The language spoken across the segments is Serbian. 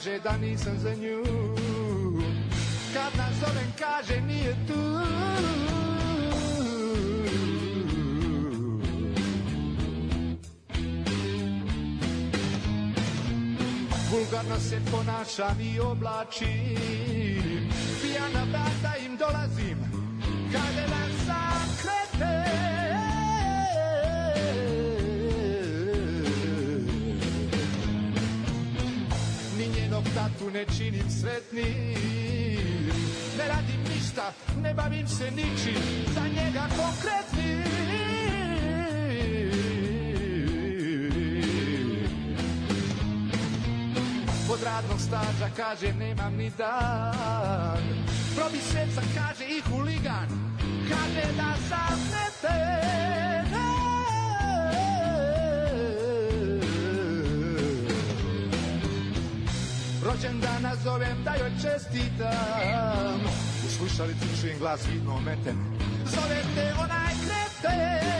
kaže da nisam za nju. Kad nazovem kaže nije tu. Vulgarno se ponašam i oblačim, pijana vrata im dolazim, kada nas zakrete. Ni njenog tatu ne činim sretnim, ne radim ništa, ne bavim se ničim, za njega konkretnim. Od radnog staža kaže nemam ni dan, probi sveca kaže i huligan, kaže da zaznete. Rođendan nazovem da joj čestitam, u slušalicu čujem glas vidno meten, zovete onaj kreten.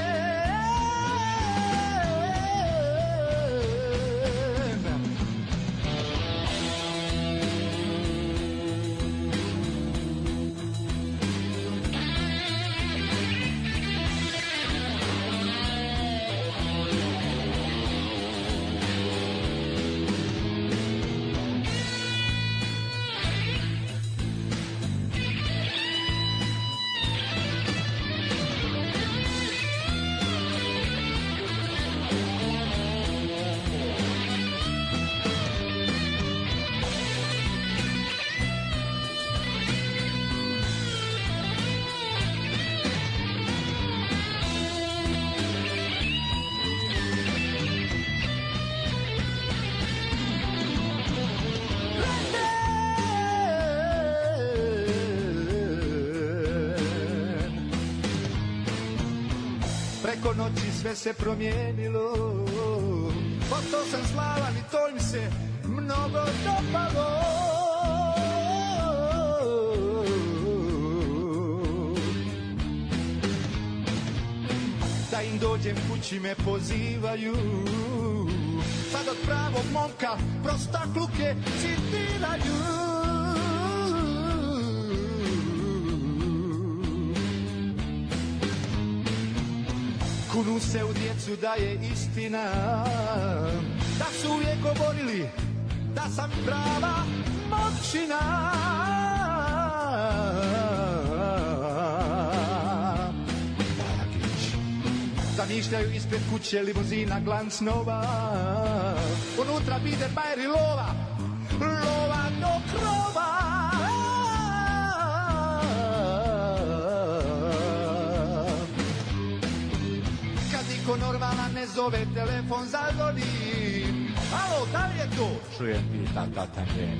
Preko noći sve se promijenilo, postao sam slavan i to im se mnogo dopalo. Da im dođem kući me pozivaju, sad od pravog momka prostakluke citiraju. Kunu se u djecu da je istina, da su uvijek govorili da sam prava moćina. Zamišljaju ispred kuće limuzina glanc nova, unutra Biedermeier i lova, lova do krova. Niko normalan ne zove, telefon zazvoni. Alo, da li je to? Čujem i ta je.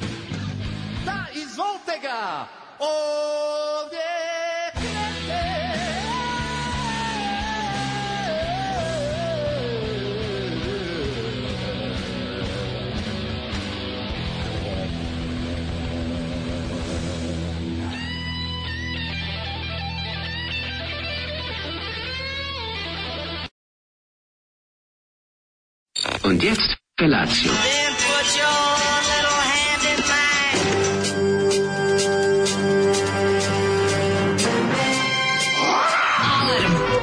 Da, izvolite ga! Ovdje krete! Und jetzt Felatio. Then put your little hand in mine.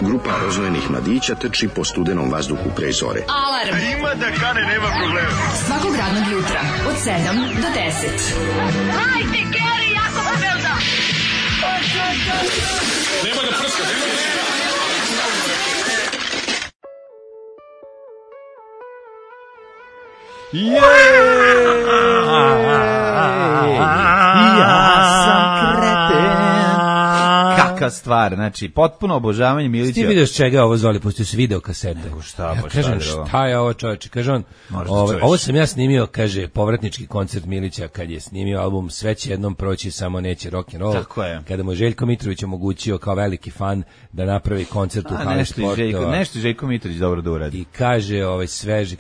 Grupa rozvojenih mladića trči po studenom vazduhu pre zore. Alarm. Ima da kane, nema problema. Svakog radnog jutra od 7 do 10. Hajde, Geri, jako se velda. Nema da prska, nema da prska. Ja sam kreten. Kaka stvar, znači potpuno obožavanje Milića. Ti vidiš čega je ovo zvali, pustio se video kasete. Šta, ja kažem, šta je ovo čoveče? Kaže on, ovo sam ja snimio, kaže, povratnički koncert Milića kad je snimio album Sve će jednom proći, samo neće rock and roll. Tako je. Kada mu Željko Mitrović omogućio kao veliki fan da napravi koncert u Hali Sportova. Nešto Željko Mitrović dobro da uradi. I kaže, sveže,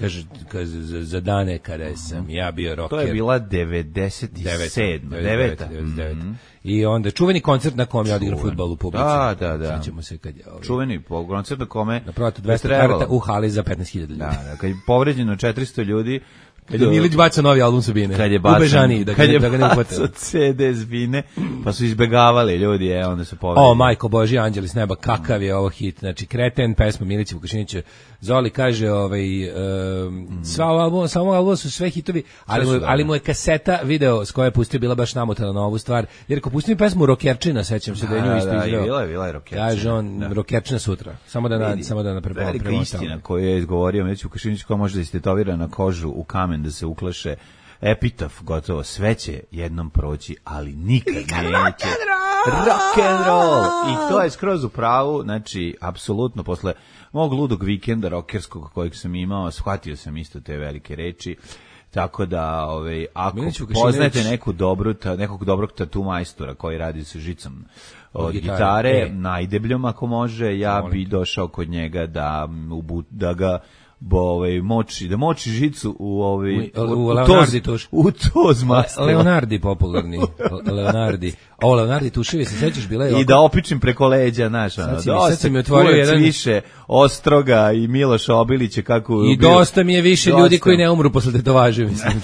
kaže za dane kada sam ja bio rocker. To je bila 97. I onda čuveni koncert na kom je odigrao fudbal u publici. Da. Sjećamo se kad je čuveni koncert na kome na prodatu 200 karata u hali za 15.000 ljudi. Da, kad je povređeno 400 ljudi, Kad je Milić bacao novi album Sabine. Kad je bacao, da ga ne uhvatilo. CD Zvine, pa su izbegavali ljudi, onda su povedali. O, majko Božji, anđeli s neba, kakav je ovo hit. Znači, Kreten, pesma Milića Vukašinića. Zoli kaže, samo album su sve hitovi, ali mu je kaseta video s koje je pustio bila baš namotana na ovu stvar. Jer ako pustim pesmu Rokerčina, sećam se da je nju isto izveo. Bila je Rokerčina. Kaže on, Rokerčina sutra. Samo da na velika istina koju je izgovorio Milić Vukašinić, koja može da istetovira na kožu u kamen da se uklaše epitaf, gotovo, sve će jednom proći, ali nikad neće. Rock and roll! I to je skroz u pravu, znači, apsolutno, posle mog ludog vikenda rokerskog kojeg sam imao, shvatio sam isto te velike reči, tako da, ako poznajete nekog dobrog tatu majstora koji radi sa žicom od gitare, najdebljom ako može, ja bi došao kod njega da ga moči žicu u Leonardi tuš. U toz maslo. Leonardi popularni. Leonardi tuševi, se sećaš, bila je i da opičim preko leđa, znaš, dosta mi otvorio jedan više Ostroga i Miloša Obilića kako i dosta mi je više ljudi koji ne umru posle tetovaže, mislim,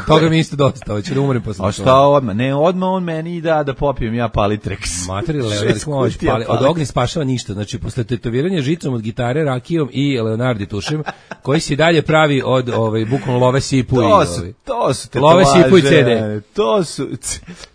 toga mi isto dosta, hoće da umrem posle. A šta odmah? Ne, odmah on meni da popijem ja Palitreks. Materi Leonardi od ognja spašava ništa, znači posle tetoviranja žicom od gitare, rakijom i Leonardi tušem, koji se dalje pravi od bukvalno love sipu to su love sipu i CD.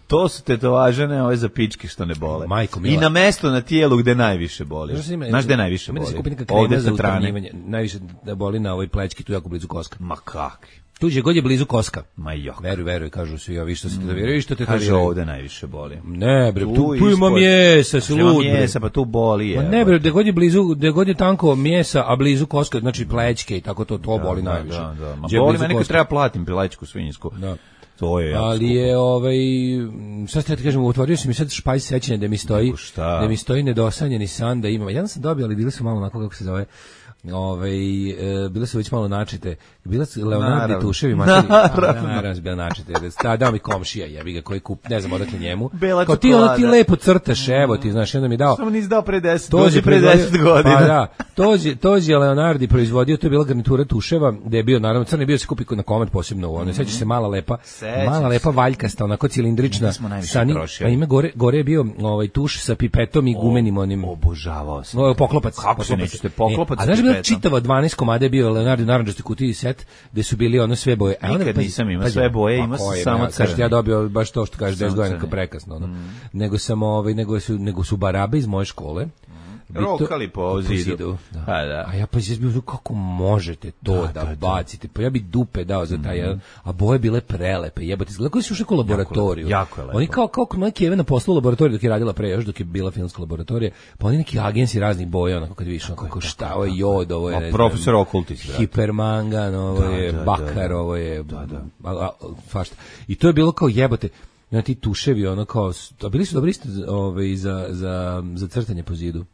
To su tetovažene ove za pičke što ne bole. Majko mila. I na mesto na tijelu gde najviše boli. Znaš gde najviše boli? Ovde sa strane. Najviše da boli na ovoj plećki, tu jako blizu koska. Ma kakvi? Tu je god je blizu koska. Ma jok. Veruj, kažu svi ovi što se tetoviraju i što tetoviraju. Kaže ovde najviše boli. Ne bre, tu ima mjesa, se lud. Mjesa, pa tu boli je. Ma ne bre, gde god je tanko mjesa, a blizu koska, znači plećke i tako to boli najviše. Da. Ma boli mene kad treba platim plećku svinjsku. Da. To je ali je šta ste da kažem, otvorio sam mi sad špajz sećanja da mi stoji nedosanjeni san da imam. Ja sam dobio, ali bili su malo onako kako se zove. Bile su već malo načite. Bila su Leonardi tuševi materi. Naravno bila načite. Dao mi komšija, jebi ga, koji ne znam odakle njemu. Kao ti lepo crtaš, evo ti, znaš, onda mi dao. Samo nisi dao pre 10, dođe pre 10 godina. Pa da, tođe je Leonardi proizvodio, to je bila garnitura tuševa, gde je bio, naravno, crni bio se kupi na komad posebno u ono. Sećaš se mala lepa valjkasta, onako cilindrična. A ime gore je bio tuš sa pipetom i gumenim onim. Obožavao sam. Poklopac. Kako se nećete poklopac? Čitava 12 komada je bio Leonardo narandžasti kutiji set gde su bili ono sve boje. Nikad nisam imao sve boje, ima samo crni. Ja dobio baš to što kaže 10 godina prekasno. Nego su barabe iz moje škole. Rokali po zidu. A ja pa je bio kako možete to da bacite. Pa ja bi dupe dao za taj, a boje bile prelepe. Jebote, izgleda koji su ušli u laboratoriju. Jako je lepo. Oni kao neki Evena posla u laboratoriju dok je radila pre, još dok je bila filmska laboratorija. Pa oni neki agensi raznih boja, onako kad vidiš, kako šta, ovo je jod, ovo je profesor okultist, hipermangan, ovo je bakar, ovo je fašta. I to je bilo kao jebote. Na ti tuševi, ono kao, a bili su dobri isto za crtanje po zidu.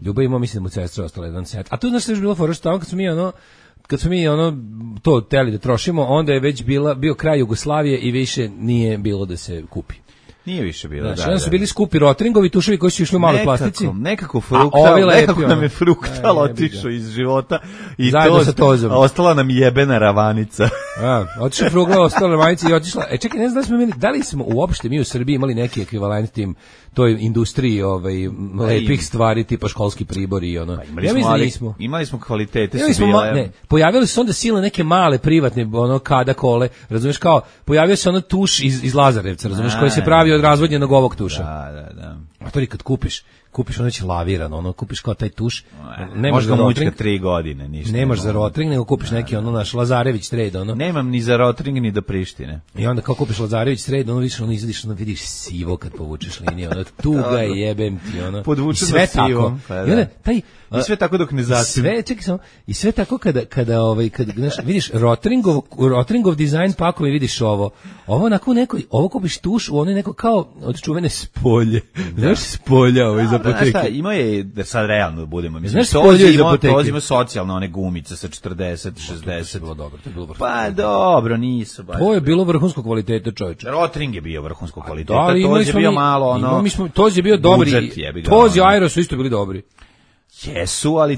Ljubav imao, mislim, mu sestra ostala jedan set. A to znaš što je bilo fora, što kad smo mi to teli da trošimo, onda je već bio kraj Jugoslavije i više nije bilo da se kupi. Nije više bilo, znači, onda su bili skupi Rotringovi tuševi koji su išli u maloj plastici. Nekako nam je fruktal otišao iz života i ostala nam jebena ravanica. Otišla frugla, ostala ravanica i otišla. Čekaj, ne znam da li smo uopšte mi u Srbiji imali neki ekvivalent tim toj industriji lepih stvari tipa školski pribori i ono. Ja mislim da nismo. Imali smo kvalitete. Pojavili su onda silne neke male privatne kada kole, razumeš, kao pojavio se ono tuš iz Lazarevca, razumeš, koji se pravi od razvodnjenog ovog tuša. Da. A to kad kupiš ono će lavirano, kupiš kao taj tuš. Nemaš ga mučka 3 godine, ništa. Nemaš za Rotring, nego kupiš neki naš Lazarević trade, Nemam ni za Rotring ni do Prištine. I onda kao kupiš Lazarević trade, izvadiš, vidiš sivo kad povučeš liniju, tuga jebem ti, podvučeš sve sivo. I onda i sve tako dok ne zasije. I sve tako kada vidiš Rotringov dizajn pakovi, vidiš ovo onako ovo kupiš tuš u onoj neko kao od čuvene spolje. Znaš spolja iz apoteke. Znaš šta, imao je, da sad realno budemo, znaš spolje iz apoteke. To ima socijalno one gumice sa 40, 60. To je bilo dobro. Pa dobro, nisu baš. To je bilo vrhunskog kvaliteta, čovječe. Rotring je bio vrhunskog kvaliteta, to je bio malo Toz je bio dobri, Toz i Aero su isto bili dobri. Jesu, ali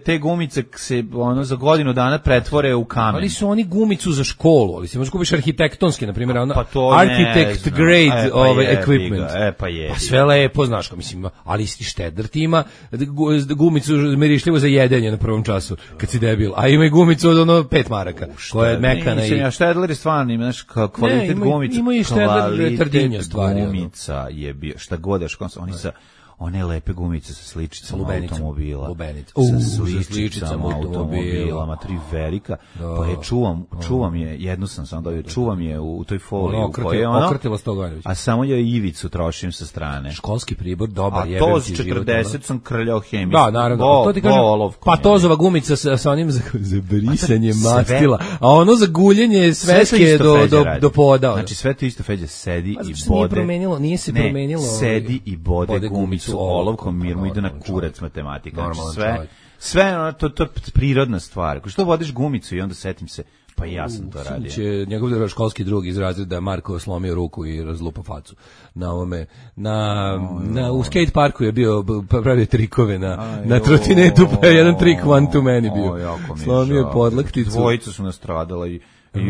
te gumice se ono za godinu dana pretvore u kamen. Ali su oni gumicu za školu, ali se možeš kupiš arhitektonski, na primjer, ona to architect grade equipment. Pa je. Pa sve lepo, znaš, mislim, ali Štedler ti ima gumicu mirišljivo za jedenje na prvom času, kad si debil, a ima i gumicu od ono 5 maraka, koja je mekana i... Ja Štedler je stvarno, ima, znaš, kvalitet gumica. Ima i Štedler trdinja stvari. Gumica je bio, šta god daš, oni sa one lepe gumice sa sličicama automobila. Sa sličicama automobila, tri velika. Pa je čuvam je, jednu sam sam dobio, čuvam je u toj foliji u kojoj je okrtilo 100 godina. A samo je ivicu trošim sa strane. Školski pribor, dobar, jebem ti život. A to s 40 sam krljao hemiju. Da, naravno. To ti kažem, Patozova gumica sa onim za brisanje mastila, a ono za guljenje sveske do poda. Znači sve to isto Feđa sedi i bode. Nije se promenilo. Sedi i bode gumicu olovkom, mir mu ide na kurac matematika. Sve to je prirodna stvar. Ako što vodiš gumicu i onda setim se, pa ja sam to radio. Će njegov školski drug iz razreda Marko slomio ruku i razlupao facu na ovome. U skate parku je bio pravio trikove na trotinetu, pa je jedan trik one to many bio. Slomio podlakticu. Dvojica su nastradala i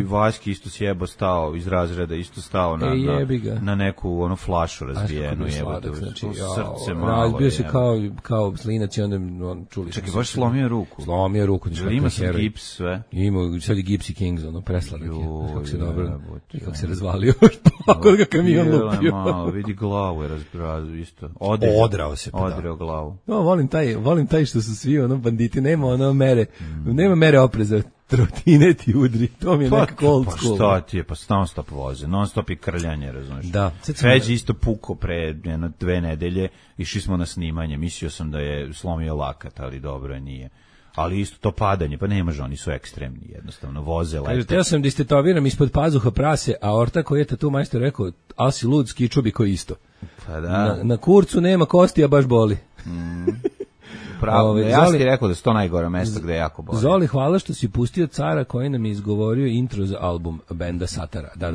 Vaski isto sjebo stao iz razreda, isto stao na neku onu flašu razbijenu. Znači, srce malo. Razbio se kao slinac i onda on čuli. Čekaj, baš slomio ruku. Slomio ruku. Ima sam gips sve. Ima, sad je Gipsy Kings, presladak je. Kako se dobro, kako se razvalio. Kako ga kamion lupio. Vidi glavu je isto. Odrao se. Odreo glavu. Volim taj što su svi banditi, nema mere opreza. Trotinet i udri, to mi je nekako old school. Pa šta ti je, pa non stop voze, non stop i krljanje, razumiješ. Da. Feđi isto puko pre 2 nedelje, išli smo na snimanje, mislio sam da je slomio lakat, ali dobro je, nije. Ali isto to padanje, pa ne može, oni su ekstremni, jednostavno, voze, lete. Teo sam da istetoviram ispod pazuha prase, a Orta koji je tatu majstor rekao, ali si lud, skičubi koji isto. Pa da. Na kurcu nema kosti, a baš boli. Pravo, ja sam ti rekao da su to najgore mjesto gde je jako boli. Zoli, hvala što si pustio Cara koji nam je izgovorio intro za album benda Satara. Da,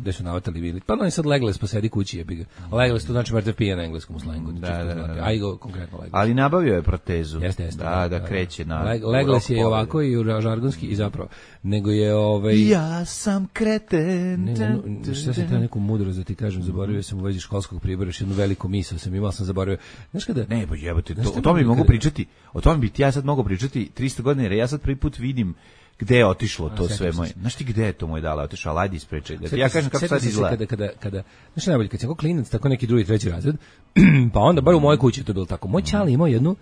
gde su navatali bili. Pa no i sad Legles pa sedi kući jebi ga. Legles to znači mrtav pije na engleskom slangu. Aj go konkretno Legles. Ali nabavio je protezu. Jeste. Da kreće na... Legles je ovako i žargonski i zapravo. Nego je Ja sam kreten. Šta sam te neku mudrost da ti kažem, zaboravio sam u vezi školskog pribora, još jednu veliku misao sam imao, sam zaboravio. Znaš kada... Ne, pa jebote, o tome bi mogu pričati, o tome bi ti ja sad mogu pričati 300 godina, jer ja sad prvi put vidim gde je otišlo to sve moje. Znaš ti gde je to moje dala otišao, ajde ispričaj. Ja kažem kako sad izgleda. Kada, znaš najbolje, kad sam kao klinac, tako neki drugi, treći razred, pa onda bar u mojoj kući to je bilo tako. Moj čali imao jednu,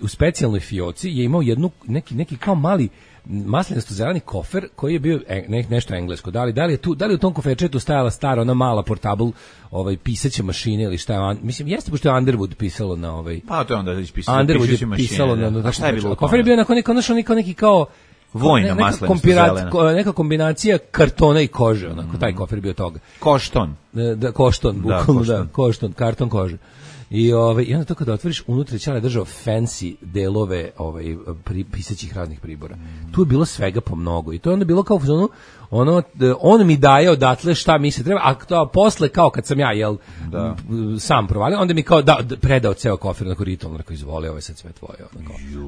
u specijalnoj fioci je imao jednu, neki kao mali maslinasto zeleni kofer koji je bio nešto englesko. Da li je u tom koferčetu stajala stara ona mala portable pisaća mašina ili šta je, mislim jeste pošto je Underwood pisalo na pa to je onda ispisalo Underwood je pisalo na šta je bilo kofer je bio neki kao vojna maslinasto zelena, neka kombinacija kartona i kože, onako taj kofer bio toga. Košton. Da, košton, bukvalno da, košton, karton kože. I onda to kada otvoriš, unutra Ćale držao fancy delove pisaćih raznih pribora. Tu je bilo svega po mnogo i to je onda bilo kao on mi daje odatle šta mi se treba, a posle kao kad sam ja sam provalio, onda mi kao predao ceo kofer na ritualno, rekao izvoli, ovo je sad sve tvoje,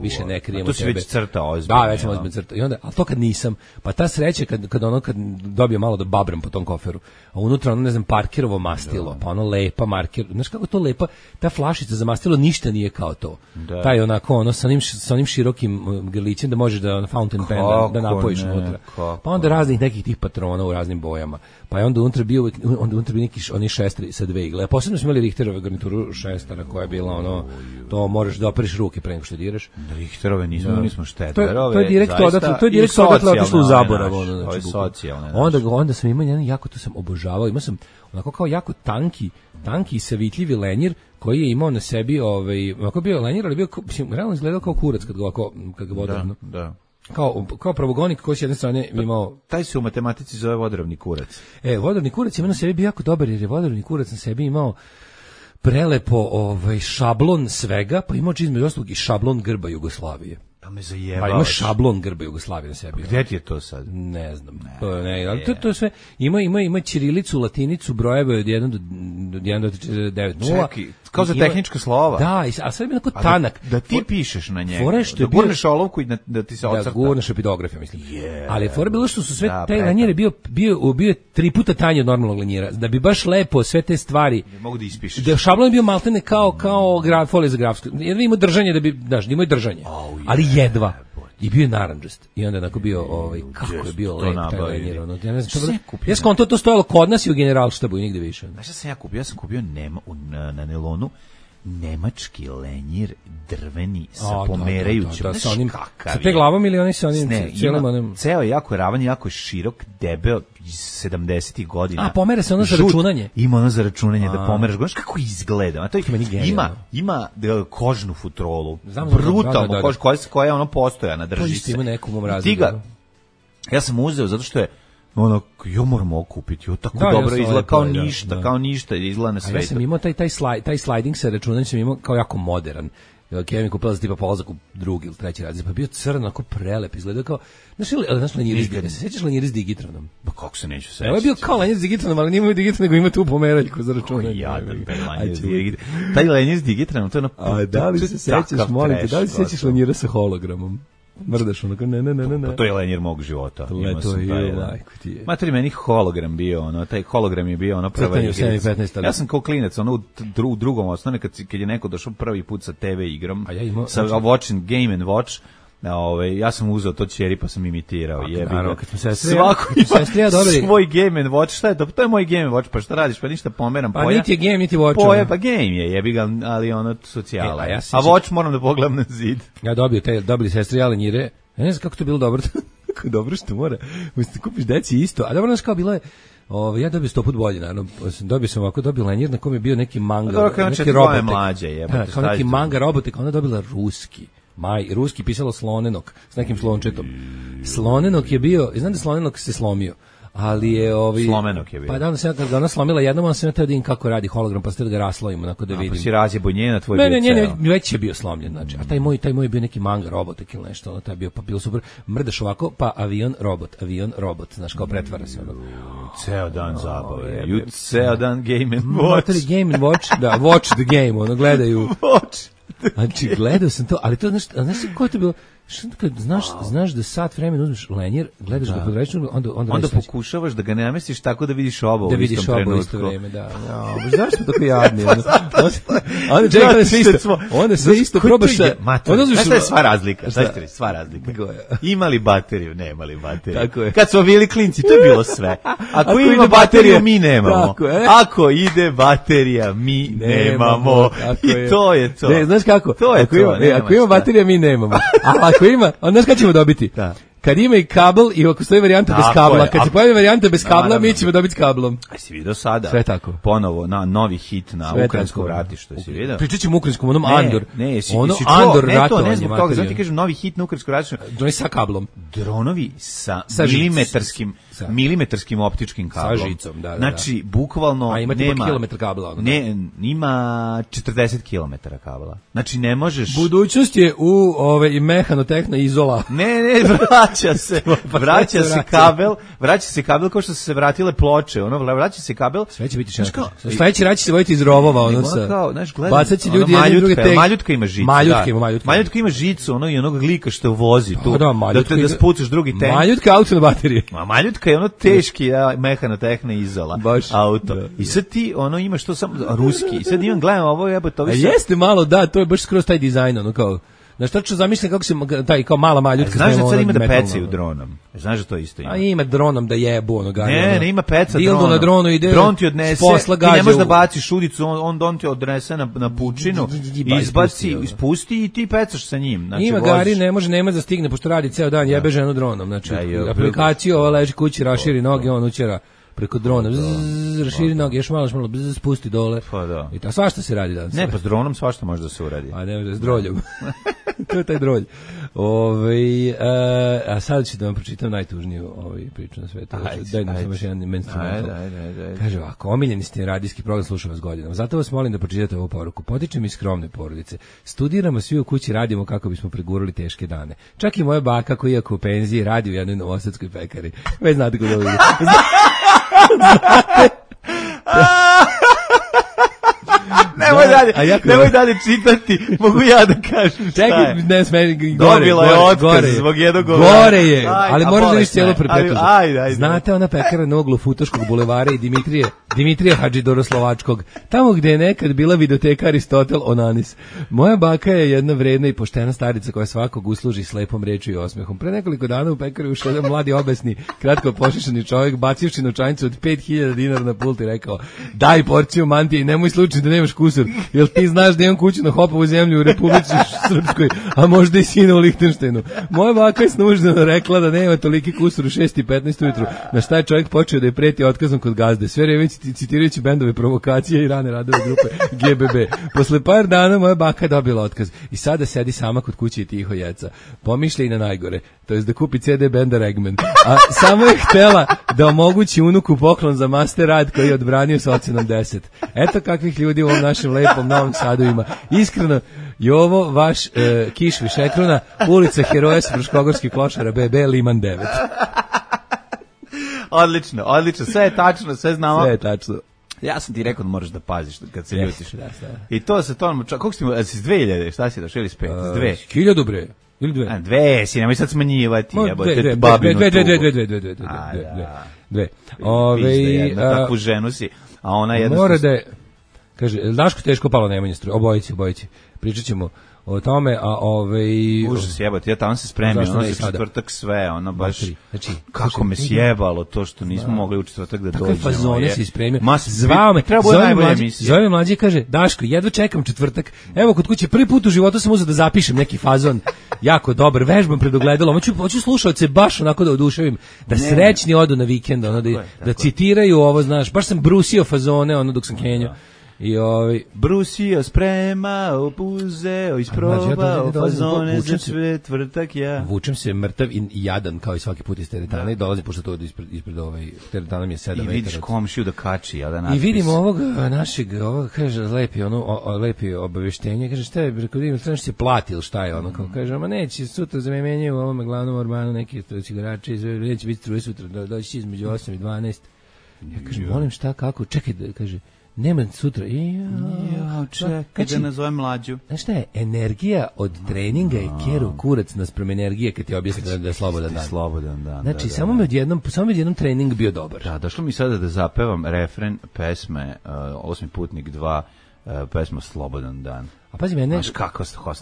više ne krijemo tebe. To si već crtao ozbiljno. Da, već sam ozbiljno crtao. I onda, ali to kad nisam, pa ta sreća kad dobio malo da babram po tom koferu, a unutra ne znam, parkirovo mastilo, pa lepa marker, znaš kako to lepa, ta flašica za mastilo ništa nije kao to. Taj onako, sa onim širokim grlićem da možeš da fountain pen da napojiš unutra. Pa onda raznih nekih tih patrona u raznim bojama. Pa je onda unutra bio neki oni šestri sa 2 igle. A posebno smo imali Richterove garnituru šestara koja je bila to možeš da operiš ruke pre nego što diraš. Richterove nismo štetlerove. To je direktno odatle otišlo u zaborav. Onda sam imao jedan jako, to sam obožavao, imao sam onako kao jako tanki savitljivi lenjir koji je imao na sebi, onako bio lenjir, ali bio, realno izgledao kao kurac kad ga vodoravno. Da. Kao pravogonik koji s jedne strane imao... Taj se u matematici zove vodoravni kurac. Vodoravni kurac ima na sebi bio jako dobar, jer je vodoravni kurac na sebi imao prelepo šablon svega, pa imao između ostalog i šablon grba Jugoslavije. Pa me zajebavaš. Pa ima šablon grba Jugoslavije na sebi. Gde ti je to sad? Ne znam. Ali to je sve. Ima ćirilicu, latinicu, brojeve od 1 do 9 0. Čekaj, Kao za tehnička slova. Da, a sve je onako tanak. Da ti pišeš na njega. Fore što je da gurneš olovku i da ti se ocrta. Da gurneš epidograf, ja mislim. Ali fore bilo što su sve taj lenjer je bio 3 puta tanji od normalnog lenjera. Da bi baš lepo sve te stvari. Ne mogu da ispišeš. Da šablon je bio maltene kao folija za grafsku. Jer ima držanje da bi, znaš, imao držanje. Ali jedva. I bio je narandžast. I onda onako bio, kako je bio lep taj lenjer. Ja ne znam, ja sam to stojalo kod nas i u Generalštabu i nigde više. Znaš šta sam ja kupio? Ja sam kupio na nelonu nemački lenjir drveni sa pomerajućom. Sa te glavom ili oni sa onim cijelim onim? Ceo je jako ravan, jako je širok, debeo iz 70-ih godina. A pomera se ono za računanje? Ima ono za računanje da pomeraš. Znaš kako izgleda? Ima kožnu futrolu. Brutalno kožnu koja je ono postojana, drži se. Ima neku mom razliku. Ja sam uzeo zato što je ono, ja moram ovo kupiti, tako dobro izgleda, kao ništa izgleda na svetu. Ja sam imao taj sliding sa računanjem, sam imao kao jako modern. Kevin kupila za tipa polazak u drugi ili treći razred, pa bio crno, ako prelep izgleda kao, znaš lenjir se sećaš lenjir s Digitronom? Pa kako se neću sećati? Ovo je bio kao lenjir s Digitronom, ali nije imao Digitron, nego ima tu pomeraljku za računanje. Taj lenjir s Digitronom, to je ono... A da li se sećaš, molim te, da li se sećaš lenjira sa hologramom? Mrdaš onako, ne. Pa to je lenjir mog života. To je lajko ti je. Materi, meni hologram bio, taj hologram je bio prva igrica. Ja sam kao klinac, u drugom osnovne, kad je neko došao prvi put sa TV igrom, sa Watching Game and Watch, ja sam uzeo to ćeri pa sam imitirao. Svako ima svoj Game and Watch. Šta je to? To je moj Game and Watch, pa šta radiš? Pa ništa pomeram. Pa niti je Game, niti Watch. Poja, pa Game je, jebi ga, ali ono socijala. A Watch moram da pogledam na zid. Ja dobili sestri lenjire. Ja ne znam kako to bilo dobro. Kako dobro što mora. Možete kupiš deci isto. A dobro, znaš kao bilo je, ja dobio 100 put bolje, naravno. Dobio sam lenjir na kom je bio neki manga, neki robotek. Kao neki manga robotek, ona dobila ruski. Ruski pisalo Slonenok s nekim slončetom. Slonenok je bio, znam da Slonenok se slomio, ali je Slomenok je bio. Pa da, kad ga ona slomila jednom, on se teo da vidim kako radi hologram, pa ste da ga raslovimo, onako da vidim. Pa si razjebo njena, tvoj bio ceo. Ne, već je bio slomljen, znači. A taj moj je bio neki manga robotek ili nešto, ono, taj je bio, pa bilo super. Mrdaš ovako, pa avion, robot, znaš, kao pretvara se ono. Ceo dan zabave, ceo dan Game and Watch. Game and Watch, da, watch the game, ono, gledaju. Watch. Znači, gledao sam to, ali to, znaš ko je to bilo? Kad znaš da sat vremena uzmeš lenjer, gledaš ga pod rečnom, onda pokušavaš da ga namestiš tako da vidiš oba u istom trenutku. Da vidiš oba u isto vreme, da. Znaš što tako jadni? Onda čekaj sve isto. Onda sve isto probaš da... Znaš šta je sva razlika? Sva razlika. Imali bateriju, nemali bateriju. Kad smo bili klinci, to je bilo sve. Ako ima bateriju, mi nemamo. Ako ide baterija, mi nemamo. I to je to. Znaš kako? Ako ima baterija, mi nemamo. Ako ima, onda znaš kada ćemo dobiti? Da. Kad ima i kabel i ako stoji varijanta bez kabla, kad se pojavi varijanta bez kabla, mi ćemo dobiti s kablom. A si vidio sada? Sve tako. Ponovo, novi hit na ukrajinsko vratište, si vidio? Pričat ćemo ukrajinskom, onom Andor. Ono Andor ratovanje. Ne zbog toga, znam ti kažem, novi hit na ukrajinsko vratište. Dronovi sa kablom. Dronovi sa milimetarskim optičkim kablom. Sa žicom, da. Znači, bukvalno nema... A ima tipa kilometar kabla. Ne, ima 40 kilometara kabla. Znači, ne možeš... Budućnost je u mehanotehna izola. Ne, vraća se kabel kao što su se vratile ploče, vraća se kabel. Sve će biti šeško. Sledeći rad će se voditi iz rovova, bacat će ljudi jedni druge tek. Maljutka ima žicu. Maljutka ima žicu, i onog lika što vozi tu. Da spucaš drugi tank. Maljutka auto na baterije. Maljutka je teški mehanotehna izola auto. I sad ti imaš to samo ruski. I sad imam gledam ovo jebote. A jeste malo, da, to je baš skroz taj dizajn, kao. Znaš, tačno zamišljam kako se taj kao mala maljutka. Znaš da sad ima da pecaju dronom? Znaš da to isto ima? A ima dronom da jebu onoga. Ne, ima peca dronom. Dildo na dronu ide. Dron ti odnese, ti ne možeš da baciš udicu, on ti odnese na pučinu, izbaci, ispusti i ti pecaš sa njim. Znači, ima gari, nema da stigne, pošto radi ceo dan, jebe ženu dronom. Znači, aplikaciju, ova leži kući, raširi noge, on učera preko drona, raširi noge, još malo, spusti dole. Pa da. I svašta se radi danas. Ne, pa s dronom svašta može da se uradi. A ne, s droljom. To je taj drolj. A sad ću da vam pročitam najtužniju priču na svetu. Daj nam samo još jedan menstrumental. Kaže ovako, omiljeni ste radijski program, slušam vas godinama. Zato vas molim da pročitate ovu poruku. Potičem iz skromne porodice. Studiramo svi u kući, radimo kako bismo pregurali teške dane. Čak i moja baka koja iako u penziji radi u jednoj novosadskoj pekari. Već znate kod ovo ide. nemoj dalje čitati, mogu ja da kažem šta je. Čekaj, ne smeni, Dobila je otkaz zbog jednog gore je, ali moraš da viš cijelu prepetu. Ajde. Znate ona pekara na uglu Futoškog bulevara i Dimitrija Hadžidoroslovačkog, tamo gde je nekad bila videoteka Aristotel Onanis. Moja baka je jedna vredna i poštena starica koja svakog usluži s lepom rečju i osmehom. Pre nekoliko dana u pekari ušao jedan mladi obesni, kratko pošišani čovjek, bacivši novčanicu od 5000 dinara na pult i rekao: daj porciju mantije i nemoj slučajno da nemaš kusur, jer ti znaš da imam kuću na Hopovu zemlju u Republici Srpskoj, a možda i sina u Lihtenštajnu. Moja baka je snuždeno rekla da nema toliki kusur u 6:15 ujutru, na šta je čovjek počeo da je preti otkazom kod gazde, sve vreme citirajući bendove provokacije i rane radove grupe GBB. Posle par dana moja baka dobila otkaz i sada sedi sama kod kuće i tiho jeca. Pomišlja i na najgore, to jest da kupi CD benda Regman, a samo je htela da omogući unuku poklon za master rad koji je odbranio s ocenom 10. Eto kakvih ljudi u ovom našem lepom Novom Sadu ima. Iskreno, Jovo, vaš Kiš Višekrona, ulica Heroja s Fruškogorskih klošara, BB, Liman 9. Odlično, sve je tačno, sve znamo. Sve je tačno. Ja sam ti rekao da moraš da paziš kad se ljutiš. I to se to, koliko si mu, si 2000, šta si došao ili s 5? 1000 bre. Ili 2? 2 si, nemoj sad smanjivati. Dve. Takvu ženu si, a ona jedna... Mora da je, kaže, Daško teško palo Nemanja struje, obojici. Pričat ćemo o tome, a užas jebati, ja tamo se spremio, ono za četvrtak sve, ono baš, znači, kako me sjebalo to što nismo mogli u četvrtak da dođemo. Takve fazone si spremio. Zvao me mlađi i kaže: Daško, jedva čekam četvrtak, evo kod kuće, prvi put u životu sam uzeo da zapišem neki fazon, jako dobar, vežbam pred ogledalom, hoću slušaoce baš onako da oduševim, da srećni odu na vikend, ono, da citiraju ovo, znaš, baš sam brusio fazone, ono, dok sam kenjao. I brusio, spremao, uzeo, isprobao fazone za četvrtak, ja. Vučem se mrtav i jadan kao i svaki put iz teretana i dolazi, pošto to ispred teretana mi je 7 metara. I vidiš komšiju da kači, ja da natpis. I vidimo ovog našeg, kaže, lepi obaveštenje, kaže, šta je, rekao, vidim, trebaš se plati ili šta je, ono, kao kaže, ma neće, sutra za me menjaju u ovome glavnom orbanu neki cigarače, neće biti struje sutra, doći između 8 i 12. Ja kažem, molim šta, kako, čekaj, kaže, nema sutra. Čekaj da nazovem mlađu. Znaš šta je? Energija od treninga je keru kurac naspram energije kad ti objasni da je slobodan dan. Slobodan dan. Znači, samo mi odjednom trening bio dobar. Da, došlo mi sada da zapevam refren pesme Osmi putnik 2, pesma Slobodan dan. A pazi mene,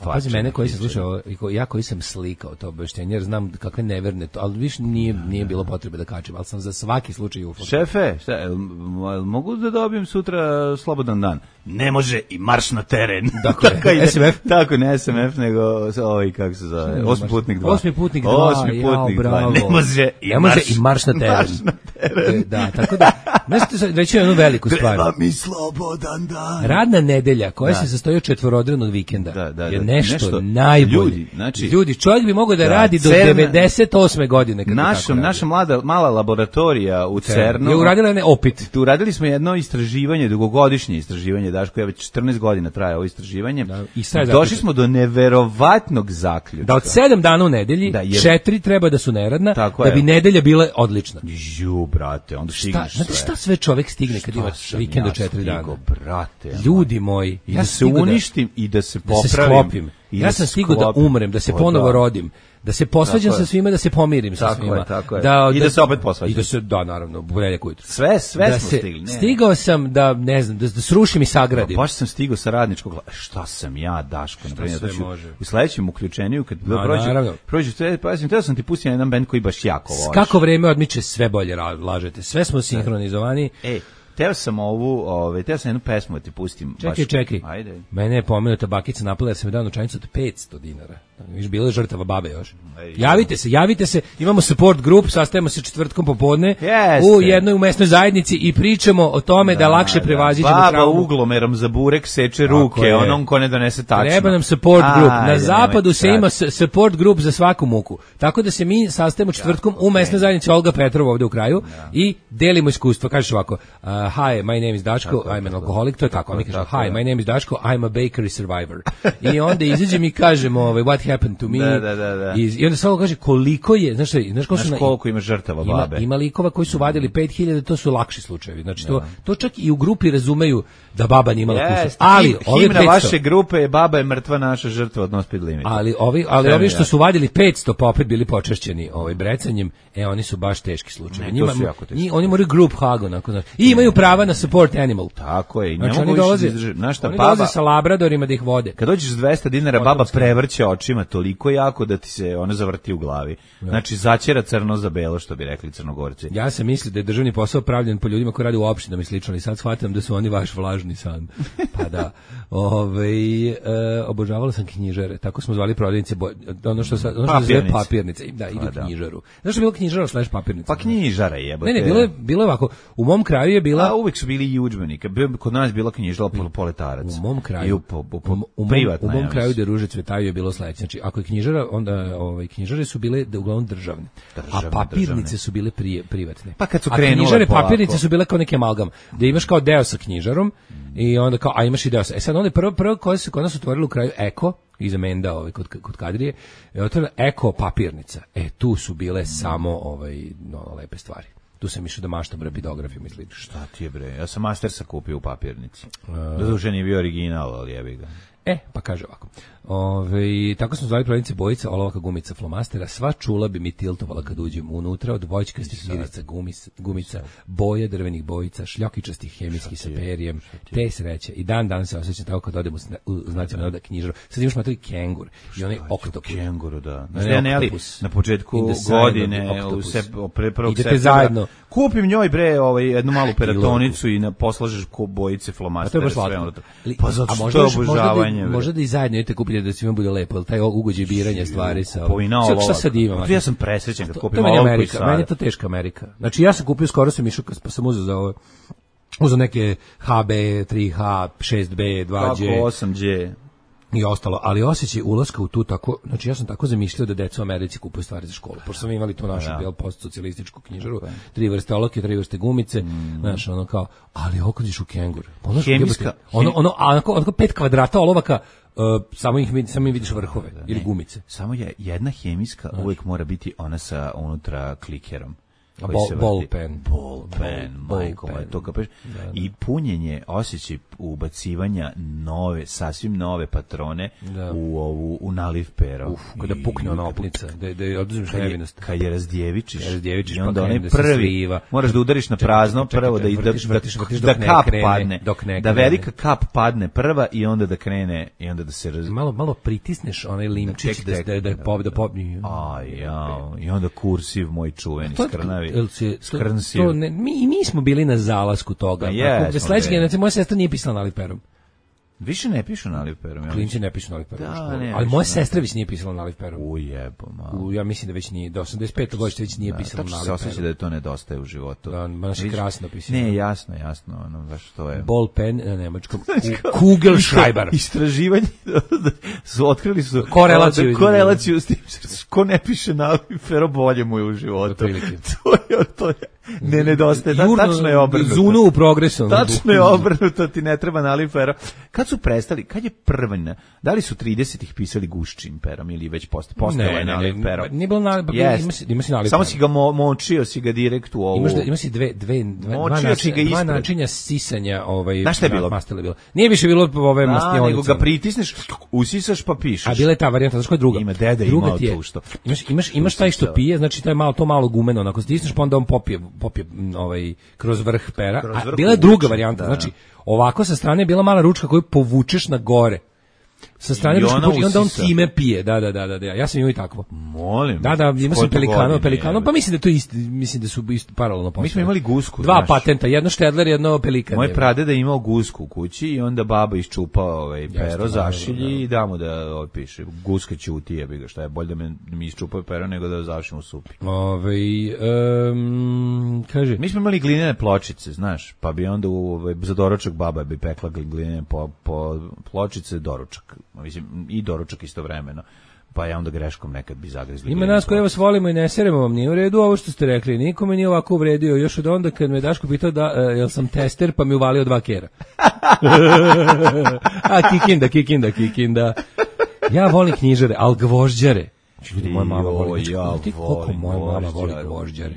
pazi mene koji sam slušao, ja koji sam slikao to obaveštenje, jer znam kakve neverne to, ali više nije bilo potrebe da kačem, ali sam za svaki slučaj ufo. Šefe, mogu da dobijem sutra slobodan dan? Ne može i marš na teren. Dakle, SMF? Tako, ne SMF, nego kako se zove, Osmi putnik 2. Osmi putnik 2, ne može i marš na teren. Da, tako da, znači, reći jednu veliku stvar. Treba mi slobodan dan. Radna nedelja, koja se sastoji od četvorodnevnog vikenda, je nešto najbolje. Ljudi, čovjek bi mogao da radi do 98. godine. Naša mala laboratorija u CERN-u je uradila opet. Tu uradili smo jedno istraživanje, dugogodišnje istraživanje, Daško, ja već 14 godina traje ovo istraživanje. Došli smo do neverovatnog zaključka. Da od 7 dana u nedelji, 4 treba da su neradna, da bi nedelja bila odlična. Brate, onda stigneš sve. Znate šta sve čovjek stigne kad ima vikend od 4 dana? Brate, ljudi moji, i da se uništim i da se popravim. Da se sklopim. Ja sam stigao da umrem, da se ponovo rodim, da se posvađam sa svima, da se pomirim sa svima. Tako je. I da se opet posvađam. I da se, naravno, Bureljak ujutru. Sve smo stigli. Stigao sam da, ne znam, da srušim i sagradim. Baš sam stigao sa radničkog, šta sam ja, Daško, u sledećem uključenju, kad prođe, teo sam ti pustiti na jedan band koji baš jako voliš. Kako vreme odmiče, sve bolje lažete. Sve smo sinhronizovani. Teo sam jednu pesmu da ti pustim. Čekaj. Ajde. Mene je pomenuta bakica napala jer sam je dao novčanicu od 500 dinara. Viš, bila je žrtava babe još. Javite se, imamo support grup, sastajemo se četvrtkom popodne u jednoj mesnoj zajednici i pričamo o tome da lakše prevaziđemo traumu. Baba uglomerom za burek seče ruke, onom ko ne donese tačno. Treba nam support grup. Na zapadu se ima support grup za svaku muku. Tako da se mi sastajemo četvrtkom u mesnoj zajednici Olga Petrova ovde u kraju i delimo iskustva. Kažeš ovako, hi, my name is Daško, I'm an alcoholic, to je tako, mi kažemo, hi, my name is Daško, I'm a bakery survivor. I onda izađem i kažem, what happened to me, i onda samo kaže koliko je, znaš koliko ima žrtava babe. Ima likova koji su vadili 5000, to su lakši slučajevi, znači to čak i u grupi razumeju da baba nije imala kuću. Ali himna vaše grupe je baba je mrtva, naša žrtva od No Speed Limit. Ali ovi što su vadili 500 pa opet bili počašćeni brecanjem, oni su baš teški slučajevi. Oni moraju group hug onako, znači. I imaju prava na support animal. Tako je, i znači, ne mogu više oni dolaze sa labradorima da ih vode. Kad dođeš s 200 dinara, baba prevrće očima toliko jako da ti se ona zavrti u glavi. Znači, začera crno za belo, što bi rekli Crnogorci. Ja sam mislio da je državni posao pravljen po ljudima koji rade u opštinama i slično, ali sad shvatam da su oni vaš vlažni san. Pa da, obožavala sam knjižare, tako smo zvali prodavnice, ono što se zove papirnice. Da, idu knjižaru. Znaš što je bilo knjižara / papirnica? Pa knjižara jebote. Ne, bilo je ovako. U mom kraju je bila... A uvek su bili i udžbenik. Kod nas je bila knjižara Poletarac. U mom kraju. U mom kraju gde ruže cvetaju je bilo sledeće. Znači, ako je knjižara, onda knjižare su bile uglavnom državne. A papirnice su bile privatne. Pa kad su krenule knjižare, papirnice su bile kao neki amalgam. Da imaš kao deo sa knjižarom i onda kao, a imaš i deo sa... sad onda prvo koje se kod nas otvorilo u kraju Eko, iza Menda kod Kadrije, je otvorila Eko papirnica. Tu su bile samo lepe stvari. Tu sam išao da maštam rapidografijom i slično. Šta ti je bre? Ja sam Mastersa kupio u papirnici. Doduše nije bio original, ali jebi ga. Pa kaže ovako. Tako smo zvali prodavnice bojica, olovaka, gumica, flomastera. Sva čula bi mi tiltovala kad uđem unutra, od vojčkastih irica, gumica, boja, drvenih bojica, šljokičastih hemijskih sa perijem, te sreće. I dan se osjećam tako kad odem u nacionalnu knjižaru. Sad imaš materi kengur i onaj oktopus. Kenguru, da. Na početku godine, pre 1. Idete zajedno. Kupim njoj bre jednu malu peratonicu i poslažeš bojice, flomastera, sve unutra. Pa zato što je obožavanje. Možda da i zajedno idete kupiti da svima bude lepo, ali taj ugođaj biranja stvari sa... Šta sad imam? Ja sam presrećen kad kupim olovku i sada. Meni je to teška Amerika. Znači ja sam kupio, skoro sam išao, pa sam uzeo za ovo, uzeo neke HB, 3H, 6B, 2G. Kako 8G? I ostalo, ali osjećaj ulaska u tu tako, znači ja sam tako zamišljao da deca u Americi kupuju stvari za školu, pošto smo imali tu našu postsocijalističku knjižaru, 3 vrste olovke, 3 vrste gumice, znaš, ono kao, ali okodiš u kengur. Hemijska. Ono 5 kvadrata olovaka, samo im vidiš vrhove ili gumice. Samo je jedna hemijska, uvijek mora biti ona sa unutra klikerom. Ball pen, majko, to kapeš. I punjenje, osjećaj ubacivanja sasvim nove patrone u naliv pero. Kada pukne ona opnica, da oduzmeš nevinost. Kad je razdjevičiš i onda onaj prvi, moraš da udariš na prazno prvo da kap padne, da velika kap padne prva i onda da krene i onda da se malo pritisneš onaj limčić da pobni. I onda kursiv moj čuveni skrnavi. Mi smo bili na zalasku toga. Sledeće generacije, moja sestra nije pisala naliv perom. Više ne pišu naliv perom. Klinci ne pišu naliv perom. Ali moja sestra već nije pisala naliv perom. Ja mislim da već nije, do 85. godište već nije pisala naliv perom. Tačno se osjeća da to nedostaje u životu. Baš je krasno pisano. Ne, jasno, baš to je. Ball pen na nemačkom. Kugelschreiber. Istraživanje otkrili su korelaciju s tim. Ko ne piše naliv perom, bolje mu je u životu. To je. Ne nedostaje, tačno je obrnuto. Zunu u progresu. Tačno je obrnuto, ti ne treba naliv perom. Kad su prestali, kad je prvna, da li su 30-ih pisali guščim perom ili već postala je naliv perom? Nije bilo naliv, ima si naliv. Samo si ga močio, si ga direkt u ovu. Ima si dva načinja sisanja. Znaš šta je bilo? Nije više bilo ove mastionice. Nego ga pritisneš, usisaš pa pišeš. A bila je ta varijanta, znaš koja je druga? Ima deda imao tu što. Imaš taj što pije, znači to malo gumeno, onako stisneš pa onda on popije kroz vrh pera. A bila je druga varijanta, znači ovako sa strane je bila mala ručka koju povučeš na gore. Sa strane ručka i onda on time pije. Da. Ja sam imao i takvo. Molim. Da, ima sam pelikano, pa mislim da to isto, mislim da su isto paralelno postojali. Mi smo imali gusku. Dva patenta, jedno štedler, jedno pelikan. Moj pradeda je imao gusku u kući i onda baba iščupa pero, zašilji i damo da piše. Guska ćuti, jebi ga, šta je bolje da mi iščupaju pero nego da završim u supi. Kaže. Mi smo imali glinene pločice, znaš, pa bi onda za doručak baba bi pekla glinene pločice, doručak. mislim, i doručak istovremeno. Pa je onda greškom nekad bi zagrizli. Ima nas koji vas volimo i ne seremo vam, nije u redu ovo što ste rekli, nikome nije ovako uvredio, još od onda kad me Daško pitao da jel sam tester, pa mi uvalio 2 kera. A kikinda. Ja volim knjižare, al gvožđare. Ljudi, moja mama voli. Koliko moja mama voli gvožđare.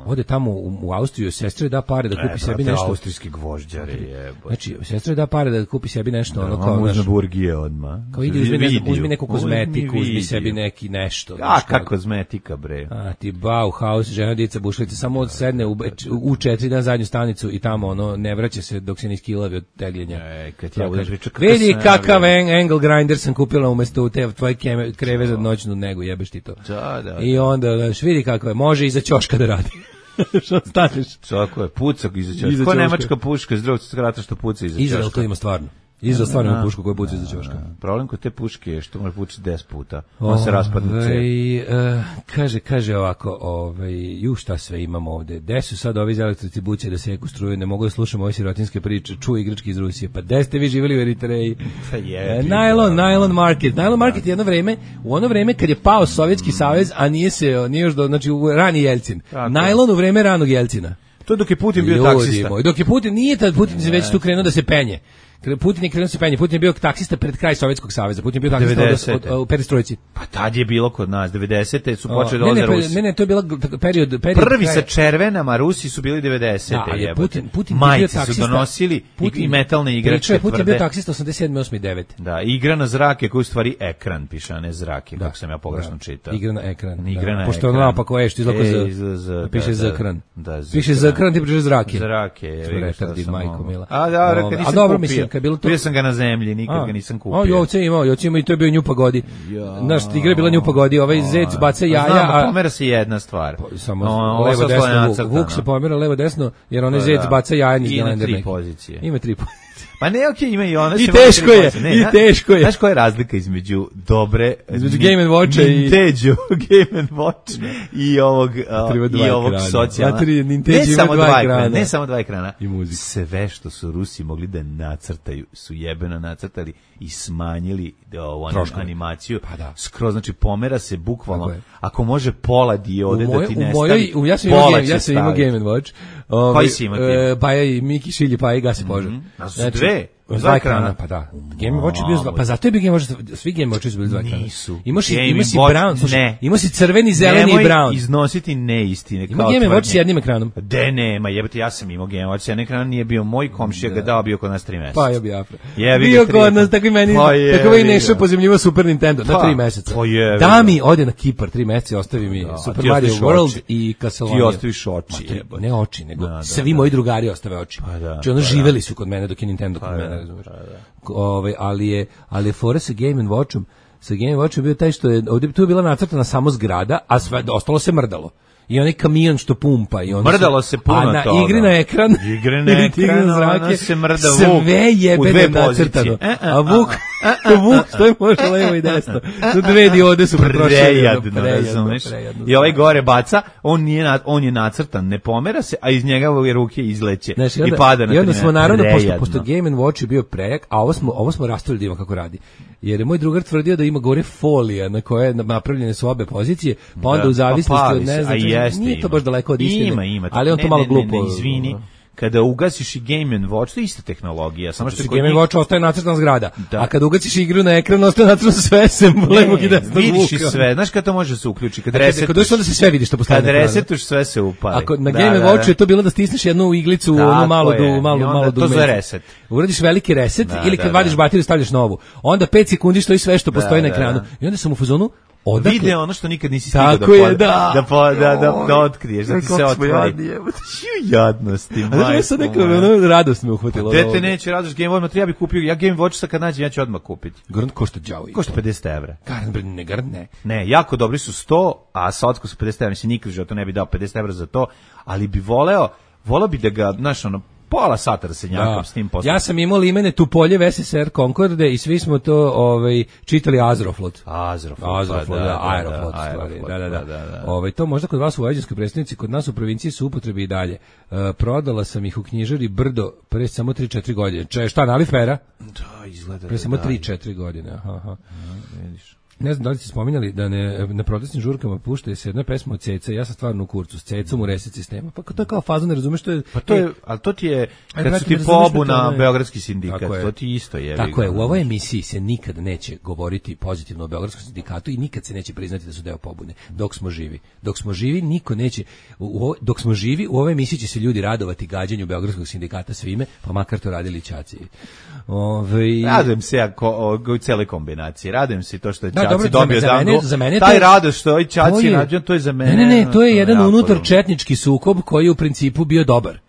Ode tamo u Austriju, sestre da pare da kupi sebi nešto. Austrijski gvožđare je. Znači, sestre da pare da kupi sebi nešto, ono kao naš burgije odmah. Kao uzmi neku kozmetiku, uzmi sebi neki nešto. A kako kozmetika, bre. A ti Bauhaus, žena dica bušlice, samo sedne u 4 dana zadnju stanicu i tamo ono ne vraća se dok se ne iskilavi od tegljenja. Kad ja budem pričao, vidi kakav angle grinder sam kupila umesto te tvoje kreve za noćnu negu, jebeš ti to. Da. I onda, znaš, vidi kako je, može iza ćoška da radi. Što staneš? Tako je, pucak iza ćoška. Ko nemačka puška iz Drugog svjetskog rata što puca iza ćoška? Izrael to ima stvarno. Izrael stvarno ima pušku koja puca iza ćoška. Problem kod te puške je što može pucati 10 puta. On se raspadne cep. Kaže ovako, šta sve imamo ovde. Gde su sad ovi iz elektrocibuće da seku struju, ne mogu da slušamo ove sirotinske priče, čuj igrački iz Rusije. Pa gde ste vi živjeli u Eritreji? Nylon Market. Nylon Market je u ono vreme kad je pao Sovjetski savez, a nije još znači u rani Jelcin. Nylon u vreme ranog Jelcina. To dok je Putin bio taksista. Dok je Putin, nije tad Putin se već tu krenuo da se penje. Putin je krenuo se penje. Putin je bio taksista pred kraj Sovjetskog saveza. Putin je bio taksista u perestrojci. Pa tad je bilo kod nas 90-te su počeli dolaze Rusi. Ne, to je bila period prvi sa červenama, Rusi su bili 90-te. Da, Putin majci su donosili i metalne igračke. Putin je bio taksista 87, 8 i 9. Da, igra na zrake koji u stvari ekran piše, a ne zrake, kako sam ja pogrešno čitao. Igra na ekran. Pošto ono naopako je što izlako piše za ekran. Piše za ekran, ti piše zrake. Zrake je. Majko mila. A dobro, mislim, bio sam ga na zemlji, nikad ga nisam kupio. Jovce imao i to je bio Nju Pagodi. Znaš, igra je bila Nju Pagodi, ovaj zec baca jaja. Znam, pomera se jedna stvar. Samo levo desno, Vuk se pomera levo desno, jer onaj zec baca jaja. Ima 3 pozicije. Ima 3 pozicije. Pa ne, okej, ima i ona. I teško je. Znaš koja je razlika između dobre... Između Game & Watcha i... Ninteđu, Game & Watch i ovog socijalna. Ne samo 2 ekrana. I muzika. Sve što su Rusi mogli da nacrtaju, su jebeno nacrtali i smanjili animaciju. Pa da. Skroz, znači pomera se bukvalno. Ako može pola diode da ti nestavi, ja sam imao Game & Watch. Koji si imao? Paja i Miki šilji, Paja i gasi požar. Znači, 2 ekrana, pa da. Game & Watch je bio, pa zato je bio Game & Watch, svi Game & Watch su bili 2 ekrana. Nisu. Ima si brown, slušaj, ima si crveni, zeleni i brown. Nemoj iznositi neistine. Ima Game & Watch s jednim ekranom. De nema, jebate, ja sam imao Game & Watch s jednim ekranom, nije bio moj komšija ga dao, bio kod nas 3 meseca. Pa je bio Afra. Bio kod nas, tako i meni, tako i Nešo pozemljivo Super Nintendo, na 3 meseca. Da mi ode na Kipar 3 meseca, ostavi mi Super Mario World i Castlevania. Ti ostaviš oči. Ne oči, nego svi moji drugari ostave oči. Znači ono živeli su kod mene dok je Nintendo kod mene, razumiješ. Ali je fora sa Game & Watchom. Sa Game & Watchom bio taj što je ovdje tu je bila nacrtana samo zgrada, a sve ostalo se mrdalo. I onaj kamion što pumpa i mrdalo se puno toga. A na igri na ekran, ona se mrda Vuk sve jebeno nacrtano. A Vuk što je može levo i desno. Su 2 diode su prejadno, razumeš? I ovaj gore baca, on je nacrtan, ne pomera se, a iz njega ove ruke izleće i pada na. I onda smo naravno, pošto Game & Watch je bio prejak, a ovo smo raspravili da ima kako radi. Jer je moj drugar tvrdio da ima gore folija na koje napravljene su obe pozicije, pa onda u zavisnosti od ne znam, nije to baš daleko od istine. Ima. Ali on to malo glupo. Izvini. Kada ugasiš i Game & Watch, to je ista tehnologija. Samo što Game & Watch ostaje nacrtana zgrada, a kada ugaciš igru na ekran, ostaje nacrtano sve sem levog i desnog Vuka. Vidiš i sve, znaš kada to može se uključi? Kad dođeš onda se sve vidi što postoji. Kad resetuš, sve se upali. Ako na Game & Watchu je to bilo da stisneš jednu iglicu, ono malo to za reset. Uradiš veliki reset ili kad vadiš bateriju stavljaš novu. Onda 5 sekundi stoji sve što postoji na ekranu. I onda sam u fazonu vide ono što nikad nisi stigao da otkriješ, da ti se otvori. Jadnosti, majko. A sad neka radost me uhvatila. Dete neće radost Game Watch, ja bih kupio, ja Game Watch sad kad nađem, ja ću odmah kupiti. Garant košta đavo. Košta 50 evra. Garant ne. Ne, jako dobri su 100, a sa otkusom 50 evra, mislim nikad to ne bi dao 50 evra za to, ali bi voleo bi da ga, znaš, ono, pola sata da se njakam s tim poslom. Ja sam imao limene Tupoljev SSR Concorde i svi smo to čitali Azroflot. Aeroflot, stvari. Da. To možda kod vas u vojvođanskoj predstavnici, kod nas u provinciji su upotrebi i dalje. Prodala sam ih u knjižari Brdo pre samo 3-4 godine. Šta, Nalifera? Da, izgleda. Pre samo 3-4 godine. Aha. Vidiš. Ne znam da li ste spominjali da na protestnim žurkama puštaju se jedna pesma od Ceca, ja sam stvarno u kurcu s Cecom u reset sistema. Pa to je kao faza, ne razumeš što je... Pa to je, ali to ti je, kad su ti pobu na Beogradski sindikat, to ti isto je. Tako je, u ovoj emisiji se nikad neće govoriti pozitivno o Beogradskom sindikatu i nikad se neće priznati da su deo pobune, dok smo živi. Dok smo živi, niko neće... Dok smo živi, u ovoj emisiji će se ljudi radovati gađanju Beogradskog sindikata svime, pa makar to radili ćaci. Radujem se ja u celoj kombinaciji. Radujem se to što je Ćaci dobro, dobio Danglu. Taj radost što je Ćaci rađen, to je za mene. Ne, to je jedan unutar četnički sukob koji je u principu bio dobar.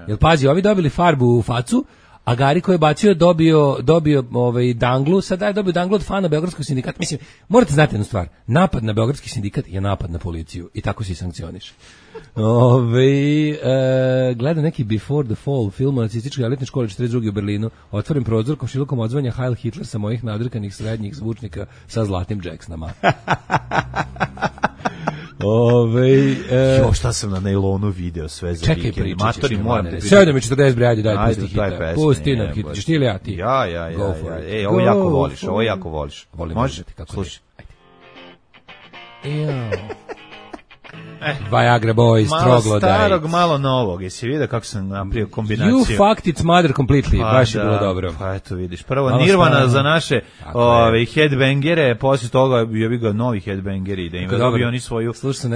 Jer pazi, ovi dobili farbu u facu, a Gari koji je bacio dobio Danglu, sad je dobio Danglu od fana Beogradskog sindikata. Mislim, morate znati jednu stvar, napad na Beogradski sindikat je napad na policiju i tako se i sankcioniše. Gledam neki Before the Fall film o nacističkoj elitnoj školi 42. u Berlinu. Otvoren prozor, komšilukom odzvanja Heil Hitler sa mojih nadrkanih srednjih zvučnika sa zlatnim Jacksonama. Šta sam na nailonu video sve za vikend. Čekaj, pričat ćeš. 7:40 bre, ajde, daj, pusti Hitler. Pusti nam Hitler. Ćeš ti ili ja ti? Ja. Ovo jako voliš. Može? Slušaj. Viagra Boys, Troglodyte. Malo starog, malo novog. Jesi vidio kako sam napravio kombinaciju? You fucked its mother completely. Baš je bilo dobro. Pa eto vidiš. Prvo malo Nirvana za naše headbangere, posle toga je ga novi headbangeri, da im dobio oni svoju... Slušam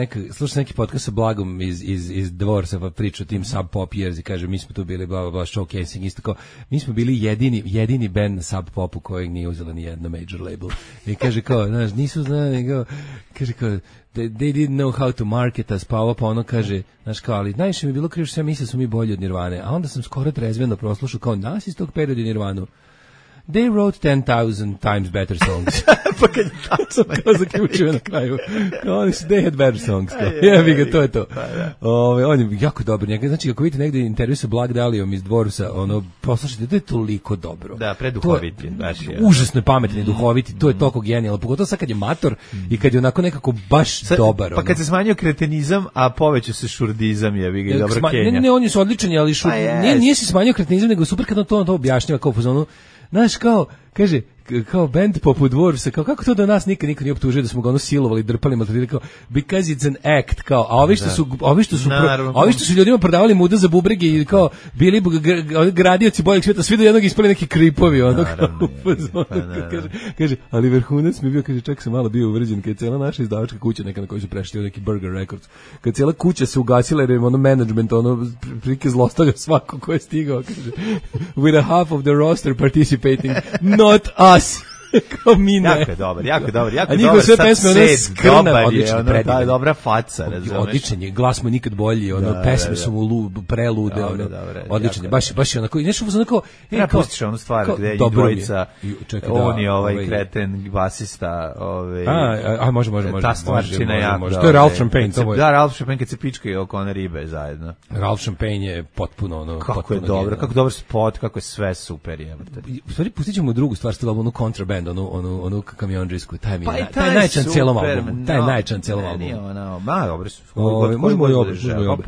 neki podcast sa Blagom iz Dvorca, pa priča o tim Sub Pop Years i kaže, mi smo tu bili bla showcasing, isto kao, mi smo bili jedini band na Sub Popu kojeg nije uzela ni jedna major label. I kaže kao, znaš, nisu znali, kaže kao, they didn't know how to market us, pa ono kaže, znaš kao, ali najviše mi je bilo krivo što ja mislio da su mi bolji od Nirvane, a onda sam skoro trezveno proslušao kao nas iz tog perioda Nirvanu. They wrote 10,000 times better songs. Pa kad je tačno. Kao zaključio na kraju. They had better songs. Jebi ga, to je to. On je jako dobar. Znači, ako vidite negdje intervju sa Black Dahliom iz Dvorca, poslušajte, to je toliko dobro. Da, preduhoviti. Užasno je pametan i duhoviti, to je toliko genijalno. Pogotovo sad kad je mator i kad je onako nekako baš dobar. Pa kad se smanjio kretenizam, a povećao se šurdizam, jebi ga, dobro Kenja. Ne, on je odličan, ali nije se smanjio kretenizam, nego super kad on to objašnjava kao u zonu. Znaš, kao, kaže, kao band poput Dvorca, kao kako to da nas niko nije optužio da smo ga silovali, drpali, maltretirali, kao because it's an act, kao, a ovi što su ljudima prodavali muda za bubrege i kao bili gradioci boljeg svijeta, svi do jednog ispali neki kripovi, kaže, ali vrhunac mi bio, kaže, čak sam malo bio uvređen, kad je cijela naša izdavačka kuća, neka na kojoj su prešli neki Burger Records, kad cijela kuća se ugasila jer je management, prike zlostavlja svako ko je stigao, kaže, with a half of the roster participating, not us. Kao mi ne. Jako je dobar. A njihove sve pesme, ono skrna, odlično, predivno. Dobra faca, razumeš. Odličan je, glas mu nikad bolji, pesme su mu prelude, odličan je, baš je onako, nešto onako... Ja pustiš onu stvar gde je dvojica, on je ovaj kreten, basista, može. Ta stvarčina jako. To je Ralph Champagne. Da, Ralph Champagne kad se pičkaju oko one ribe zajedno. Ralph Champagne je potpuno... Kako je dobro, kako dobar spot, kako je sve super, jebate. U stvari, pustit ćemo drugu stvar, onu kontraband, onu kamionđisku, taj najčan cijelom albumu. Taj najčan cijelom albumu. Dobro su. Možemo i opet.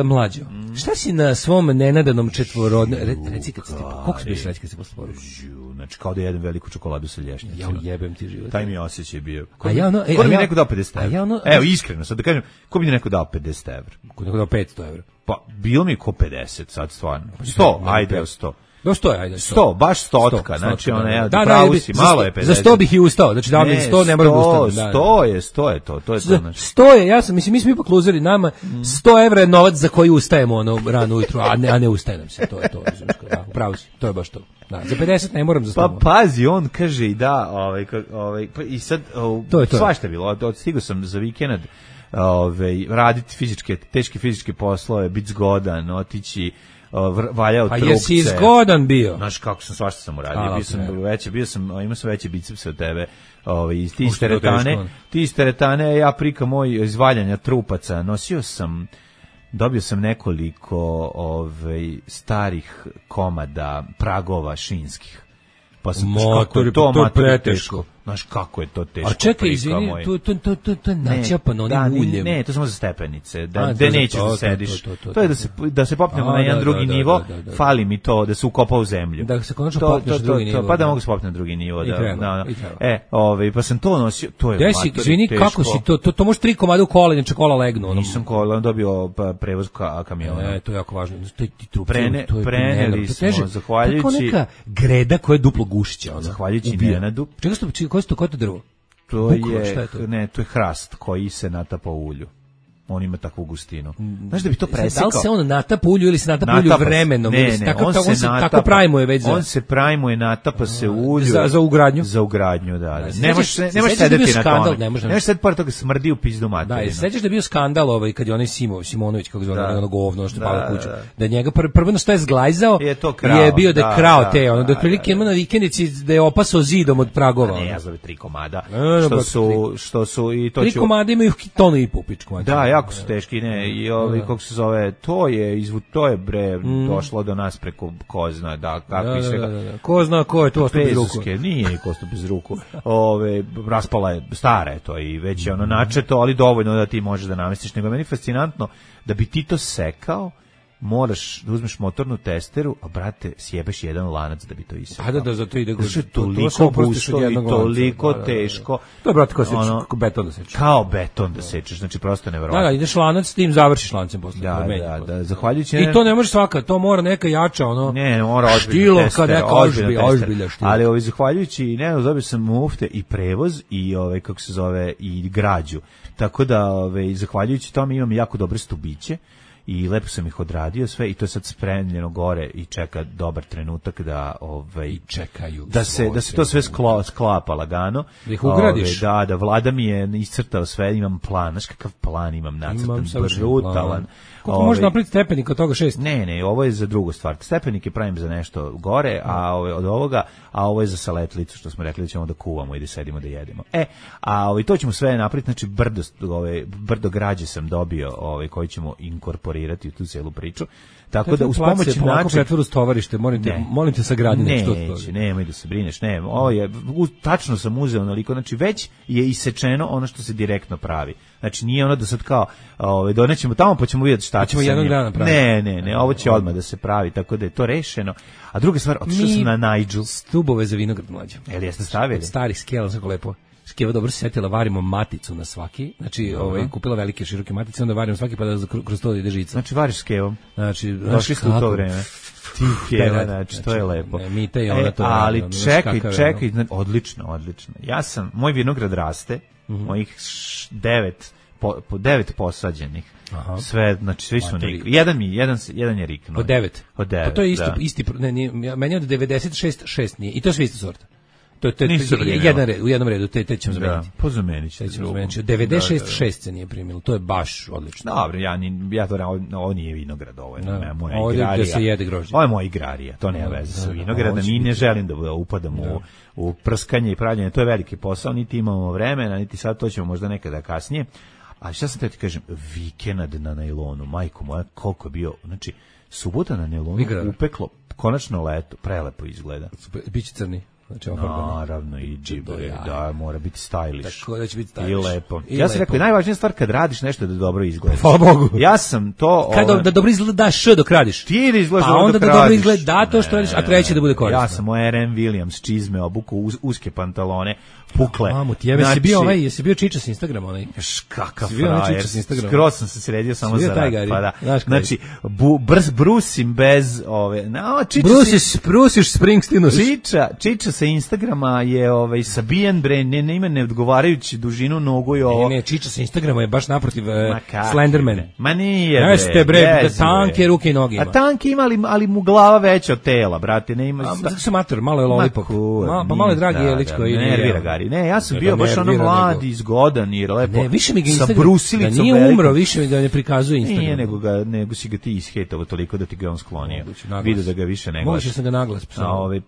Mlađo, šta si na svom nenadanom četvorodne... Reci kad si koliko si bio sreći kad si posle poruku? Znači, kao da jedem veliku čokoladu sa lješnjacima. Ja jebem ti život. Taj mi osjećaj bio. Ko bi mi neko dao 50 evra? Evo, iskreno, sad da kažem, ko bi mi neko dao 50 evra? Ko bi neko dao 500 evra? Pa, bilo mi ko 50, sad stvarno. 100, ajde, 100. Do 100, ajde. 100, baš 100, znači ona pravu si, malo je 50. Za 100 bih i ustao, znači da mi 100 ne moram da ustanem. 100 je to je to. 100 je, ja sam, mislim, mi smo ipak luzeri, nama 100 evra je novac za koji ustajemo rano ujutru, a ne ustajem se, to je to, pravo si, to je baš to. Da, za 50 ne moram za 100. Pa pazi, on kaže i da, i sad, svašta je bilo, stigao sam za vikend, raditi teške fizičke poslove, biti zgodan, otići, valjao trupce. Pa jesi zgodan bio? Znaš kako sam, svašta sam uradio. Imao sam veće bicepse od tebe. Iz ti iz teretane, ja prika moj iz valjanja trupaca, nosio sam dobio sam nekoliko starih komada pragova šinskih. Pa sam kako je to preteško. Znaš kako je to teško. A čekaj, izvini, to je načapano onim uljem. Ne, to je samo za stepenice. Da nećeš da sediš. To je da se popnemo na jedan drugi nivo, fali mi to da se ukopa u zemlju. Da se konačno popneš na drugi nivo. Pa da mogu se popneti na drugi nivo. Pa sam to nosio, to je matori teško. Izvini, kako si to može 3 komada u kola, inače kola legnu. Nisam kola, dobio prevoz kamiona. To je jako važno. Preneli smo, zahvaljujući... Tako neka greda koja je duplo gušća. Zahvaljujući Nenadu. Ko je to drvo? To je hrast koji se natapa u ulju. On ima takvu gustinu. Znaš da bi to presekao? Da li se on natapa ulju ili se natapa ulju vremenom? Tako prajmuje već. On se prajmuje, natapa se ulju. Za ugradnju? Za ugradnju, da. Ne možeš sedeti na tome. Ne možeš sedeti pored toga smrdi u pizdu materinu. Da, sećaš da je bio skandal kad je onaj Simonović, kako zove, ono govno što pala kuću. Da njega prvo što je zglajzao je bio da je krao te, ono da otprilike ima na vikendici da je opasao zidom od pragova. Ne, ja zove 3 komada. Što su i to 3 komada imaju tonu i pupičku. Da, jako su teški, ne, i kako se zove, to je bre došlo do nas preko ko zna, kako i svega. Ko zna ko je to ostao bez ruku. Nije ko ostao bez ruku. Raspala je, stara je to i već je ono načeto, ali dovoljno da ti možeš da namestiš. Nego je meni fascinantno da bi ti to sekao, moraš da uzmeš motornu testeru, a brate, sjebeš jedan lanac da bi to isekao. Da, zato ide to je toliko gusto i toliko teško. To je, brate, kao beton da sečeš. Kao beton da sečeš, znači prosto neverovatno. Da, ideš lanac, s tim završiš lancem posle. Da, zahvaljujući... I to ne može svaka, to mora neka jača, ono... Ne, mora ozbiljno tester, ozbiljno štilo. Ali zahvaljujući, dobio sam mufte i prevoz i, kako se zove, i građu. Tako da, zahvaljujući tome imam jako dobre stubiće. I lepo sam ih odradio sve i to je sad spremljeno gore i čeka dobar trenutak da čekaju da se to sve sklapa lagano. Da ih ugradiš. Da, Vlada mi je iscrtao sve, imam plan, znaš kakav plan imam nacrtan, brutalan. Koliko može napraviti stepenik od toga 6? Ne, ovo je za drugu stvar. Stepenike pravim za nešto gore, a od ovoga, a ovo je za saletlicu, što smo rekli da ćemo da kuvamo i da sedimo da jedemo. To ćemo sve napraviti, znači brdo građe sam dobio, koji ćemo inkorporirati u tu celu priču. Tako da uz pomoć načina stovarište, molim te sagradi nešto. Nemoj da se brineš, ovo je tačno sam uzeo naliko, znači već je isečeno ono što se direktno pravi. Znači nije ono da sad kao donećemo tamo pa ćemo vidjeti šta ćemo jednog dana praviti. Ne, ovo će odmah da se pravi, tako da je to rešeno. A druga stvar, otišao sam na Nigel. Stubove za vinograd mlađe. Jel jeste stavili? Stari skela, tako lepo. Skeva dobro se setila, varimo maticu na svaki. Znači, kupila velike široke matice, onda varimo svaki pa da kroz to ide žica. Znači variš s kevom. Znači, došli ste u to vreme. Znači, to je lepo. Mi te i ona to. Ali čekaj, odlično. Moj vinograd raste, mojih 9 posađenih. Sve, znači svi su nikli. Jedan je riknuo. Od 9. Pa to je isti, meni od 96 6 nije. I to je sve ista sorta. To je u jednom redu, te ćemo zameniti. Po zameniti će. 96 se nije primilo, to je baš odlično. Dobro, ovo nije vinograd, ovo je moja igrarija. Ovdje se jede grožđe. Ovo je moja igrarija, to nema veze sa vinogradom i ne želim da upadam u prskanje i pravljanje, to je veliki posao, niti imamo vremena, niti sad, to ćemo možda nekada kasnije. Ali šta sam te ti kažem, vikend na najlonu, majko moja, koliko je bio, znači, subota na najlonu upeklo, konačno leto, prelepo izgleda. Biće crni. Znači, naravno i džibore, da, mora biti stylish. Tako da će biti stylish. I lepo. Ja sam rekao, najvažnija stvar kad radiš nešto da dobro izgleda. Hvala Bogu. Ja sam to... Da dobro izgleda dok radiš. Ti da izgledaš dobro dok radiš. A onda da dobro izgleda to što radiš, a treće da bude korisno. Ja sam moj R.M. Williams čizme obuku, uske pantalone, pukle. Mamu, ti jesi bio čiča s Instagrama onaj? Kakav frajer. Skroz sam se sredio samo za rad. Pa da. Znači, brusim bez ove... Brusiš Springsteenu. Čiča sa Instagrama je sabijen bre, nema neodgovarajući dužinu nogu i ovo. Ne, čiča sa Instagrama je baš naprotiv Slenderman. Ma nije bre. Jeste bre, da tanke ruke i noge ima. A tanke ima, ali mu glava veća od tela, brate, ne ima. Zato se mater, malo je lollipop. Pa malo je dragi jelić koji nervira Gari. Ne, ja sam bio baš ono mladi, zgodan i lepo. Ne, više mi ga sa brusilicom. Da nije umro, više mi da ne prikazuje Instagram. Nije, nego si ga ti ishejtovao toliko da ti ga on sklonio. Vidio da ga više ne gledaš. Moguće sam ga naglas.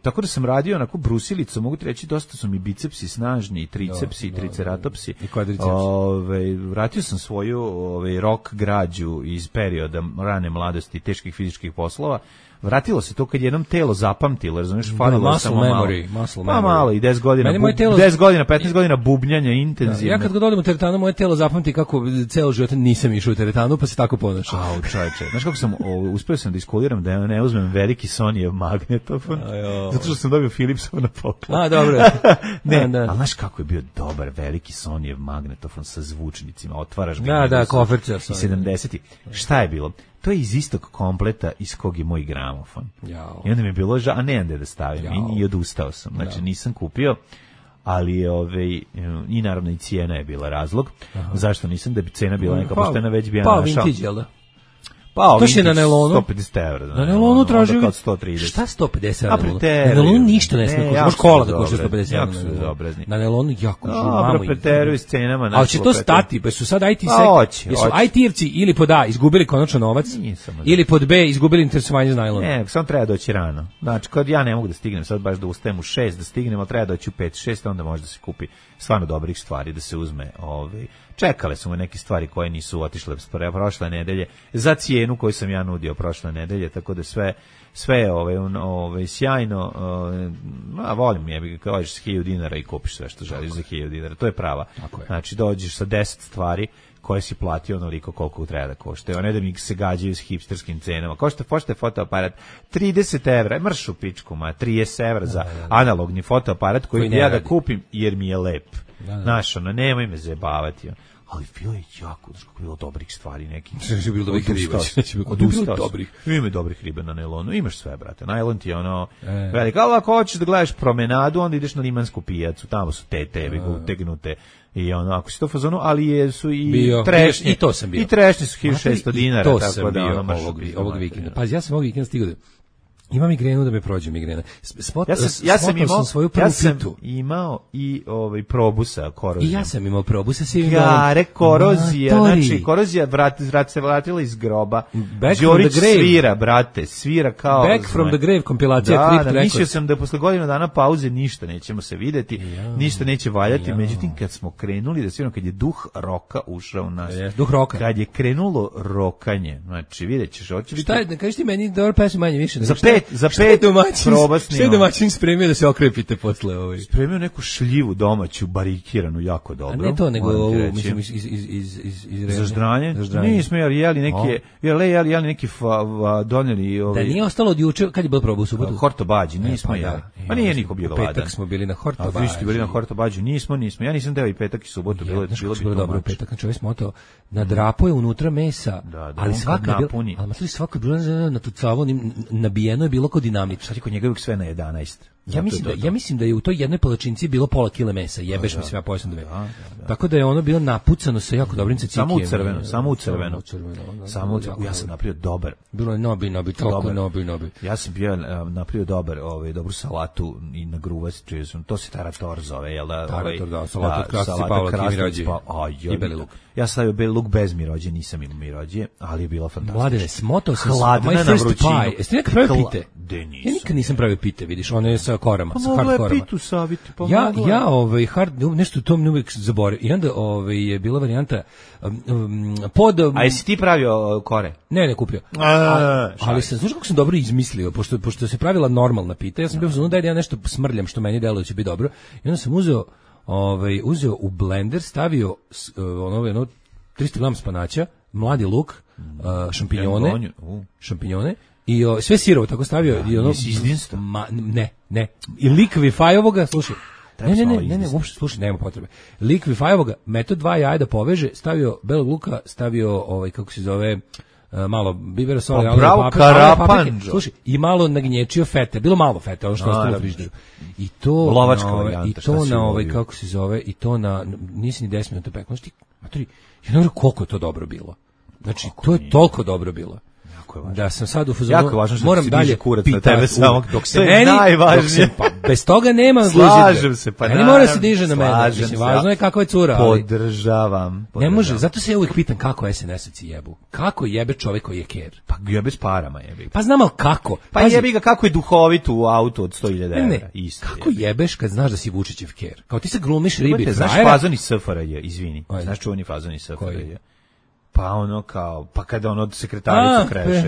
Tako da sam radio onako brusilicom, mogu ti reći, dosta su mi bicepsi snažni, i tricepsi, i triceratopsi. I kvadricepsi. Vratio sam svoju rock građu iz perioda rane mladosti, teških fizičkih poslova. Vratilo se to kad jednom telo zapamtilo, razumiješ, falilo samo malo. Pa malo, i 10 godina, 10 godina, 15 godina bubnjanja intenzivno. Ja kad god odem u teretanu, moje telo zapamti kako ceo život nisam išao u teretanu, pa se tako ponašao. Au, čoveče. Znaš kako sam, uspeo sam da iskuliram da ne uzmem veliki Sonyjev magnetofon, zato što sam dobio Philipsov na poklon. A, dobro. Ali znaš kako je bio dobar veliki Sonyjev magnetofon sa zvučnicima, otvaraš ga. Da, kofercer. I 70. Šta je bilo? To je iz istog kompleta iz kog je moj gramofon. Jao. I onda mi je bilo a ne da stavim. I odustao sam. Znači nisam kupio, ali i naravno i cijena je bila razlog. Zašto nisam, da bi cena bila neka poštena, već bi ja našao. Vintage, jel da? Pa, to je na nelonu. 150 evra. Na nelonu tražio. Kao 130. Šta 150 evra? Na nelonu ništa ne smije. Može kola da košta 150 evra. Jako su bezobrazni. Na nelonu jako žu. Dobro, preteruju s cenama. Ali će to stati, pa su sad IT jesu IT-evci ili pod A izgubili konačno novac, ili pod B izgubili interesovanje za najlon. Ne, samo treba doći rano. Znači, kad ja ne mogu da stignem, sad baš da ustajem u 6 da stignem, ali treba doći u 5-6, onda može da se kupi stvarno dobrih stvari, da se uzme čekale su me neke stvari koje nisu otišle prošle nedelje za cijenu koju sam ja nudio prošle nedelje, tako da sve je sjajno. Volim je, kao ješ s 1000 dinara i kupiš sve što želiš za 1000 dinara, to je prava. Znači dođeš sa 10 stvari koje si platio onoliko koliko treba da košte. Ne da mi se gađaju s hipsterskim cenama. Košta fotoaparat 30 evra, mrš u pičku, 30 evra za analogni fotoaparat koji ja da kupim jer mi je lep. Znaš, nemoj me zajebavati. Ali bilo je jako, bilo dobrih stvari nekih. Znači, bilo dobrih riba. Ima dobrih riba na nailonu, imaš sve, brate. Nailon ti je veliko. Ali ako hoćeš da gledaš promenadu, onda ideš na Limansku pijacu, tamo su te utegnute. I ako si to fazonu, ali su i trešnje. I to sam bio. I trešnje su 1600 dinara. To sam bio ovog vikenda. Pa ja sam ovog vikenda stigao da ima migrenu da me prođe migrena. Ja sam imao i probusa korozijom. I ja sam imao probusa sa korozija, znači korozija se vratila iz groba. Đorić svira kao Back from the grave kompilacija Crypt Records. Mislio sam da posle godinu dana pauze ništa nećemo se videti, ništa neće valjati, međutim kad smo krenuli da sviramo, kad je duh roka ušao u nas. Duh roka. Kad je krenulo rokanje, znači videćeš, hoće biti. Šta je, kažeš ti meni dobro pesma manje više. Za pet probasni. Što je domaćin spremio da se okrepite posle ovoj? Spremio neku šljivu domaću, barikiranu, jako dobro. A ne to, nego mislim iz za ždranje? Nismo jeli neki doneli. Da nije ostalo od juče, kad je bilo probu u subotu? Hortobađi, nismo jeli. Pa nije niko bio gladan. Petak smo bili na Hortobađi. A vi ste bili na Hortobađi, nismo. Ja nisam deo i petak i subotu, bilo bi dobro petak, znači ovaj smotao, nadrapao je unutra mesa, ali svaka je bila na tucavo, nabijeno je bilo kod dinamit. Šta ti kod njega uvijek sve na 11? Ja mislim da je u toj jednoj palačinci bilo pola kile mesa, jebeš mi se, ja pojasam da me. Tako da je ono bilo napucano sa jako dobrim cacikijem. Samo u crveno. Ja sam napravio dobar. Bilo je nobi, toliko nobi. Ja sam bio napravio dobru salatu i na gruvac, to se tarator zove, jel da? Tarator, da, salatu krasci Pavla Mirođe i beli luk. Ja stavio beli luk bez mirođe, nisam imao mirođe, ali je bila fantastična. Mladene, smotao sam hladna na vrućinu. Jeste nekad pravio pite? Ja nikad nisam pravio pite, vidiš, one je sa korama, sa hard korama. Pitu saviti, nešto to mi uvijek zaboravim. I onda je bila varijanta pod... A jesi ti pravio kore? Ne kupio. Ali sam, znaš kako sam dobro izmislio, pošto se pravila normalna pita, ja sam bio uzmano da ja nešto smrljam što meni deluje će biti dobro, i onda sam uzeo u blender, stavio 300 grama spanaća, mladi luk, šampinjone, i sve sirovo tako stavio. Ne. I likvifajovoga, slušaj. Ne, uopšte, slušaj, nema potrebe. Likvifajovoga, metod 2 jaja da poveže, stavio belog luka, stavio, kako se zove, malo bibera, soli, karapanđo. Slušaj, i malo nagnječio fete, bilo malo fete, ono što ostalo u frižideru. I to lovačka varijanta, i to na kako se zove, i to na, nisi ni 10 minuta pekao. Znači ti, matori, ja ne znam koliko je to dobro bilo. Znači, to je toliko dobro bilo. Jako je važno. Da sam sad u fazonu, jako je važno što moram se dalje diže kurac na tebe samog. Dok se to je meni, najvažnije. Pa bez toga nema Slažem se, pa ne mora se diže na mene. Mislim, važno je kakva je cura. Podržavam. Ne može, zato se ja uvijek pitam kako SNS-ovci jebu. Kako jebe čovjek koji je ker? Pa jebe s parama jebi. Pa znam, ali kako? Pa jebi ga kako je duhovit u autu od 100.000 €. Isto. Kako jebeš kad znaš da si Vučićev ker? Kao ti se glumiš ribi. Znaš fazon iz SFRJ, izvini. Znaš čuveni fazon iz SFRJ? Pa ono kao, pa kada ono sekretaricu kreše.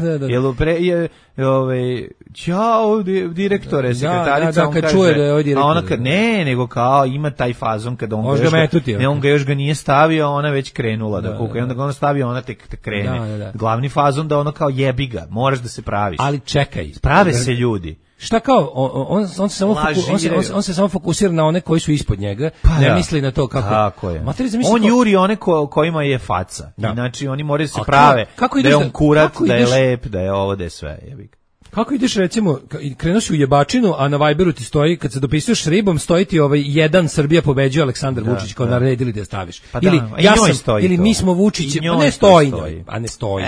Jel je ćao direktore, sekretarica, on kaže, čuje da je ovaj direktor. A ona kad nego kao ima taj fazon kada on ga još ga nije stavio, ona već krenula da kuka. I onda ga ona stavio, ona tek krene. Glavni fazon da ono kao jebi ga, moraš da se praviš. Ali čekaj. Prave se ljudi. Šta kao, on se samo fokusira na one koji su ispod njega, pa ne misli na to kako. Tako je. On juri one kojima je faca. Znači oni moraju se prave da je on kurat, da je lep, da je ovo, da je sve. Kako ideš recimo, krenuš u jebačinu, a na Viberu ti stoji, kad se dopisuješ s ribom, stoji ti jedan Srbija pobeđuje Aleksandar Vučić, kao naredili da je staviš. Pa ili ili mi smo Vučići, pa ne stoji. Pa ne stoji.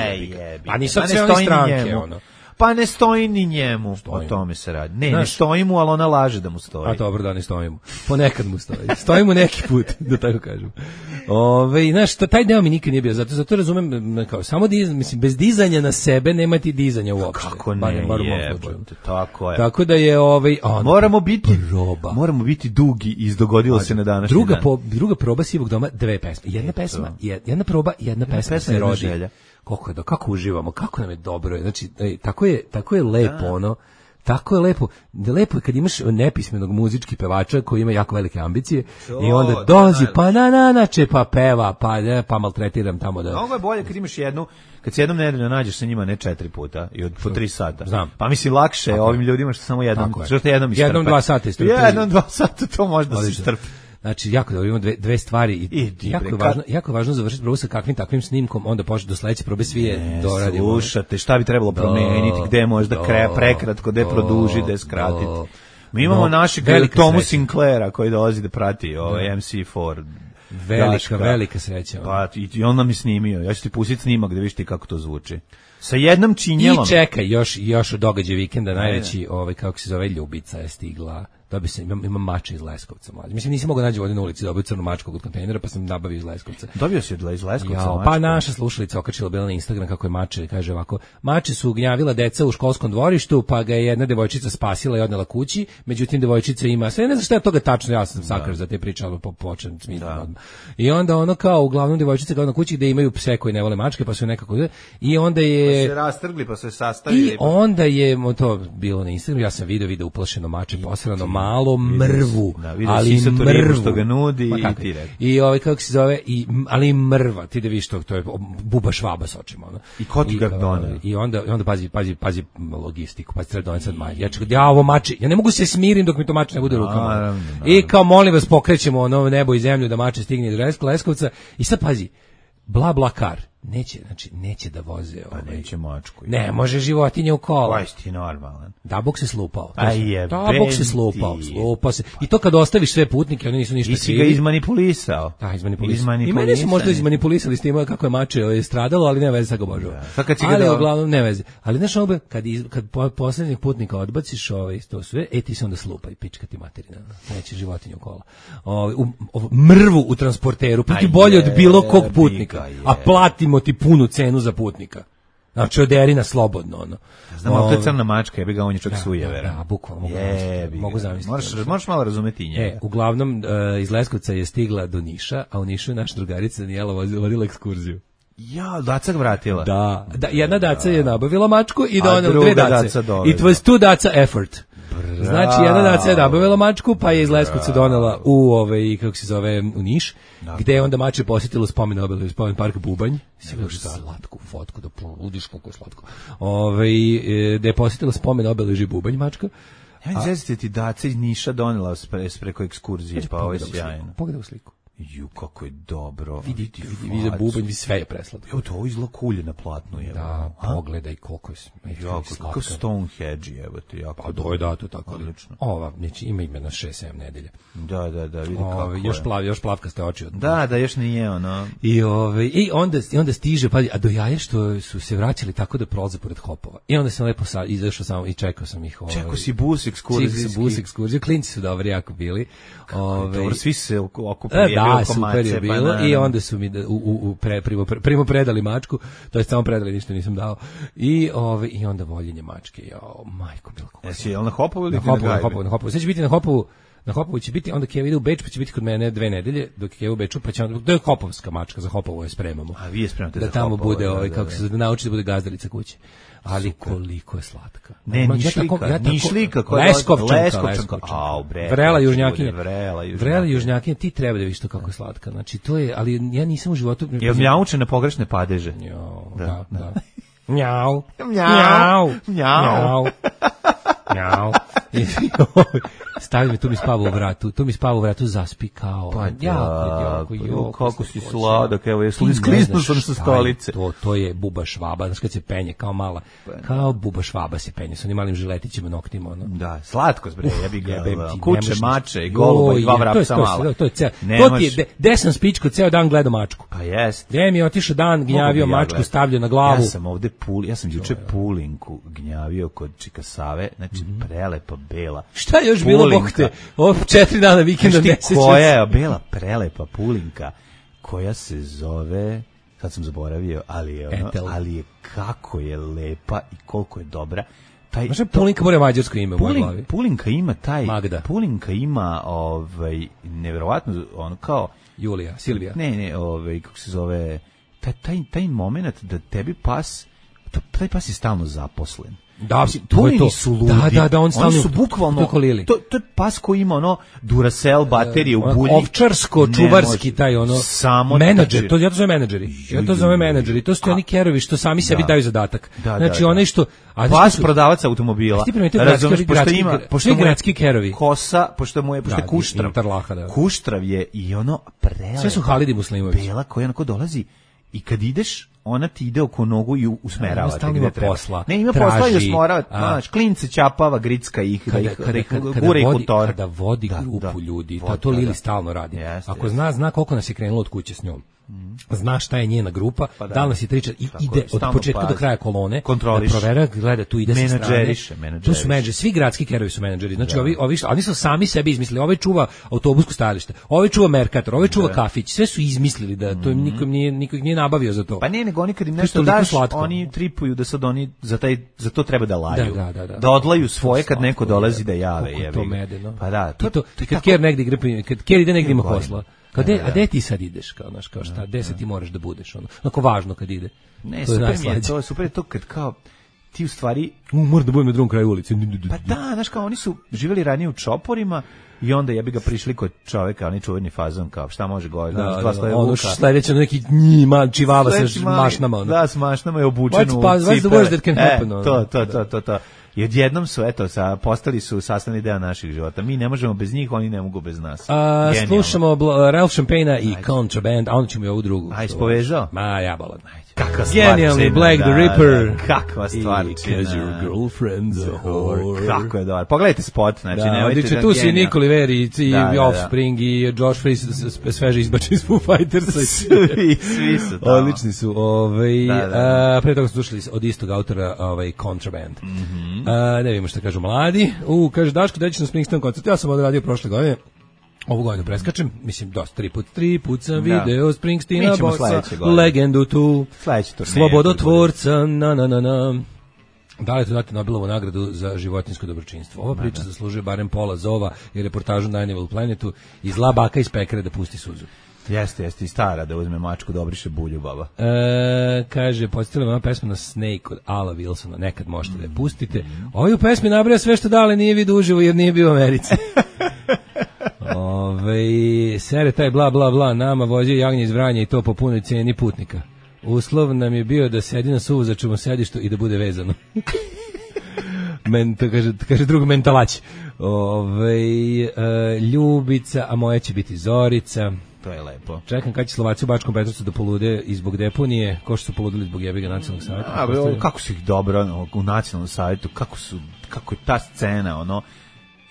Pa nisu sve one stranke, ono. Pa ne stoji ni njemu, o tome se radi. Ne stoji mu, ali ona laže da mu stoji. A dobro, da ne stoji mu. Ponekad mu stoji. Stoji mu neki put, da tako kažem. Znaš, taj deo mi nikad nije bio, zato razumem, kao, samo mislim, bez dizanja na sebe nema ti dizanja uopšte. Kako ne, jebote, tako je. Tako da je, moramo biti dugi i izdogodilo se na današnji dan. Druga proba Sivog doma, 2 pesme. Jedna proba, jedna pesma se rodi. Kako uživamo, kako nam je dobro. Znači, tako je lepo, ono. Tako je lepo. Lepo je kad imaš nepismenog muzički pevača koji ima jako velike ambicije i onda dolazi, pa na pa peva, pa maltretiram tamo da... Mnogo je bolje kad imaš kad se jednom nedeljno nađeš sa njima, ne 4 puta i po 3 sata. Znam. Pa mislim, lakše je ovim ljudima što samo jednom istrpe. Jednom 2 sata istrpe. Jednom 2 sata to može da se istrpe. Znači, jako dobro, imamo dve stvari i jako je važno završiti probu sa kakvim takvim snimkom, onda početi do sledeće probe svi je doradimo. Slušate, šta bi trebalo promeniti, gde možda prekratko, gde produži, gde skratiti. Mi imamo našeg Tomu Sinclaira koji dolazi da prati MC4. Velika sreća. Pa, i on nam je snimio, ja ću ti pustiti snimak da vidiš ti kako to zvuči. Sa jednom činjelom. I čekaj, još od događaja vikenda najveći, kako se zove, Ljubica je stigla. Imam mače iz Leskovca, mlađe. Mislim, nisam mogao naći ovdje na ulici, dobio crnu mačku od kontejnera, pa sam nabavio iz Leskovca. Dobio si iz Leskovca mačku? Pa naša slušalica okačila bila na Instagram kako je mače, kaže ovako, mače su gnjavila deca u školskom dvorištu, pa ga je jedna devojčica spasila i odnela kući, međutim devojčica ima, sve ne znam šta je toga tačno, ja sam sakar za te priče, ali počnem smisliti odmah. I onda ono kao, uglavnom devojčica kao na kući gde imaju pse koji ne vole mačke, pa su nekako, i onda je... Pa se rastrgli, pa se sastavili. I onda je to bilo na Instagramu, ja sam video uplašeno mače posrano malo mrvu, ali mrvu što ga nudi i ti rekao. I kako se zove, ali mrva, ti da vidiš to je buba švaba s očima. Ono. I ko ti ga doneo? I onda pazi logistiku, pa treba doneti sad mač. Ja ovo mači, ja ne mogu se smirim dok mi to mač ne bude u rukama. Naravno. I kao molim vas pokrećemo nebo i zemlju da mače stigne do Leskovca i sad pazi, bla bla kar. Neće da voze. Pa neće mačku. Ne, može životinje u kola. Kaj si ti normalan? Dabog se slupao. Dabog se slupao se. I to kad ostaviš sve putnike, oni nisu ništa krivi. I si ga izmanipulisao. Da, izmanipulisao. I mene su možda izmanipulisali s tim kako je mače stradalo, ali ne veze, sad ga obožava. Ali uglavnom ne veze. Ali znaš obe, kad poslednjeg putnika odbaciš to sve, ti se onda slupaj, pička ti materina. Neće životinje u kola. Mrvu u transporteru, pa ti bolje od bilo kog putnika. A platim ti punu cenu za putnika. Znači, oderi na slobodno, ono. Znam, ali to je crna mačka, jebi ga, on je čak sujevera. Da, bukvalno, mogu zamisliti. Možeš malo razumeti i njega. Uglavnom, iz Leskovca je stigla do Niša, a u Nišu je naša drugarica Danijela vodila ekskurziju. Ja, daca vratila. Da, jedna daca je nabavila mačku i donela 2 dace. It was 2 daca effort. Znači, jedna daca je nabavila mačku, pa je iz Leskovca donela u Niš, gde je onda mače posjetilo spomen obeležje, spomen park Bubanj. Slatku fotku, da poludiš koliko je slatko. Gde je posjetilo spomen obeležje Bubanj mačka. Ja mi zezite ti daca iz Niša donela preko ekskurzije, pa ovo je sjajno. Pogledaj u sliku. Ju, kako je dobro. Vidi za bubanj, sve je preslatko. Evo to, ovo izgleda kulje na platnu. Da, pogledaj koliko je kako Stonehenge, evo te, jako pa dobro. Da, to tako. Odlično. Ova, znači, ima ime na 6-7 nedelje. Da, vidi kako je. Još plavkaste oči. Da, još nije ono. I onda stiže, pa, a do jaje što su se vraćali tako da prolaze pored hopova. I onda sam lepo izašao samo i čekao sam ih. Čekao si bus ekskurziju. Klinci su dobri, jako bili. Dobro, svi se okupili. Da, super je bilo i onda su mi primo predali mačku, to je samo predali, ništa nisam dao. I onda voljenje mačke. Jao, majko milko. Jesi na Hopovu ili na Hopovu? Sve će biti na Hopovu će biti, onda Keva ide u Beč, pa će biti kod mene 2 nedelje, dok Keva u Beču, pa će onda, to je hopovska mačka, za Hopovu je spremamo. A vi je spremate da za tamo Hopovu. bude, kako se da nauči da bude gazdarica kuće. Ali super. Koliko je slatka. Ne, Nišlika, Leskovčanka. Au, bre. Vrela južnjakinja, ti treba da vidiš to kako je slatka. Znači, to je, ali ja nisam u životu... Je mljauče na pogrešne padeže. Da. Mjau. Stavi me, tu mi spava u vratu, zaspi kao. Pa jako, kako si sladak, evo, je sklisnuo sam sa stolice. To je buba švaba, znaš kad se penje, kao mala, kao buba švaba se penje, sa onim malim žiletićima, noktima, ono. Da, slatko, bre, jebi ga, kuće, mače i goluba i 2 vrapca mala. To ti je, gde sam spičko, ceo dan gledao mačku. Pa jest. Gde mi je otišao dan, gnjavio mačku, stavljao na glavu. Ja sam juče pulinku gnjavio kod Čika Save, znači prelepa bela. Šta je još bilo, bog te? 4 dana vikenda meseca. Koja je bela prelepa pulinka koja se zove, sad sam zaboravio, ali je kako je lepa i koliko je dobra. Znaš, pulinka mora mađarsko ime u mojoj glavi. Pulinka ima Magda. Pulinka ima neverovatno ono kao Julija, Silvija. Ne, kako se zove, taj moment da tebi pas, taj pas je stalno zaposlen. Da, to su ludi. Da, oni su bukvalno to je pas koji ima ono Duracell baterije u bulji. Ovčarsko, čuvarski taj ono menadžer, ja to zovem menadžeri. To su oni kerovi što sami sebi daju zadatak. Znači onaj što pas prodavac automobila. Pošto gradski kerovi. Kosa, pošto je Kuštrav. Kuštrav je i ono prelepo. Sve su Halidi Muslimović. Bela koja onako dolazi i kad ideš ona ti ide oko nogu i usmerava te gde treba. Ima posla i usmorava, znaš, klince ćapava, gricka ih, gure ih u tor. Kada vodi grupu ljudi, to Lili stalno radi. Ako zna koliko nas je krenulo od kuće s njom, zna šta je njena grupa, da li nas je triča i ide od početka do kraja kolone, da provera, gleda, tu ide sa strane. Tu su menadžeri, svi gradski kerovi su menadžeri, znači oni su sami sebi izmislili, ovaj čuva autobusko stajalište, ovaj čuva Merkator, ovaj čuva kafić, sve su izmislili da to niko nije nabavio za to. Pa ne, nego oni kad im nešto daš, oni tripuju da sad oni za to treba da laju. Da odlaju svoje kad neko dolazi da jave. To medeno. Pa da. Kad Ker negdje igra, kad Ker ide negdje ima posla. A gde ti sad ideš, kao šta, gde se ti moraš da budeš, onako važno kad ide. Ne, super je to kad kao, ti u stvari... Moram da budem na drugom kraju ulici. Pa da, znaš kao, oni su živjeli ranije u čoporima i onda ja bi ga prišli kod čoveka, oni čuveni fazon, kao šta može govoriti, ono sledeće neki čivava sa mašnama. Da, s mašnama je obučen u cipele. What's the worst that can happen? To. I odjednom su, postali su sastavni deo naših života. Mi ne možemo bez njih, oni ne mogu bez nas. Slušamo Ralph Champagne i Contraband, a onda ćemo i ovu drugu. Aj, spovezao? Ma, ja balan. Kakva stvar. Genijalni Black the Ripper. Kakva stvar. Because your girlfriend's a whore. Kako je dobar. Pogledajte spot, znači nemojte da... Tu si Nicoli Veri i Offspring i Josh Freese sveže izbačeni iz Foo Fightersa. Svi su tamo. Odlični su. Pre toga smo slušali od istog autora Contraband. Ne vidimo šta kažu mladi. Kaže Daško, da ćeš na Springsteen koncert. Ja sam odradio prošle godine. Ovu godinu preskačem, mislim, dosta, 3 put sam video Springsteena, bossa, legendu tu, slobodotvorca, Da li to dati Nobelovu nagradu za životinjsko dobročinstvo? Ova priča zaslužuje barem pola zova i reportažu na Animal Planetu i zla baka iz pekare da pusti suzu. Jeste, i stara da uzme mačku da obriše bulju, baba. Kaže, podsjetila me ova pesma na Snake od Ala Wilsona, nekad možete da je pustite. Ovaj u pesmi nabraja sve što dale nije vidio uživo jer nije bio u Americi. Sere taj bla bla bla, nama vozio jagnje iz Vranja i to po punoj cijeni putnika. Uslov nam je bio da sedi na suvozačevom sedištu i da bude vezano. kaže drug mentalać. Ljubica, a moja će biti Zorica. To je lepo. Čekam kad će Slovaci u Bačkom Petrovcu da polude i zbog deponije, ko što su poludili zbog jebiga nacionalnog savjeta. Kako su ih dobro u nacionalnom savjetu, kako je ta scena, ono,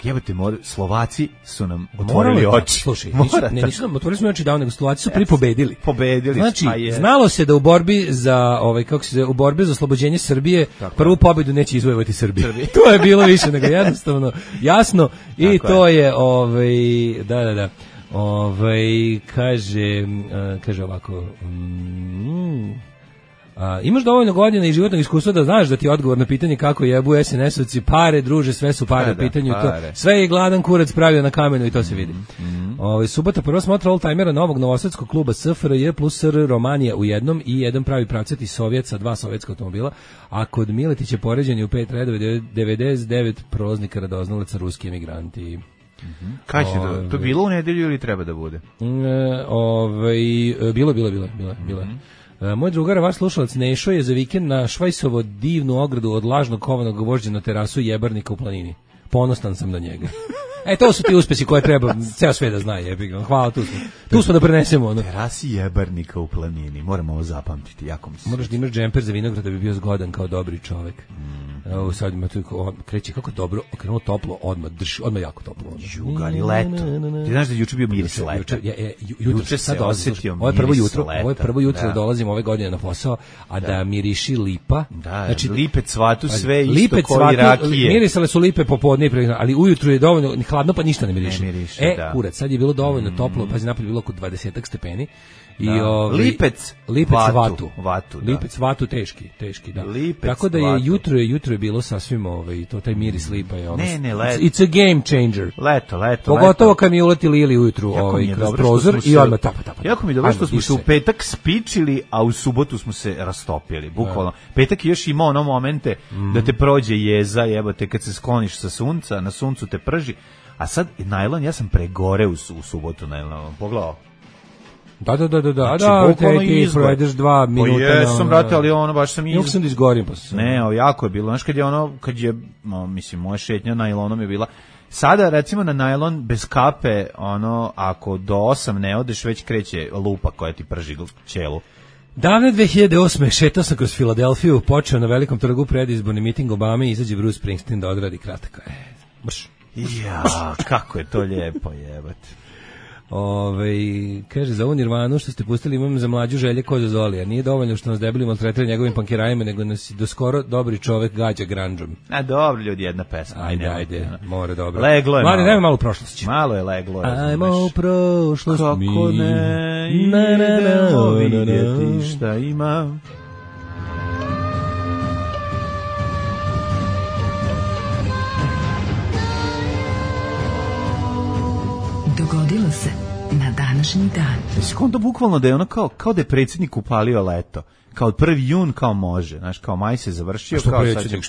jebate, Slovaci su nam otvorili oči. Slušaj, nisu nam otvorili smo oči davno, nego Slovaci su prvi pobedili. Znači, znalo se da u borbi za u borbi za oslobođenje Srbije prvu pobedu neće izvojevati Srbija. To je bilo više nego jednostavno jasno i to je da. Kaže ovako, imaš dovoljno godina i životnog iskustva da znaš da ti je odgovor na pitanje kako jebu SNS-ovci, pare, druže, sve su pare u pitanju, sve je gladan kurac pravio na kamenu i to se vidi. Subota prva smotra oldtimera novog novosadskog kluba SFRJ plus SR Romanija u jednom i jedan pravi pravcati Sovjet sa 2 sovjetska automobila, a kod Miletića poređenje u 5 redova 99 prolaznika radoznalaca ruski emigranti. Kaj će to bilo u nedelju ili treba da bude? Bilo. Moj drugar, vaš slušalac Nešo je za vikend na Švajsovo divnu ogradu od lažnog kovanog vožđa na terasu jebarnika u planini. Ponostan sam na njega. To su ti uspesi koje treba ceo sve da zna, jebiga. Hvala, tu smo da prenesemo. Terasi jebarnika u planini, moramo ovo zapamtiti, jako mi se. Moraš da imaš džemper za vinograd da bi bio zgodan kao dobri čovek. Evo sad ima tu kreće kako dobro, okrenulo toplo, odmah jako toplo. Jugari leto. Ti znaš da juče bio miris leta. Juče sad osetio miris leta. Ovo je prvo jutro dolazim ove godine na posao, a da miriši lipa. Znači lipe cvatu sve isto kao i rakije. Mirisale su lipe popodne, ali ujutru je dovoljno hladno pa ništa ne miriši. Kurac, sad je bilo dovoljno toplo, pazi napolje bilo oko 20 stepeni. I lipec vatu teški, da. Tako da je jutro je bilo sasvim taj miris lipa je ono. It's a game changer. Leto. Pogotovo kad mi uleti Lili ujutru kroz prozor i odmah tapa. Jako mi je dobro što smo se u petak spičili, a u subotu smo se rastopili, bukvalno. Petak je još imao ono momente da te prođe jeza, jebote, kad se skloniš sa sunca, na suncu te prži, a sad najlon, ja sam pregore u subotu najlon, pogledao. Da, ti provedeš 2 minuta. Pa jesam, brate, ali ono baš sam Još sam da izgorim. Ne, jako je bilo. Znaš, kad je, mislim, moja šetnja najlonom je bila. Sada, recimo, na najlon bez kape, ako do 8 ne odeš, već kreće lupa koja ti prži ćelu. Davne 2008. šetao sam kroz Filadelfiju, počeo na velikom trgu predizborni miting Obame i izađe Bruce Springsteen da odradi kratko. Kako je to lijepo, jebate. Kaže, za ovu Nirvanu što ste pustili imam za mlađu Želje ko za Zolija. Nije dovoljno što nas debeli maltretira njegovim pankirajima, nego nas do skoro dobri čovek gađa grandžom. Dobro, ljudi, jedna pesma. Ajde, mora dobro. Leglo je Mladi, dajme malo u prošlosti. Malo je leglo. Ajmo u prošlost. Kako ne, idemo vidjeti šta ima. Dogodilo se na današnji dan. Jesi konto bukvalno da je ono kao da je predsjednik upalio leto. Kao 1. jun kao može, znaš, kao maj se završio, što kao predsjednik,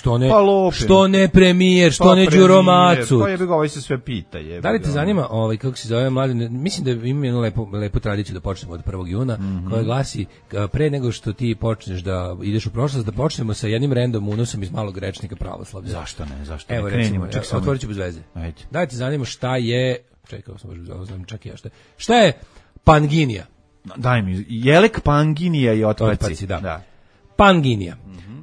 što ne premijer, što ne Đuro Macu. Pa je ga se sve pita. Da li te zanima, kako se zove mladi, mislim da imamo jednu lepu tradiciju da počnemo od 1. juna, koja glasi, pre nego što ti počneš da ideš u prošlost, da počnemo sa jednim random unosom iz malog rečnika pravoslavlja. Zašto ne? Evo, recimo, otvorit ću bez veze. Da li te zanima šta je, čekaj, šta je Panginija? Daj mi, jelek Panginija i otpaci. Da. Panginija.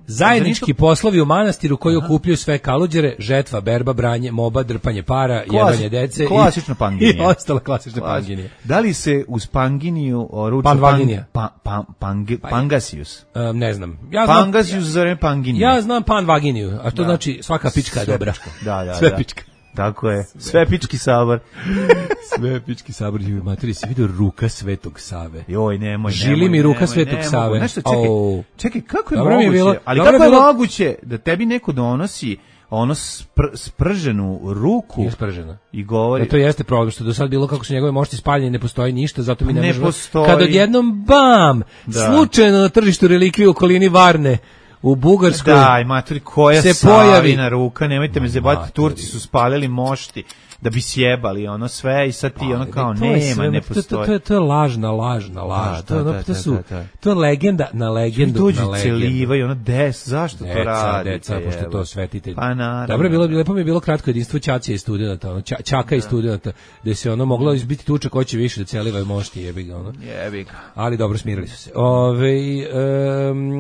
Zajednički poslovi u manastiru koji okupljaju sve kaluđere, žetva, berba, branje, moba, drpanje para, jebanje dece klasična Panginija. I ostala klasična Panginija. Da li se uz Panginiju ruča Pangasius? Ne znam. Pangasius za vreme Panginija. Ja znam Panvaginiju, a to znači svaka pička je dobra. Sve pička. Tako je, Svepički sabor. Svepički sabor, materi, si vidio ruka Svetog Save? Joj, nemoj. Žili mi ruka Svetog Save. Nešto, čekaj, kako je moguće? Ali kako je moguće da tebi neko donosi sprženu ruku? Nije spržena. I govori... To jeste problem, što do sad bilo kako su njegove mošti spaljene, ne postoji ništa, zato mi ne možemo... Kad odjednom, bam, slučajno na tržištu relikvije u okolini Varne, u Bugarskoj. Daj, maturi, koja Savina ruka, nemojte me zebati, Turci su spalili mošti. da bi sjebali ono sve i sad ti ono kao nema, ne postoji. To je lažna laž. To je legenda na legendu. Dođu celivaju, ono zašto to radi? Deca, pošto to svetitelj. Pa naravno. Dobro, lepo mi je bilo kratko jedinstvo Ćacija i studenta, ono, Ćaka i studenta, da se ono moglo biti tuča ko će više da celiva i mošti, jebi ga, ono. Jebi ga. Ali dobro, smirili su se.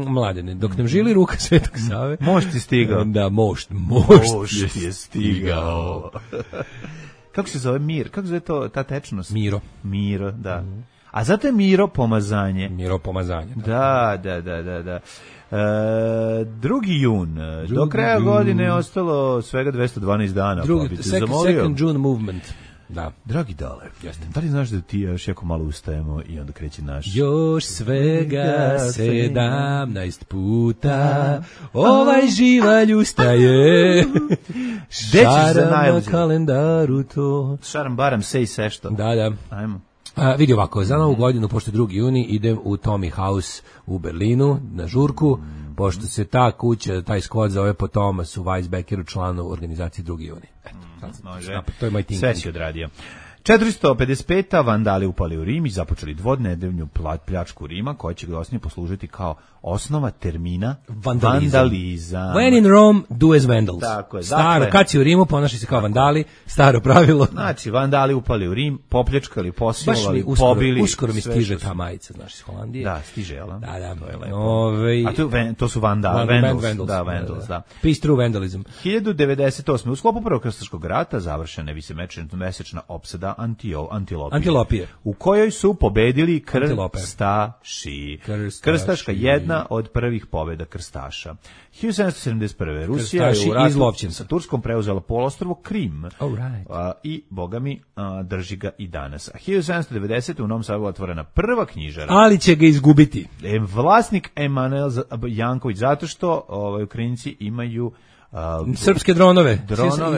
Mladene, dok nam žili ruka Svetog Save. Mošt je stigao. Da, mošt je stigao. Kako se zove mir? Kako se zove to, ta tečnost? Miro, da. A zato je Miro pomazanje. Miro pomazanje. Da. 2. jun. Do kraja godine je ostalo svega 212 dana. Second June movement. Da. Dragi Dale, da li znaš da ti još jako malo ustajemo i onda kreće naš... Još svega 17 puta ovaj živalj ustaje. Šaram na kalendaru to. Šaram baram sej sešto. Da. Ajmo. Vidi ovako, za novu godinu, pošto 2. juni, idem u Tommy House u Berlinu na žurku, pošto se ta kuća, taj skvot zove po Thomasu Weisbeckeru, članu organizacije 2. juni. Može. To je moj thinking. Sve si odradio. 455. Vandali upali u Rim i započeli dvodnedeljnu pljačku Rima, koja će glasnije poslužiti kao osnova termina vandalizam. When in Rome, do as vandals. Tako je. Staro, kad si u Rimu, ponaši se kao vandali, staro pravilo. Znači, vandali upali u Rim, popljačkali, posilovali, pobili. Uskoro mi stiže ta majica, znaš, iz Holandije. Da, stiže, jel? Da. To je lepo. A to su vandals. Da, vandals, da. Peace through vandalism. 1098. U sklopu Prvog krstaškog rata završena višemesečna opsada Antilopije, u kojoj su pobedili krstaši. Krstaška jedna od prvih pobjeda krstaša. 1771. Rusija je u ratu sa Turskom preuzela poluostrvo Krim. I, boga mi, drži ga i danas. 1790. u Novom Sadu otvorena prva knjižara. Ali će ga izgubiti. Vlasnik Emanuel Janković, zato što Ukrajinci imaju srpske dronove.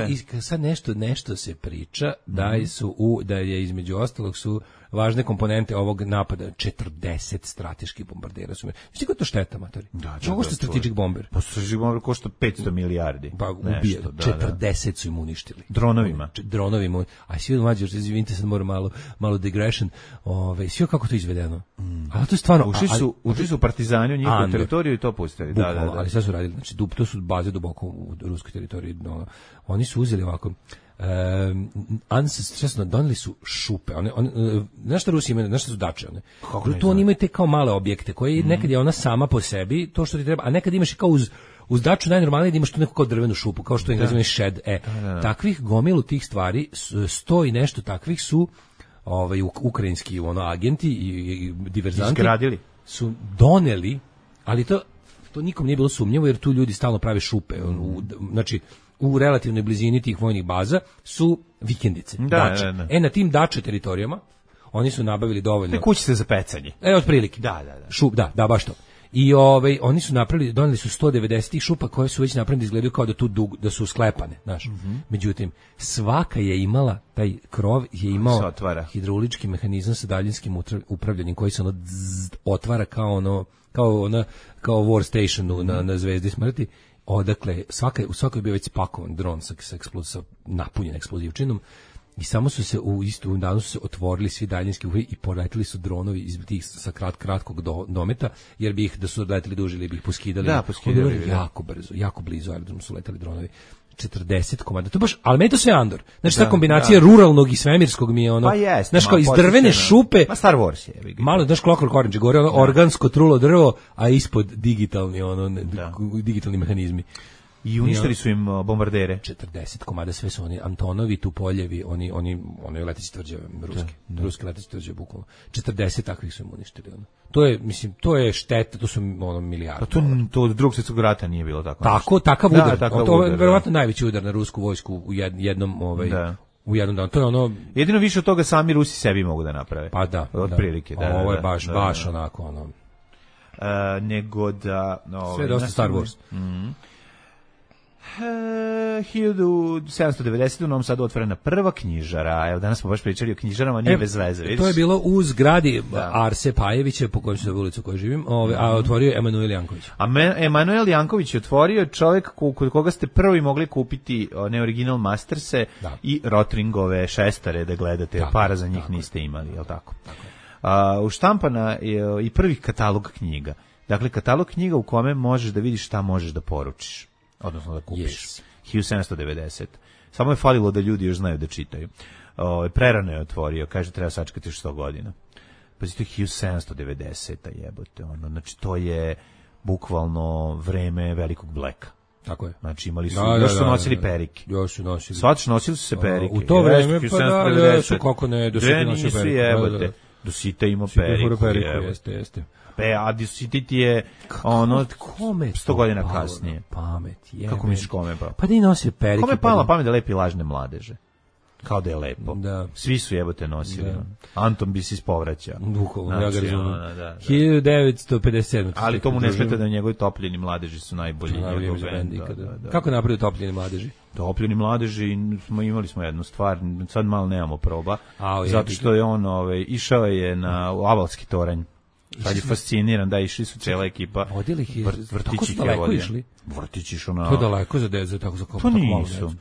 I sad nešto se priča da je između ostalog su važne komponente ovog napada 40 strateških bombardera su. Znači kako to šteta, matori? Čego što strategic bomber? Pa strategic bomber košta 500 milijardi. Pa ubije. 40 su im uništili. Dronovima. A svi mlađi, izvinite, sad moram malo digression. Sve kako to izvedeno. Ali to je stvarno. Ušli su partizani u njihovu teritoriju i to pustili. Da. Ali sad su radili, znači to su baze duboko u ruskoj teritoriji. Oni su uzeli ovako doneli su šupe. Znaš šta Rusi imaju, znaš šta su dače? Tu oni imaju te kao male objekte, koje nekad je ona sama po sebi, to što ti treba, a nekad imaš i kao uz daču najnormalnije da imaš tu neku kao drvenu šupu, kao što Englezi imaju shed. Takvih gomilu tih stvari, 100 i nešto takvih su ukrajinski agenti i diverzanti su doneli, ali to nikom nije bilo sumnjivo, jer tu ljudi stalno prave šupe. Znači, u relativnoj blizini tih vojnih baza su vikendice, dače. Da. Na tim dače teritorijama oni su nabavili dovoljno. Te kućice za pecanje. Otprilike. Da, baš to. I oni su doneli su 190 šupa koje su već napravljene, izgledaju kao da su sklepane, znaš. Međutim, svaka je imala, taj krov je imao hidraulički mehanizam sa daljinskim upravljanjem koji se otvara kao war stationu na Zvezdi smrti. Odakle, u svakoj je bio već spakovan dron sa napunjen eksplozivčinom i samo su se u istom danu su se otvorili svi daljinski uhi i poletili su dronovi iz tih sa kratkog dometa, jer bi ih, da su leteli duže ili bi ih poskidali. Da, poskidali. Jako brzo, jako blizu aerodromu su leteli dronovi. 40 komada. To baš, ali meni to sve Andor. Znači ta kombinacija ruralnog i svemirskog mi je ono. Pa jest. Znaš, kao iz drvene šupe. Ma Star Wars je. Malo, znaš, Clockwork Orange, gore organsko trulo drvo, a ispod digitalni digitalni mehanizmi. I uništili su im bombardere. 40 komada, sve su oni Antonovi, Tupoljevi, oni leteći tvrđave ruske leteći tvrđave bukvalno. 40 takvih su im uništili. To je šteta, to su milijarde. To od Drugog svjetskog rata nije bilo tako. Takav udar. To je verovatno najveći udar na rusku vojsku u jednom u jednom danu. To je jedino više od toga sami Rusi sebi mogu da naprave. Pa da. Otprilike. Ovo je baš nego da... Sve je dosta Star Wars. 1790. u Novom Sadu otvorena prva knjižara. Evo, danas smo baš pričali o knjižarama, nije bez veze. Vidiš? To je bilo u zgradi Arse Pajevića, po kojoj se zove ulicu u kojoj živim, a otvorio je Emanuel Janković. Emanuel Janković je otvorio, čovjek kod koga ste prvi mogli kupiti neoriginal Masterse i Rotringove šestare da gledate, para za njih niste imali, je li tako? Uštampana je i prvi katalog knjiga. Dakle, katalog knjiga u kome možeš da vidiš šta možeš da poručiš, odnosno da kupiš. 1790. Samo je falilo da ljudi još znaju da čitaju. Prerano je otvorio, kaže treba sačekati još 100 godina. Pazite, 1790. jebote. Znači, to je bukvalno vreme velikog Blacka. Tako je. Znači, imali su, još su nosili perike. Još su nosili. Svač nosili su se perike. U to vreme, pa da, su kako ne, do Sita nosio perike. Do Sita ima periku. Jeste. A Disitit je ono 100 godina kasnije. Pamet je. Kako misliš kome pa? Pa da i nosio perike. Kome je pala pamet da lepi lažne mladeže? Kao da je lepo. Da. Svi su jebote nosili. Da. Anton bi se ispovraćao. Bukvalno, ja ga razumem. 1957. Ali to mu ne smeta da njegovi topljeni mladeži su najbolji. Kako napravio topljeni mladeži? Topljeni mladeži, imali smo jednu stvar, sad malo nemamo proba, zato što je on išao je na Avalski toranj. Sad je fasciniran, da, išli su cijela ekipa. Vrtići ih je vodio. Vrtići išao na... To je daleko za dezu, tako za kao... Pa nisu.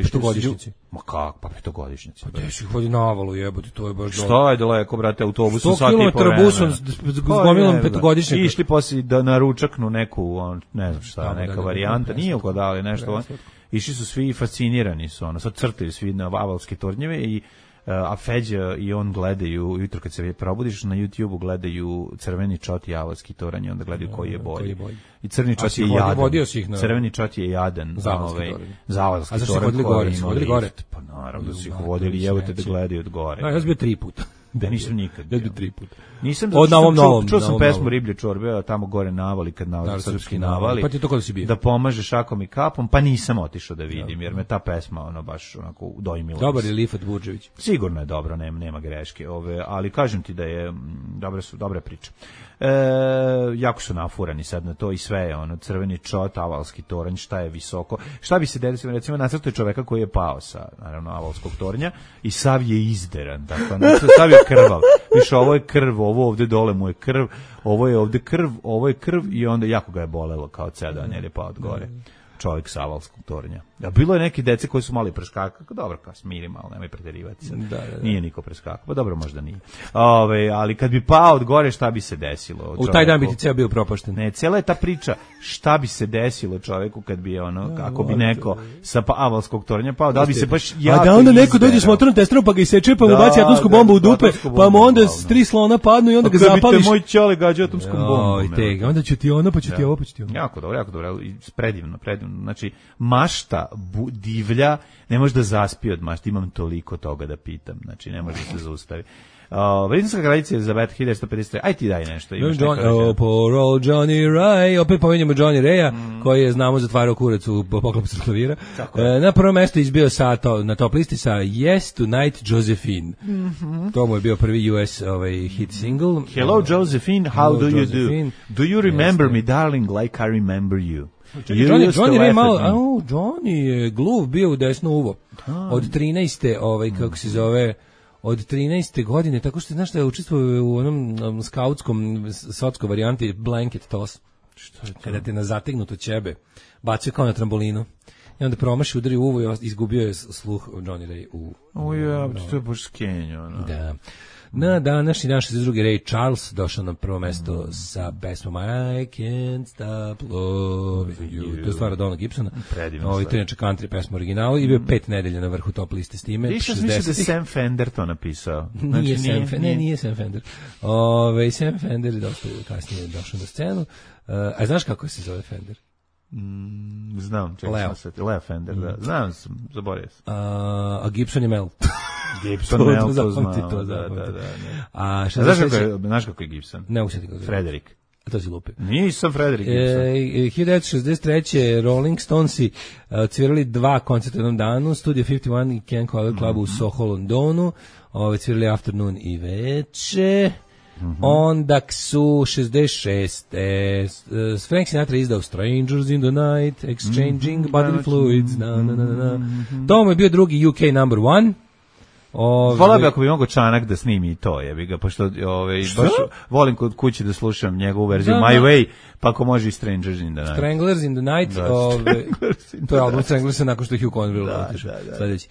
Petogodišnjici. Ma kak, pa petogodišnjici. Pa gdje si ih vodi na Avalu, jebote, to je baš... Šta je daleko, brate, autobusom sati i po 100 km busom s gomilom petogodišnjaka. Išli poslije na ručaknu neku, ne znam šta, neka varijanta, nije ugodali nešto. Išli su svi fascinirani su, sad crtaju svi na Avalske tornjeve i a Feđa i on gledaju, jutro kad se probudiš na YouTubeu gledaju Crveni čot i Avalski toranj, onda gledaju koji je bolji. I Crni čot je jadan. Crveni čot je jadan za Avalski toranj. A zašto su vodili gore? Pa naravno da su ih vodili, evo te da gledaju od gore. Ja sam bio 3 puta. Da nisam nikad. Ja bio 3 puta. Nisam čuo sam pesmu Riblje čorbe, tamo gore navali kad navali srpski navali. Pa ti to kada si bio? Da pomaže šakom i kapom, pa nisam otišao da vidim jer me ta pesma baš onako dojmila. Dobar je Lifat Budžević. Sigurno je dobro, nema greške, ali kažem ti da je dobra priča. Jako su nafurani sad na to i sve je Crveni čot, Avalski toranj, šta je visoko. Šta bi se desilo, recimo nacrtao čoveka koji je pao sa naravno Avalskog tornja i sav je izderan, tako sav je krvav. Više ovo je krv, ovo ovde dole mu je krv, ovo je ovde krv, ovo je krv i onda jako ga je bolelo kao cedan jer je pao od gore. Čovjek sa Avalskog tornja. A bilo je neki dece koji su mali preskakali, dobro, kao smiri malo, nemoj preterivati se. Nije niko preskakao, pa dobro, možda nije. Ali kad bi pao od gore, šta bi se desilo? U taj dan bi ti ceo bio propašten. Ne, cijela je ta priča, šta bi se desilo čovjeku kad bi ako bi neko sa Avalskog tornja pao, da bi se baš jako... A da onda neko dođe s motornom testerom pa ga iseče, pa mu baci atomsku bombu u dupe, pa mu onda 3 slona padnu i onda ga zapališ. Kad bi te moj ćale gađao atomskom bombom. Onda ću ti ono, pa ću ti ovo, pa ću ti ono. Jako dobro, predivno. Znači, mašta divlja, ne može da zaspi od mašta, imam toliko toga da pitam, znači ne može da se zaustavi. Britanska kraljica Elizabeta 1153. Aj ti daj nešto. Poor old Johnny Ray, opet pominjamo Johnny Raya, koji je, znamo, zatvarao kurac u poklopu sa klavira. Na prvo mesto izbio na top listi sa Yes Tonight Josephine. To mu je bio prvi US hit single. Hello Josephine, how do you do? Do you remember me, darling, like I remember you? Johnny Ray malo, Johnny je gluv bio u desno uvo. Od 13. kako se zove, od 13. godine, tako što znaš da je učestvovao u onom skautskom sotskoj varijanti blanket toss. Što je to? Kada te na zategnuto ćebe bacio kao na trambolinu. I onda promaši, udari u uvo i izgubio je sluh Johnny Ray u... to je baš skenjo. Da. Na današnji dan 62. Ray Charles došao na prvo mesto sa pesmom I Can't Stop Loving You. To je stvar od Dona Gibsona. Predivno. To je inače country pesma originalu i bio 5 nedelja na vrhu top liste s time. Više mislim da je Sam Fender to napisao. Nije Sam Fender. Sam Fender je dosta kasnije došao na scenu. A znaš kako se zove Fender? Znam, Leo Fender, da. Znam, zaboravio sam. A Gibson je Mel. Gibson Mel, to znam. A znaš kako je Gibson? Ne usjeti kako je. Frederik. A to si lupi. Nisam Frederik Gibson. 1963. Rolling Stonesi cvirali 2 koncerta u jednom danu, Studio 51 i Ken Collier Club u Soho, Londonu, cvirali afternoon i veče. Onda su 66. Frank Sinatra izdao Strangers in the Night, Exchanging Bodily Fluids. To mu je bio drugi UK number one. Volao bi ako bi mogo Čanak da snimi i to, jebi ga, pošto baš volim kod kući da slušam njegovu verziju My Way, pa ako može i Strangers in the Night. Stranglers in the Night, to je album Stranglers nakon što je Hugh Conville otišao. Sledeći.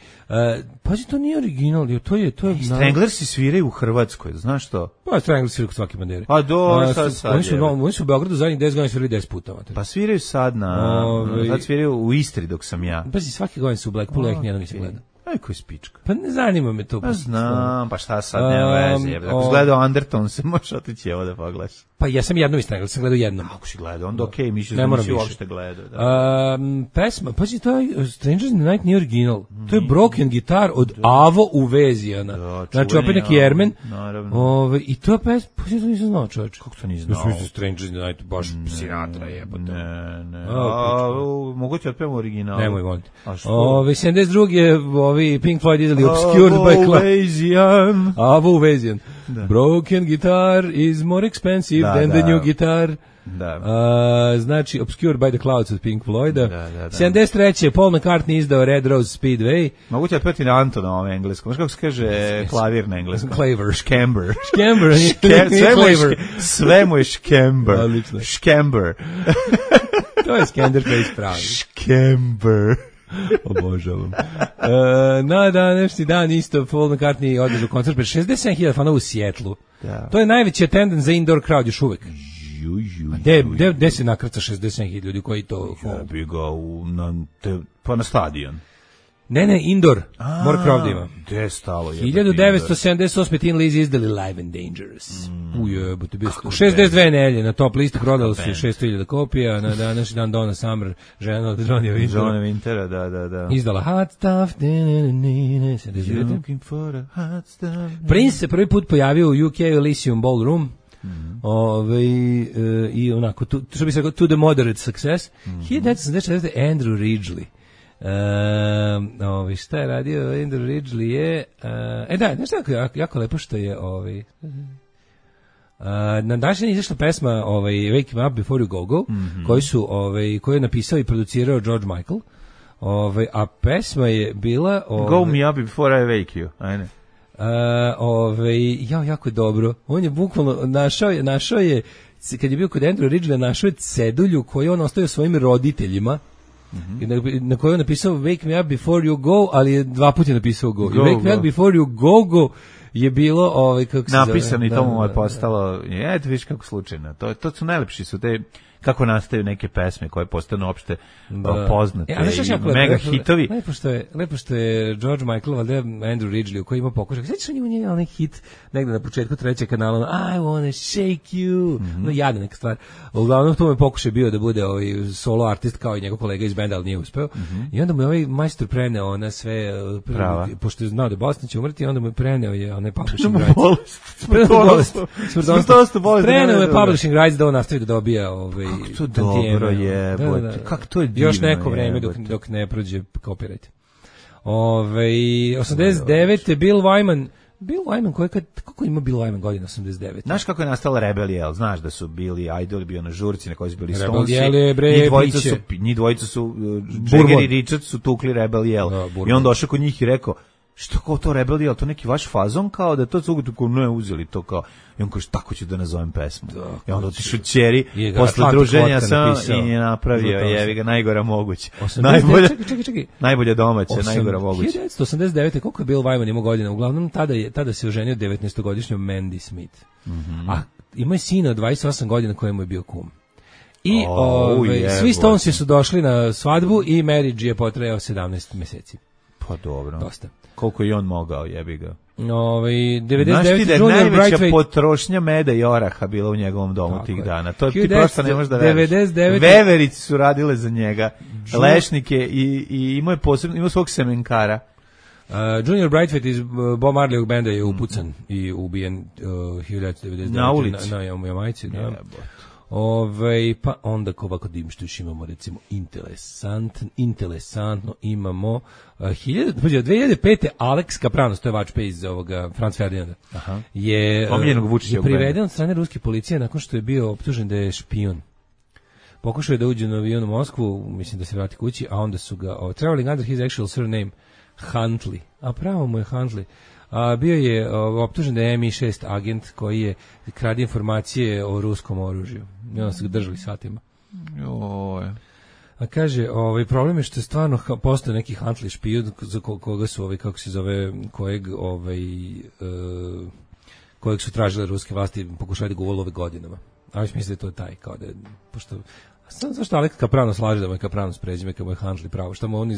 Pazi, to nije original, to je Stranglers sviraju u Hrvatskoj, znaš to? Pa Stranglers sviraju kod svake bandere. Pa do, sad. Oni su u Beogradu zadnjih 10 godina svirali 10 puta. Pa sviraju sad sad sviraju u Istri dok sam ja. Pazi, svake godine su u Blackpoolu, ja ih nijednom nisam gledao. Aj, koji spička. Pa ne zanima me to. Pa znam, pa šta sad, nema veze. Ako si gledao Underton, se možeš otići evo da pogledaš. Pa ja sam jednom istragao, sam gledao jednom. Ako si gledao, onda okej, mišljam da nisi uopšte gledao. Pesma, pazi, to je Strangers in the Night nije original. To je Broken Guitar od Avo Uvezijana. Znači, opet neki Jermen. I to je pesma, pa to nisam znao, čovječ. Kako to nisam znao? Mislim, Strangers in the Night, baš Sinatra jebote. Ne. Mogu ti otpevam original? Nemoj, volim. A što? 72. je Pink Floyd izdali Obscured by Cloud. Avo Uvezijan. Broken guitar is more expensive than the new guitar. Znači, Obscured by the Clouds od Pink Floyda. 73. Paul McCartney izdao Red Rose Speedway. Mogu ti otpeti na Anto na ovom engleskom. Znaš kako se kaže klavir na engleskom? Claver. Škember. Škember. Sve mu je škember. Škember. To je Skanderface pravi. Škember. Obožavam. Na današnji dan isto Paul McCartney održao koncert pred 67.000 fanova u Sjetlu. To je najveći attendance za indoor crowd još uvek. Gde se nakrca 67.000 ljudi koji to... Ja bi ga pa na stadion. Ne, indoor. Mora crowd da ima. Gde je stalo? 1978. Tin Lizzy izdali Live and Dangerous. Ujebote, bio 62 nelje na top listi, prodalo su 600.000 kopija, na današnji dan Donna Summer, žena od Johnny Wintera, da. Izdala Hot Stuff. Prince se prvi put pojavio u UK Elysium Ballroom. I onako, što bi se rekao, to the moderate success. 1974. Andrew Ridgeley. Šta je radio Andrew Ridgeley je znaš tako jako lepo što je na današnji je izašla pesma Wake Me Up Before You Go koju je napisao i producirao George Michael, a pesma je bila Go Me Up Before I Wake You, ajne. Jako je dobro. On je bukvalno našao je kad je bio kod Andrew Ridgeley, našao je cedulju koju on ostavio svojim roditeljima. Na kojoj je napisao Wake Me Up Before You Go, ali je 2 puta napisao Go. I Wake Me Up Before You Go je bilo kako se napisano i to mu je postalo. Eto viš kako slučajno. To su najlepši su te kako nastaju neke pesme koje postanu opšte poznate i mega hitovi. Lepo što je George Michael, valjda Andrew Ridgeley, koji ima pokušaj. Sveći on je onaj hit negde na početku 3. kanala, I wanna shake you. Jadna neka stvar. Uglavnom to mu je pokušaj bio da bude solo artist kao i njegov kolega iz benda, ali nije uspeo. I onda mu je ovaj majstor preneo ona sve, pošto je znao da Bosna će umrti, onda mu je preneo je onaj publishing rights. Preneo je publishing rights da on nastavi da dobija kako to dobro je, kako to je divno. Još neko vreme dok ne prođe copyright. 89. Bill Wyman, koliko ima Bill Wyman godina 89? Znaš kako je nastala Rebel Yell? Znaš da su bili Idol, bio na žurci na kojoj su bili Stonesi. Njih dvojica su Jagger i Richard su tukli Rebel Yell. I on došao kod njih i rekao, što kao to Rebel Yell, to neki vaš fazon kao da to cugu tako ne uzeli to kao. I on kaže, tako ću da nazovem pesmu. I onda otišao ćeri posle druženja i je napravio, jevi ga, najgora moguće. Najbolja domaća, najgora moguće. 1989. koliko je Bill Wyman imao godina? Uglavnom, tada se oženio 19-godišnjom Mandy Smith. A imao je sina od 28 godina kojemu je bio kum. I svi Stonesi su došli na svadbu i marriage je potrajao 17 meseci. Pa dobro. Dosta. Koliko i on mogao, jebi ga. 99. Junior Brightway. Najveća potrošnja meda i oraha bila u njegovom domu tih dana. To ti prosto ne možeš da veriš. Veverici su radile za njega, lešnike i imao svog semenkara. Junior Brightway iz Bob Marleyog benda je upucan i ubijen 1999. Na ulici. Na Jamajci, da. Pa onda ovako da im što još imamo, recimo, interesantno imamo 2005. Alex Kapranos, to je vačpe iz ovoga Franz Ferdinanda, je priveden od strane ruske policije nakon što je bio optužen da je špijun. Pokušao je da uđe na avion u Moskvu, mislim da se vrati kući, a onda su ga traveling under his actual surname Huntley, a pravo mu je Huntley. Bio je optužen da je MI6 agent koji je krade informacije o ruskom oružju. I onda su ga držali satima. A kaže, problem je što je stvarno postoje neki Huntley špijun za koga su kako se zove, kojeg su tražile ruske vlasti, pokušali da ga ulove godinama. A već misli da to je taj, kao da je, pošto zašto Alex Kapranos slaže da mu je Kapranos prezime, kad mu je Huntley pravo, šta mu on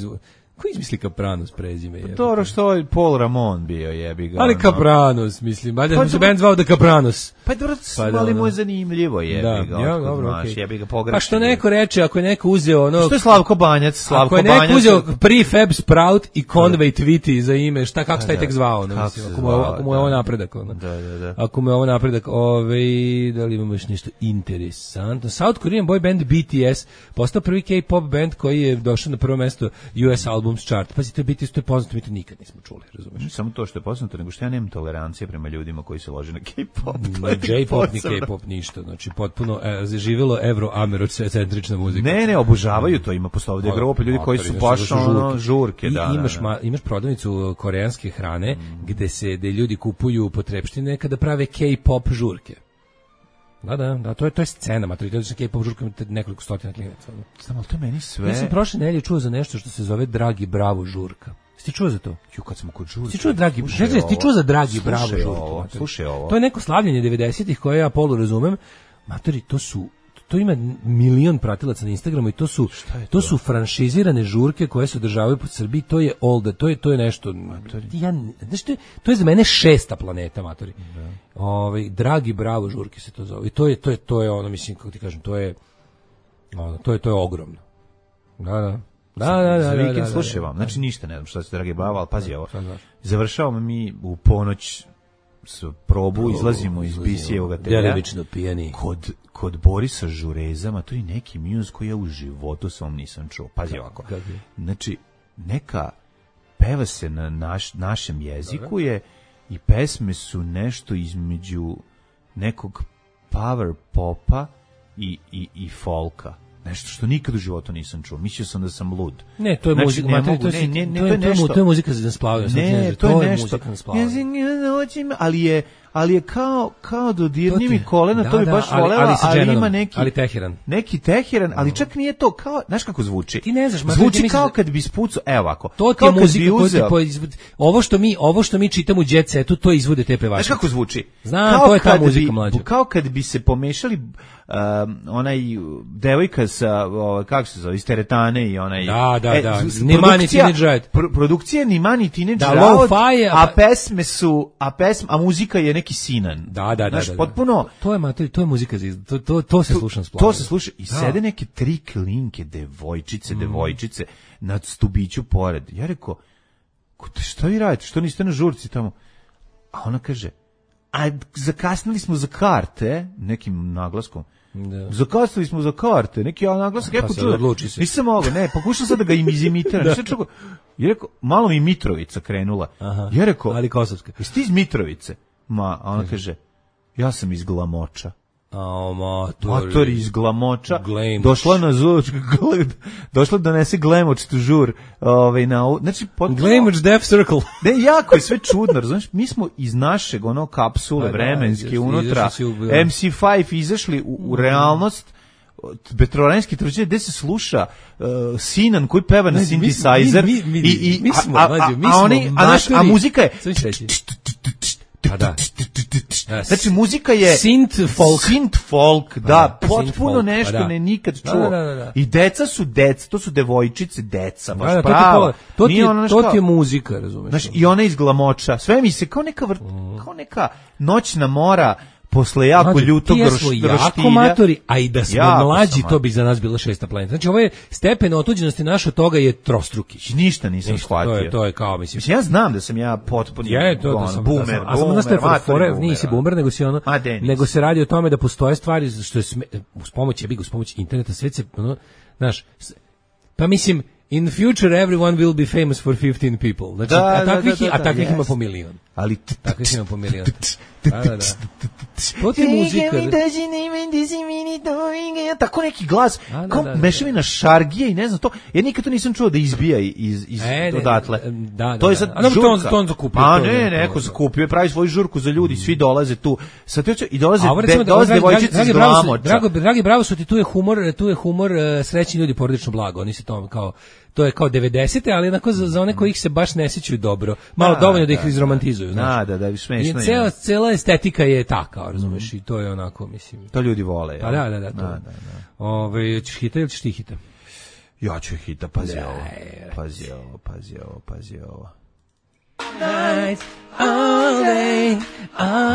ko izmisli Kapranos prezime? Dobro, što je Paul Ramon bio, jebi ga. Ali Kapranos, mislim, valjda se band zvao da Kapranos. Pa dobro, ali mu je zanimljivo, jebi ga. Ja, dobro, okej. Jebi ga pogrešno. Pa što neko reče, ako je neko uzeo ono... Što je Slavko Banjac? Ako je neko uzeo Prefab Sprout i Conway Twitty za ime, kako taj tek zvao? Ako mu je ovo napredak. Da. Ako mu je ovo napredak, da li imamo još nešto interesantno? South Korean boy band BTS postao prvi K-pop band koji je došao na prvo mesto US Albums Chart. Pazi, to je BTS, to je poznato, mi to nikad nismo čuli, razumeš? Ne samo to što je poznato, nego što ja nemam tolerancije prema ljudima koji se lože na K-pop. Ne J-pop, ni K-pop, ništa. Znači, potpuno zaživjelo evro-americentrična muzika. Ne, obožavaju to, ima posto ovdje grupe ljudi koji su baš žurke. Imaš prodavnicu koreanske hrane gde ljudi kupuju potrepštine kada prave K-pop žurke. Da, to je scena, matori, to je K-pop žurka, nekoliko stotina klinaca. Znam, ali to meni sve... Ja sam prošle nedelje čuo za nešto što se zove Dragi Bravo žurka. Ti čuo za to? Kad smo kod žurke. Ti čuo za Dragi Bravo žurku? Slušaj ovo. To je neko slavljenje 90-ih koje ja polu razumem. Matori, to ima milion pratilaca na Instagramu i to su franšizirane žurke koje se održavaju po Srbiji, to je to je nešto. To je za mene 6. planeta, matori. Dragi Bravo žurke se to zove. I to je ono, mislim, kako ti kažem, to je ogromno. Da. Za vikend slušaj vam, znači ništa ne znam šta se Dragi Bravo, ali pazi ovo. Završavamo mi u ponoć s probu, izlazimo iz Bisijevog atelja. Djelomično pijani. Kod Borisa Žurezama, to je neki muse koji ja u životu sam nisam čuo. Pazi ovako. Znači, neka peva se na našem jeziku je i pesme su nešto između nekog power popa i folka. Nešto što nikad u životu nisam čuo. Mislio sam da sam lud. Ne, to je muzika. To je muzika za splavanje. Ne, to je nešto. Ali je kao dodirni mi kolena, to bi baš volela, ali ima neki Teheran, ali čak nije to, kao, znaš kako zvuči? Ti ne znaš, zvuči kao kad bi spucao, evo ovako. To ti je muzika, ovo što mi čitamo u Jet Setu, to izvode te pevači. Znaš kako zvuči? Znam, to je ta muzika mlađa. Kao kad bi se pomešali onaj devojka sa, kako se zove, iz Teretane i onaj... Da. Nimani Teenage Riot. Produkcija Nimani Teenage Riot, a muzika je neki Sinan. Da. Potpuno... To je muzika, to se sluša splavno. To se sluša i sede neke 3 klinke, devojčice na stubiću pored. Ja rekao, šta vi radite, što niste na žurci tamo? A ona kaže, a zakasnili smo za karte, nekim naglaskom. Da. Zakasnili smo za karte, neki naglasak, jako čuo. Nisam mogao, pokušao sam da ga izimitiram. Ja rekao, malo mi Mitrovica krenula. Ja rekao, ali Kosovska. Jesi ti iz Mitrovice? A ona kaže, ja sam iz Glamoča. Mator iz Glamoča. Došla na došla da donese Glamoč tu žur. Znači, Glamoč Death Circle. Ne, jako je sve čudno, razumiješ? Mi smo iz našeg kapsule vremenske unutra MC5 izašli u realnost Petrovaranjske tvrđave gde se sluša Sinan koji peva na synthesizer a muzika je znači muzika je synth folk, da, potpuno nešto ne nikad čuo. I deca su to su devojčice, deca, baš pravo. To ti je muzika, razumeš? Znači, i ona iz Glamoča, sve mi se kao neka noćna mora posle jako ljutog roštilja. Jako matori, a i da smo jako mlađi, to bi za nas bila 6. planeta. Znači, ovo je stepen otuđenosti naš od toga je trostruki. Ništa nisam shvatio. To je kao, mislim. Ja znam da sam ja potpuno boomer. A sam nisi boomer, nego se radi o tome da postoje stvari što je uz pomoć interneta svet se, znaš, pa mislim, in the future everyone will be famous for 15 people. Znači, a takvih ima po milion. Ali takvih ima po milion. Da. To ti je muzika. Tako neki glas, kao mešavina šargije i ne znam to. Ja nikad to nisam čuo da izbija iz odatle. To je sad žurka. To on zakupio. Pa neko zakupio, pravi svoju žurku za ljudi, svi dolaze tu. I dolaze devojčice iz Glamoča. Dragi, bravo su ti, tu je humor srećni ljudi, porodično blago. Oni se to kao, to je kao 90-te, ali onako za one kojih se baš ne sjećaju dobro. Malo dovoljno da ih izromantizuju. Da, smešno je. Cela estetika je taka, razumeš, i to je onako, mislim. To ljudi vole. Pa da. Ćeš hita ili ćeš ti hita? Ja ću hita, pazi ovo.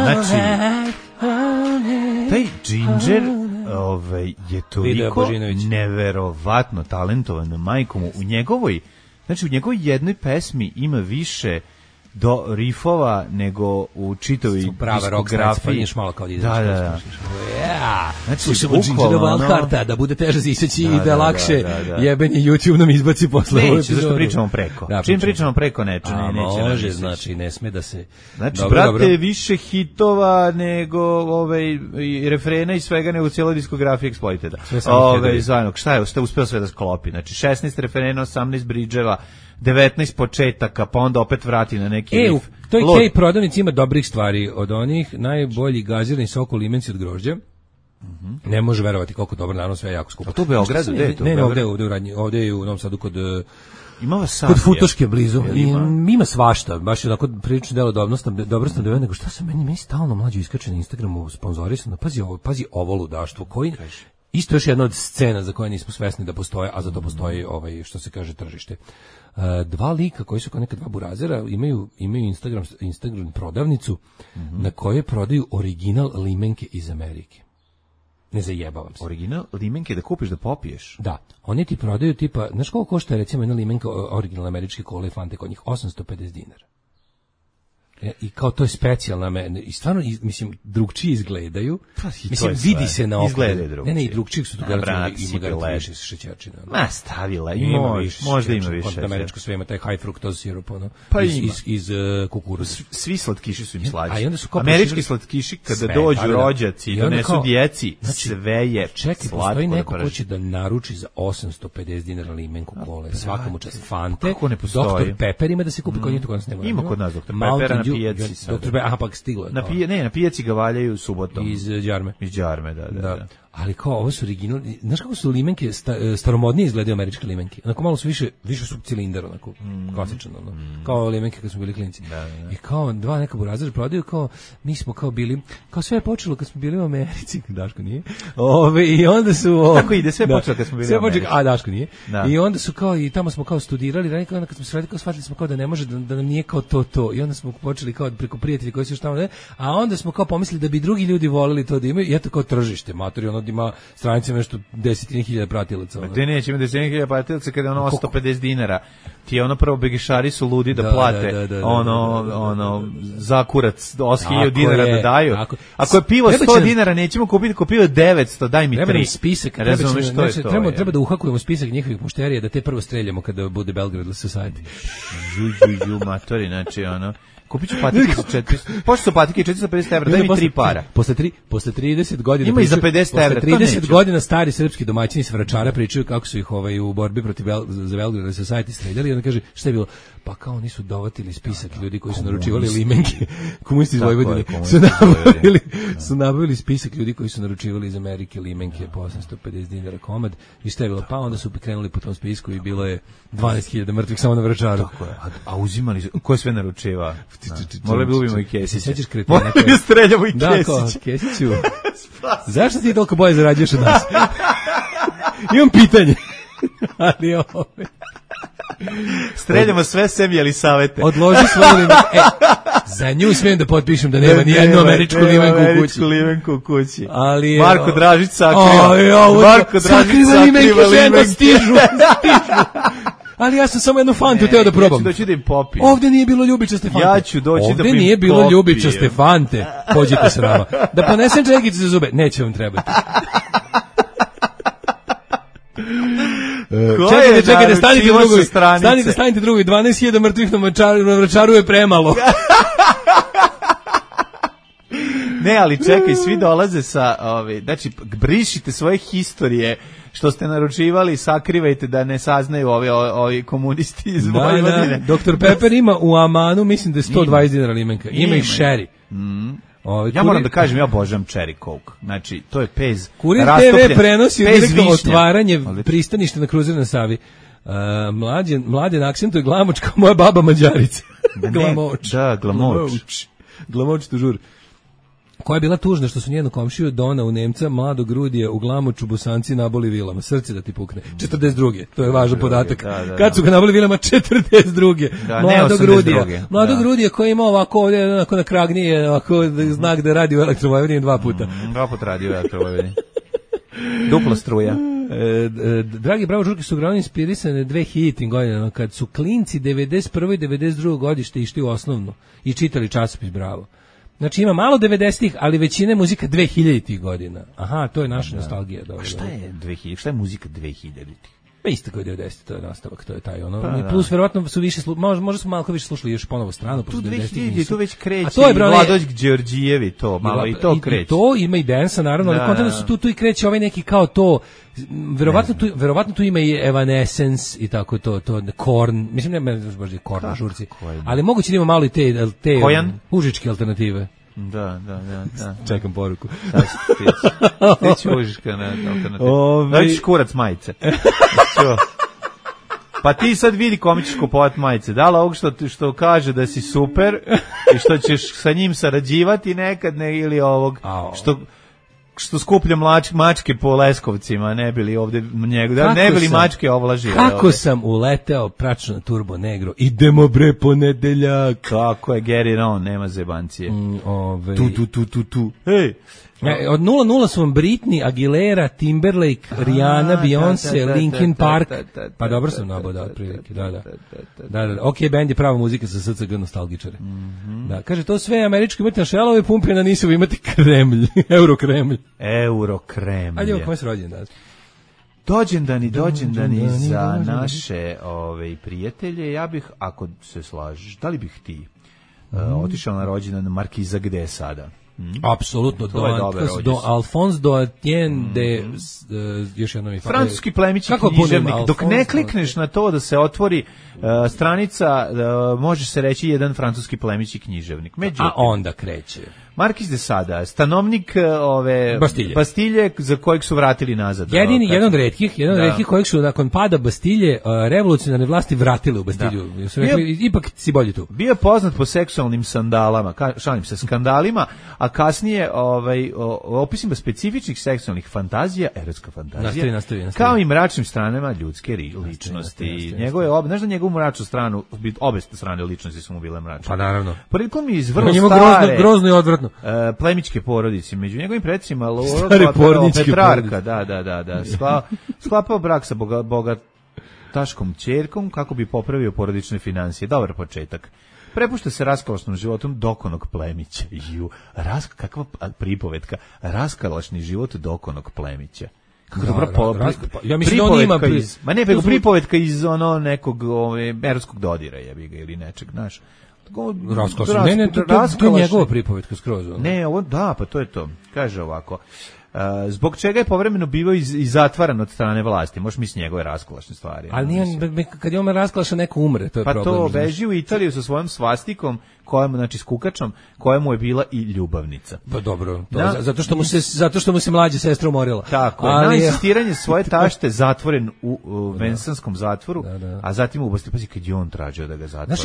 Znači, taj Ginger je toliko neverovatno talentovan majkom u njegovoj jednoj pesmi ima više do rifova nego u čitavoj diskografiji. Malo kao da. Znači, slušamo Gingerova Alharta, da bude teže ziseći i da lakše jebeni YouTube nam izbaci posle. Neće, zašto pričamo preko. Čim pričamo preko neće. Može, znači, ne sme da se... Znači, brate, više hitova nego refrena i svega nego cijela diskografija Exploiteda. Šta je uspeo sve da sklopi? Znači, 16 refrena, 18 bridževa, 19 početaka, pa onda opet vrati na neki riff. To je Kej prodavnici, ima dobrih stvari od onih, najbolji gazirani sok u limenci od grožđa. Ne može verovati koliko dobro, naravno sve je jako skupo. A to u Beogradu, gde je to? Ne, ovde je u Novom Sadu kod Futoške blizu. Ima svašta, baš je onako prilično delo dobro sam da nego šta se meni stalno mlađi iskače na Instagramu sponzorisano. Pazi ovo ludaštvo koji isto još jedna od scena za koje nismo svesni da postoje, a za to postoji što se kaže tržište. Dva lika koji su kao neka dva burazera imaju Instagram prodavnicu na kojoj prodaju original limenke iz Amerike. Ne zajebavam se. Original limenke da kupiš da popiješ? Da. Oni ti prodaju tipa, znaš koliko košta recimo jedna limenka originalne američke Cola i Fante kod njih? $850. I kao to je specijalna i stvarno mislim drugčije izgledaju. Mislim vidi se na oko. Ne, i drugčije su tu ima više šećerčina. Ma stavila možda ima više. Američko sve ima taj high fructose sirup iz kukuruza. Svi slatkiši su im slađi. Američki slatkiši kada dođu rođaci i donesu djeci, sve je slatko. Postoji neko ko će da naruči za $850 limenku kole, svakomu čast Fante. Dr. Pepper ima da se kupi kod njih, to kod nas nema. Ima kod nas Dr. Pepper na pijaci sad. Pak stiglo. Na pijaci ga valjaju subotom. Iz Đarme. Iz Đarme, da. Ali kao ovo su original, znaš kako su limenke staromodnije izgledaju američke limenke. Onako malo su više su cilindar, onako klasično, kao limenke kad smo bili klinci. I kao dva neka burazera prodaju, kao mi smo kao bili, kao sve je počelo kad smo bili u Americi, Daško nije. I onda su tako ide, sve počelo kad smo bili u Americi. A Daško nije. I onda su kao i tamo smo kao studirali, ranije onda kad smo se radili, kao shvatili smo kao da ne može da nam nije kao to. I onda smo počeli kao preko prijatelja koji su još tamo, a onda smo kao pomislili da bi drugi ljudi voleli to da imaju, i eto kao tržište, matori, ima stranice nešto 10.000 pratilaca. Gde neće ima 10.000 pratilaca kada je ono $150. Ti je ono prvo begešari su ludi da plate za kurac $8.000 da daju. Ako je pivo $100 nećemo kupiti, ako pivo 900, daj mi 3. Treba nam spisak, treba da uhakujemo spisak njihovih mušterija da te prvo streljamo kada bude Belgrade Society. Ju matori, znači ono kupit ću patike za 400. Pošto su patike $450, daj mi 3 para. Posle 30 godina ima i za $50. Posle 30 godina stari srpski domaćini s Vračara pričaju kako su ih u borbi protiv za Belgrade Society streljali i onda kaže šta je bilo? Pa kao oni su dovatili spisak ljudi koji su naručivali limenke. Komunisti iz Vojvodine su nabavili spisak ljudi koji su naručivali iz Amerike limenke po $850 komad i šta je bilo? Pa onda su krenuli po tom spisku i bilo je 12.000 mrtvih samo na Vračaru. Tako je. A uzimali su, ko je sve naručiva? Morali bi ubimo i Kesića. Morali bi streljamo i Kesića. Da, kao, Kesiću, zašto ti toliko bolje zarađuješ od nas? Imam pitanje. Ali streljamo sve sem Jelisavete. Odloži svoje limenke. Za nju smijem da potpišem da nema ni jednu američku limenku u kući. Ali Marko Dražić sakriva. Marko Dražić sakriva stižu. Ali ja sam samo jednu fantu teo da probam. Ja ću doći da im popijem. Ovde nije bilo ljubičaste fante. Ja ću doći da im Ovde nije bilo ljubičaste fante. Pođite s nama. Da ponesem čekice za zube. Neće vam trebati. Čekajte, stanite drugovi. 12.000 mrtvih na Vračaru je premalo. Ne, ali čekaj, svi dolaze sa, znači, brišite svoje historije što ste naručivali, sakrivajte da ne saznaju ovi komunisti iz Vojvodine. Dr. Pepper ima u Amanu, mislim da je 120 dinara limenka. Ima i Sherry. Ja moram da kažem, ja obožavam Cherry Coke. Znači, to je pez. Kurir TV prenosi direktno otvaranje pristaništa na kruzeru na Savi. Mladen akcentuje glamoč kao moja baba Mađarica. Glamoč. Da, glamoč. Glamoč tužur. Koja je bila tužna što su njenu komšiju Dona u Nemca, mladog Rudija u Glamoču Bosanci naboli vilama. Srce da ti pukne. 42. To je važan podatak. Da. Kad su ga naboli vilama? 42. Mladog Rudija. Mladog Rudija koji ima ovako ovdje onako na kragni ovako znak da radi u Elektrovojvodini 2 puta. 2 puta radi u Elektrovojvodini. Dupla struja. Dragi Bravo žurke su uglavnom inspirisane 2000 godina, kad su klinci 91. i 92. godište išli u osnovnu i čitali časopis Bravo. Znači ima malo 90-ih, ali većina je muzika 2000-ih godina. Aha, to je naša nostalgija. Dobro. Šta je 2000? Šta je muzika 2000-ih? Pa isto kao 90, to je nastavak, to je taj ono. Pa, plus verovatno su više možda smo malo više slušali još ponovo stranu, tu 2000 tu već kreće. A to je Vladoć Đorđijevi to, malo i to kreće. I to ima i dansa naravno, ali kontent su tu i kreće ovaj neki kao to. Verovatno tu ima i Evanescence i tako to Korn. Mislim ne baš je Korn na žurci. Ali moguće da ima malo i te užičke alternative. Da. Čekam poruku. Ti će užička na alternativu. Da ćeš kurac majice. Pa ti sad vidi kome ćeš kupovat majice. Da li ovog što kaže da si super i što ćeš sa njim sarađivati nekad, ili ovog što skuplja mačke po Leskovcima, ne bili ovde njega, ne bili mačke ovlažile. Kako sam uleteo pračno na Turbo Negro, idemo bre ponedeljak. Kako je, get it on, nema zebancije. Tu. Hej. Od 0-0 su vam Britney, Aguilera, Timberlake, Rihanna, Beyoncé, Linkin Park. Pa dobro sam nabodao otprilike. Da. Ok, band je prava muzika za SCG nostalgičare. Da, kaže, to sve američki imate na šelove pumpe, na nisu imate Kremlj, Eurokremlj. Ajde, evo, kome se rođen danas? Dođendani za naše prijatelje. Ja bih, ako se slažeš, da li bih ti otišao na rođendan Markiza, gde je sada? Apsolutno, do Alphonse Doatien de još jednom francuski plemići književnik. Dok ne klikneš na to da se otvori stranica, može se reći jedan francuski plemići književnik. A onda kreće Markiz de Sada, stanovnik Bastilje za kojeg su vratili nazad. Jedan od retkih kojeg su nakon pada Bastilje revolucionarne vlasti vratile u Bastilju. Ipak si bolji tu. Bio je poznat po seksualnim sandalama, šalim se, skandalima, a kasnije opisima specifičnih seksualnih fantazija, erotska fantazija, nastavi. Kao i mračnim stranama ljudske ličnosti. Znaš da njegovu mračnu stranu, obe strane ličnosti su mu bile mračne. Pa naravno. Prilikom iz vrlo stare, grozno i odvratno. Plemićke porodice, među njegovim predsima Petrarka, da. Sklapao brak sa bogataškom ćerkom kako bi popravio porodične financije. Dobar početak. Prepušta se raskalašnom životom dokonog plemića. Kakva pripovetka. Raskalašni život dokonog plemića. Kako dobra ja mislim da on ima pripovetka iz nekog erotskog dodira jebiga ili nečeg, znaš. To je njegova pripovetka skroz. Ne, ovo da, pa to je to. Kaže ovako. Zbog čega je povremeno bivao i zatvaran od strane vlasti? Možeš misliti njegove raskalašne stvari. Ali kad je on raskalaša, neko umre, to je problem. Pa to beži u Italiju sa svojom svastikom, znači s kukačom, koja mu je bila i ljubavnica. Pa dobro, zato što mu se mlađa sestra umorila. Tako, na insistiranje svoje tašte zatvoren u Vensanskom zatvoru, a zatim u Bastilji, pazi, kad je on tražio da ga zatvore.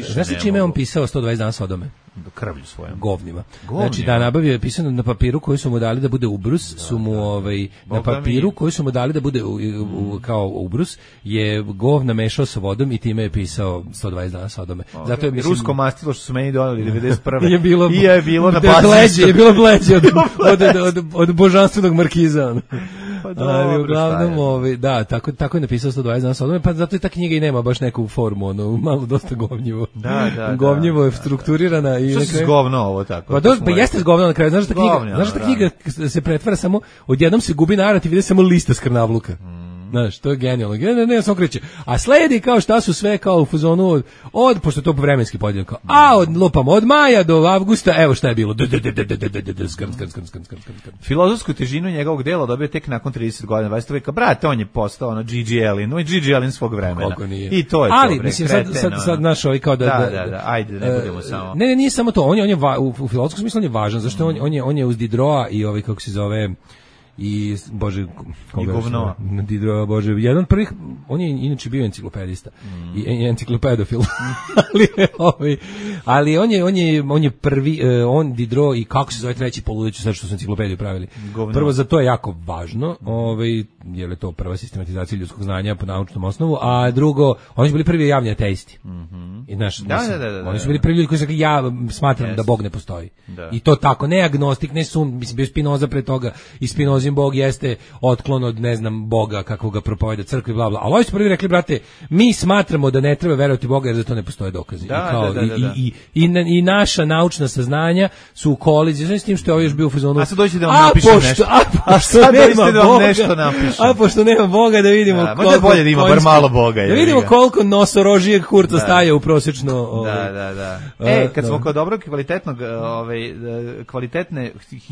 Znaš čime on pisao 120 dana Sodome? krvlju svojom. Govnima. Znači da nabavio je pisano na papiru koji su mu dali da bude ubrus, su mu na papiru koji su mu dali da bude kao ubrus je govna mešao sa vodom i time je pisao 120 dana Sodome. Zato je rusko mastilo što su meni doneli 91. je bilo na bazi. Je bilo bleđe od božanstvenog markiza. Ali uglavnom, da, tako je napisao 120 dana Sodome, pa zato i ta knjiga i nema baš neku formu, malo dosta govnjivo. Govnjivo je strukturirana i što se zgovno ovo tako? Pa jeste zgovno na kraju, znaš da knjiga se pretvara samo, odjednom se gubi narativ, ide samo lista skrnavluka. Znaš, to je genijalno. Ne, samo kreće. A sledi kao šta su sve kao u fazonu pošto je to vremenski podijeljeno, kao, od maja do avgusta, evo šta je bilo. Filozofsku težinu njegovog dela dobio tek nakon 30 godina. Vajste uvijek, brate, on je postao Gigi Allen, on je Gigi Allen svog vremena. Koliko nije. I to je to. Ali, mislim, sad naš ovaj kao da, ajde, ne budemo samo. Ne, nije samo to, on je u filozofskom smislu on je važan, zašto on je uz Diderota i ovaj, kako se zove, i bože govno bože, jedan od prvih, on je inače bio enciklopedista i enciklopedofil ali on je prvi, on Diderot i kako se zove treći poludeću sad što su enciklopediju pravili govno. Prvo za to je jako važno jer je to prva sistematizacija ljudskog znanja po naučnom osnovu, a drugo oni su bili prvi javni ateisti i oni su bili prvi ljudi koji su rekli ja smatram da Bog ne postoji i to tako, ne agnostik, ne mislim bio Spinoza pre toga i Spinoza Bog jeste otklon od, ne znam, Boga kako ga propoveda crkvi, bla, bla. Ali oni su prvi rekli, brate, mi smatramo da ne treba verovati Boga jer za to ne postoje dokazi. I naša naučna saznanja su u koliziji s tim što je ovaj još bio u fazonu. A sad dođete da vam napišem nešto. A sad dođete da vam nešto napišem. A pošto nema Boga da vidimo koliko... Možda bolje da ima bar malo Boga. Da vidimo koliko nosorožijeg kurca staje u prosječno... Da. Kad smo kod dobrog kvalitetnog, kvalitetne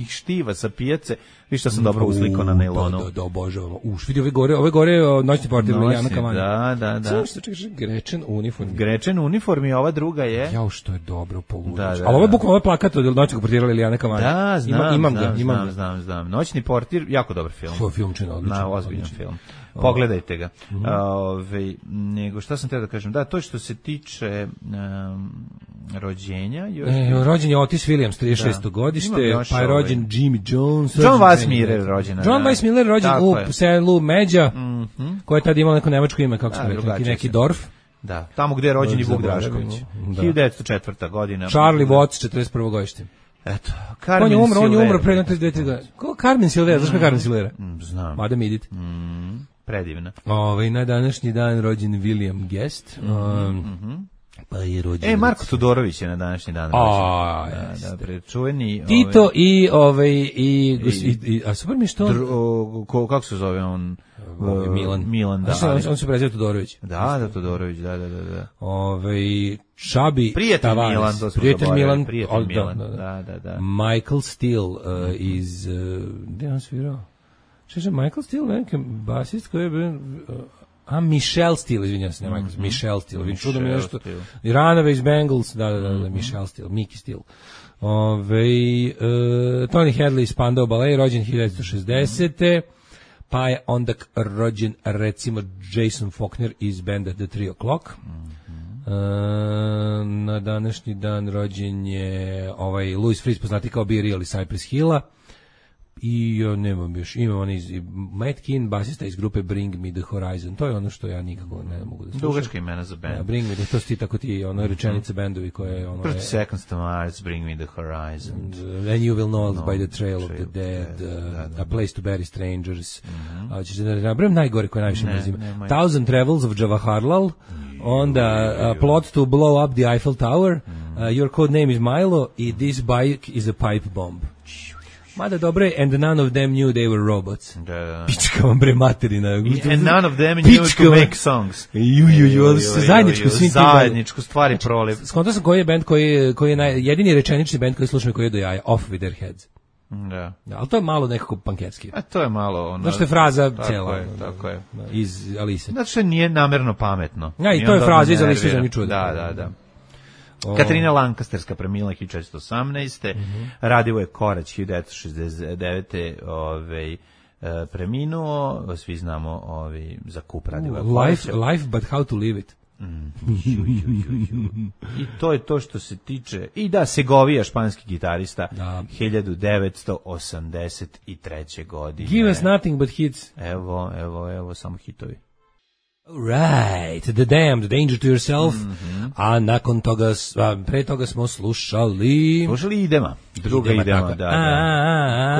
štiva sa pijace, vi što sam dobro uslikao na nailonu. Da, obožavam. Vidi ove gore noćni portir Liljana Kavanja. Da. Samo što čekaš, Grečen uniform. Grečen uniform i ova druga je... Jao, što je dobro poludić. Ali ovo je bukvalno ovaj plakat od noćnog portira Liljana Kavanja. Da, znam. Znam. Noćni portir, jako dobar film. To je filmčina, odličan. Ozbiljan film. Pogledajte ga. Nego šta sam teo da kažem? Da, to što se tiče rođenja. Rođen je Otis Williams, 36. godište, pa je rođen Jimmy Jones. John Weiss Miller rođen. John Weiss Miller rođen u selu Međa, koje je tada imalo neko nemačko ime, kako smo rekli, neki Dorf. Da, tamo gde je rođen i Vuk Drašković. 1904. godina. Charlie Watts, 41. godište. Eto, Carmen Silvera. On je umro pre 32 godine. Ko Carmen Silvera? Znaš ko Carmen Silvera? Znam. Madam Edith. Predivna. Na današnji dan rođen William Guest. Pa je rođen... Marko Tudorović je na današnji dan rođen. Da, prečuveni... Tito i a super mi što... Kako se zove on? Milan, da. On se prezio Todorović. Da, Todorović, da. Čabi Tavares. Prijatelj Milan. Da. Michael Steele iz... Gde on svirao? Što Michael Steele, neki basist koji je bio... Michelle Steele, izvinjam se, ne Michael, Michelle Steele, vidim čudo mi nešto, Ranove iz Bengals, da, Michelle Steele, Mickey Steele. Tony Hadley iz Spandau Ballet, rođen 1960. Pa je onda rođen, recimo, Jason Faulkner iz benda The 3 O'Clock. Na današnji dan rođen je Louis Freeze, poznati kao Be Real iz Cypress Hilla. I nemam još, imam on Matt Keane, basista iz grupe Bring Me The Horizon, to je ono što ja nikako ne mogu da slušam. Dugačka imena za band. Bring Me, to su ti tako ti, rečenice bendovi koje... 30 Seconds to Mars, Bring Me The Horizon. And You Will Know By The Trail of the Dead, A Place to Bury Strangers. Ćeš da nabrem najgore koje najviše mrzim. Thousand Travels of Jawaharlal, onda Plot to Blow Up the Eiffel Tower, Your Code Name is Milo i This Bike is a Pipe Bomb. Mada dobro je, and none of them knew they were robots. Da. Pička vam bre materina. And none of them knew to make songs. Zajedničku stvari proliv. Skontao sam koji je band koji je jedini rečenični band koji slušam koji je do jaja, Off With Their Heads. Da. Ali to je malo nekako panketski. A to je malo ono. Znaš što je fraza cela. Tako je. Iz Alise. Znači što nije namerno pametno. Ja, i to je fraza iz Alise za mi čuo. Da. Katarina Lancasterska premila 1418. Radivoje Korać 1969. Preminuo. Svi znamo za kup Radivoje Koraća. Life but how to live it. I to je to što se tiče. I da, Segovija, španski gitarista, 1983. godine. Give us nothing but hits. Evo, samo hitovi. Right, The Damned, Danger to Yourself, a nakon toga, pre toga smo slušali Idema, druga Idema, da.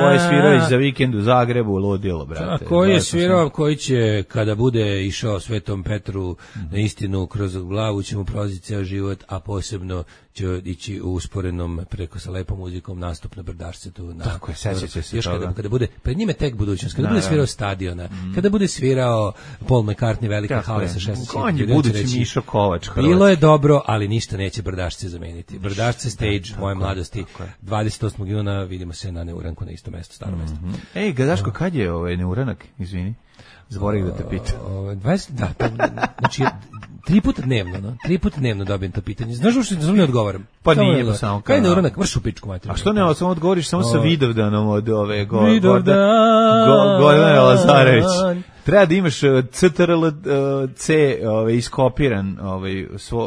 Ko je svirao za vikend u Zagrebu, ludilo, brate. Ko je svirao, koji će, kada bude išao Svetom Petru na istinu kroz glavu, će mu prolaziti ceo život, a posebno će ići u usporenom preko sa lepom muzikom nastup na Brdašcetu. Tako je, sećate se još toga. kada bude, pred njime tek budućnost, kada bude svirao Stadiona, kada bude svirao Paul McCartney, velike hale sa 16. On je budući Mišo Kovač. Bilo je dobro, ali ništa neće Brdašce zameniti. Brdašce stage, moje mladosti, 28. juna, vidimo se na Neuranku na isto mesto, staro mesto. Ej, Daško, kad je Neuranak, izvini? Zaboravim da te pitam. 20, znači 3 puta dnevno, no? 3 puta dnevno dobijem to pitanje. Znaš što ne odgovaram? Pa nije to samo. Kaj je Neuranak? Vrš u pičku materiju. A što ne, samo odgovoriš samo sa Vidovdanom od ove Gordana Lazarević. Treba da imaš CTRL-C iskopiran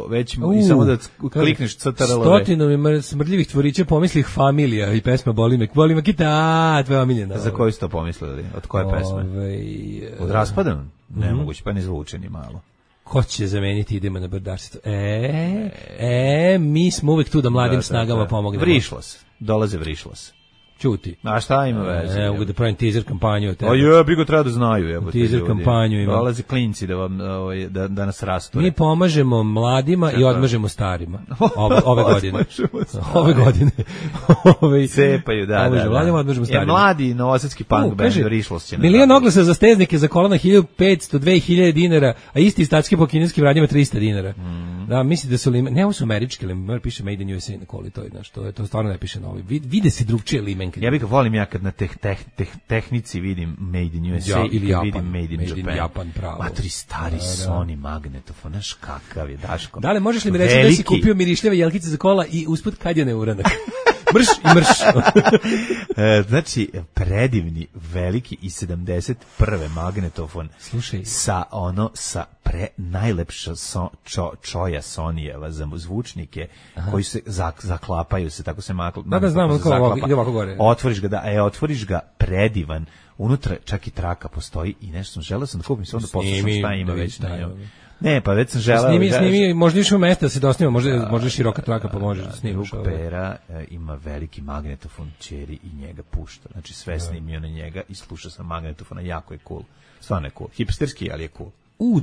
već i samo da klikneš CTRL-V. Stotinu mi smrdljivih tvorića pomislih Familija i pesma Boli me kita, tvoja omiljena. Za koju ste to pomislili? Od koje pesme? Od Raspadan? Nemoguće, pa ne zvuče ni malo. Ko će zameniti Idemo na Brdašcetu? Mi smo uvek tu da mladim snagama pomognemo. Vrišlos, dolaze Vrišlos. Ćuti. A šta ima veze? Mogu da pravim teaser kampanju od tebe. Bi ga treba da znaju. Teaser kampanju ima. Dolaze klinci da nas rasture. Mi pomažemo mladima i odmažemo starima. Ove godine. Ove godine. Cepaju, da. Mladima odmažemo starima. Mladi novosadski punk band Vrišlos će. Milion oglasa za steznike za kolana 1500, 2000 dinara, a isti statski po kineskim radnjama 300 dinara. Da, misli da su ne, ovo su američki, ali piše Made in USA na koli, to je, znaš, to stvarno ne piše novi. Vide se drugčije limenke. Ja bih ga volim kad na tehnici vidim Made in USA ili Japan, vidim Made in Japan pravo. Matri stari Sony magnetofon, znaš kakav je, Daško. Da li možeš li mi reći da si kupio mirišljave jelkice za kola i usput kad je Neuranak? Mrš i mrš. Znači, predivni, veliki i 71. magnetofon. Slušaj. Sa najlepša čoja Sonyjeva za zvučnike. Aha. Koji se zaklapaju se, tako se da znam, ide ovako gore. Otvoriš ga predivan. Unutra čak i traka postoji i nešto želeo sam da kupim se, onda poslušam šta ima već na njom. Ne, pa već sam želeo... Snimi, možda više u mesta da se dosnima, možda široka traka pa možeš da snimaš. Drug Pera ima veliki magnetofon ćeri i njega pušta. Znači sve snimio na njega i sluša sam magnetofona, jako je cool. Stvarno je cool. Hipsterski, ali je cool.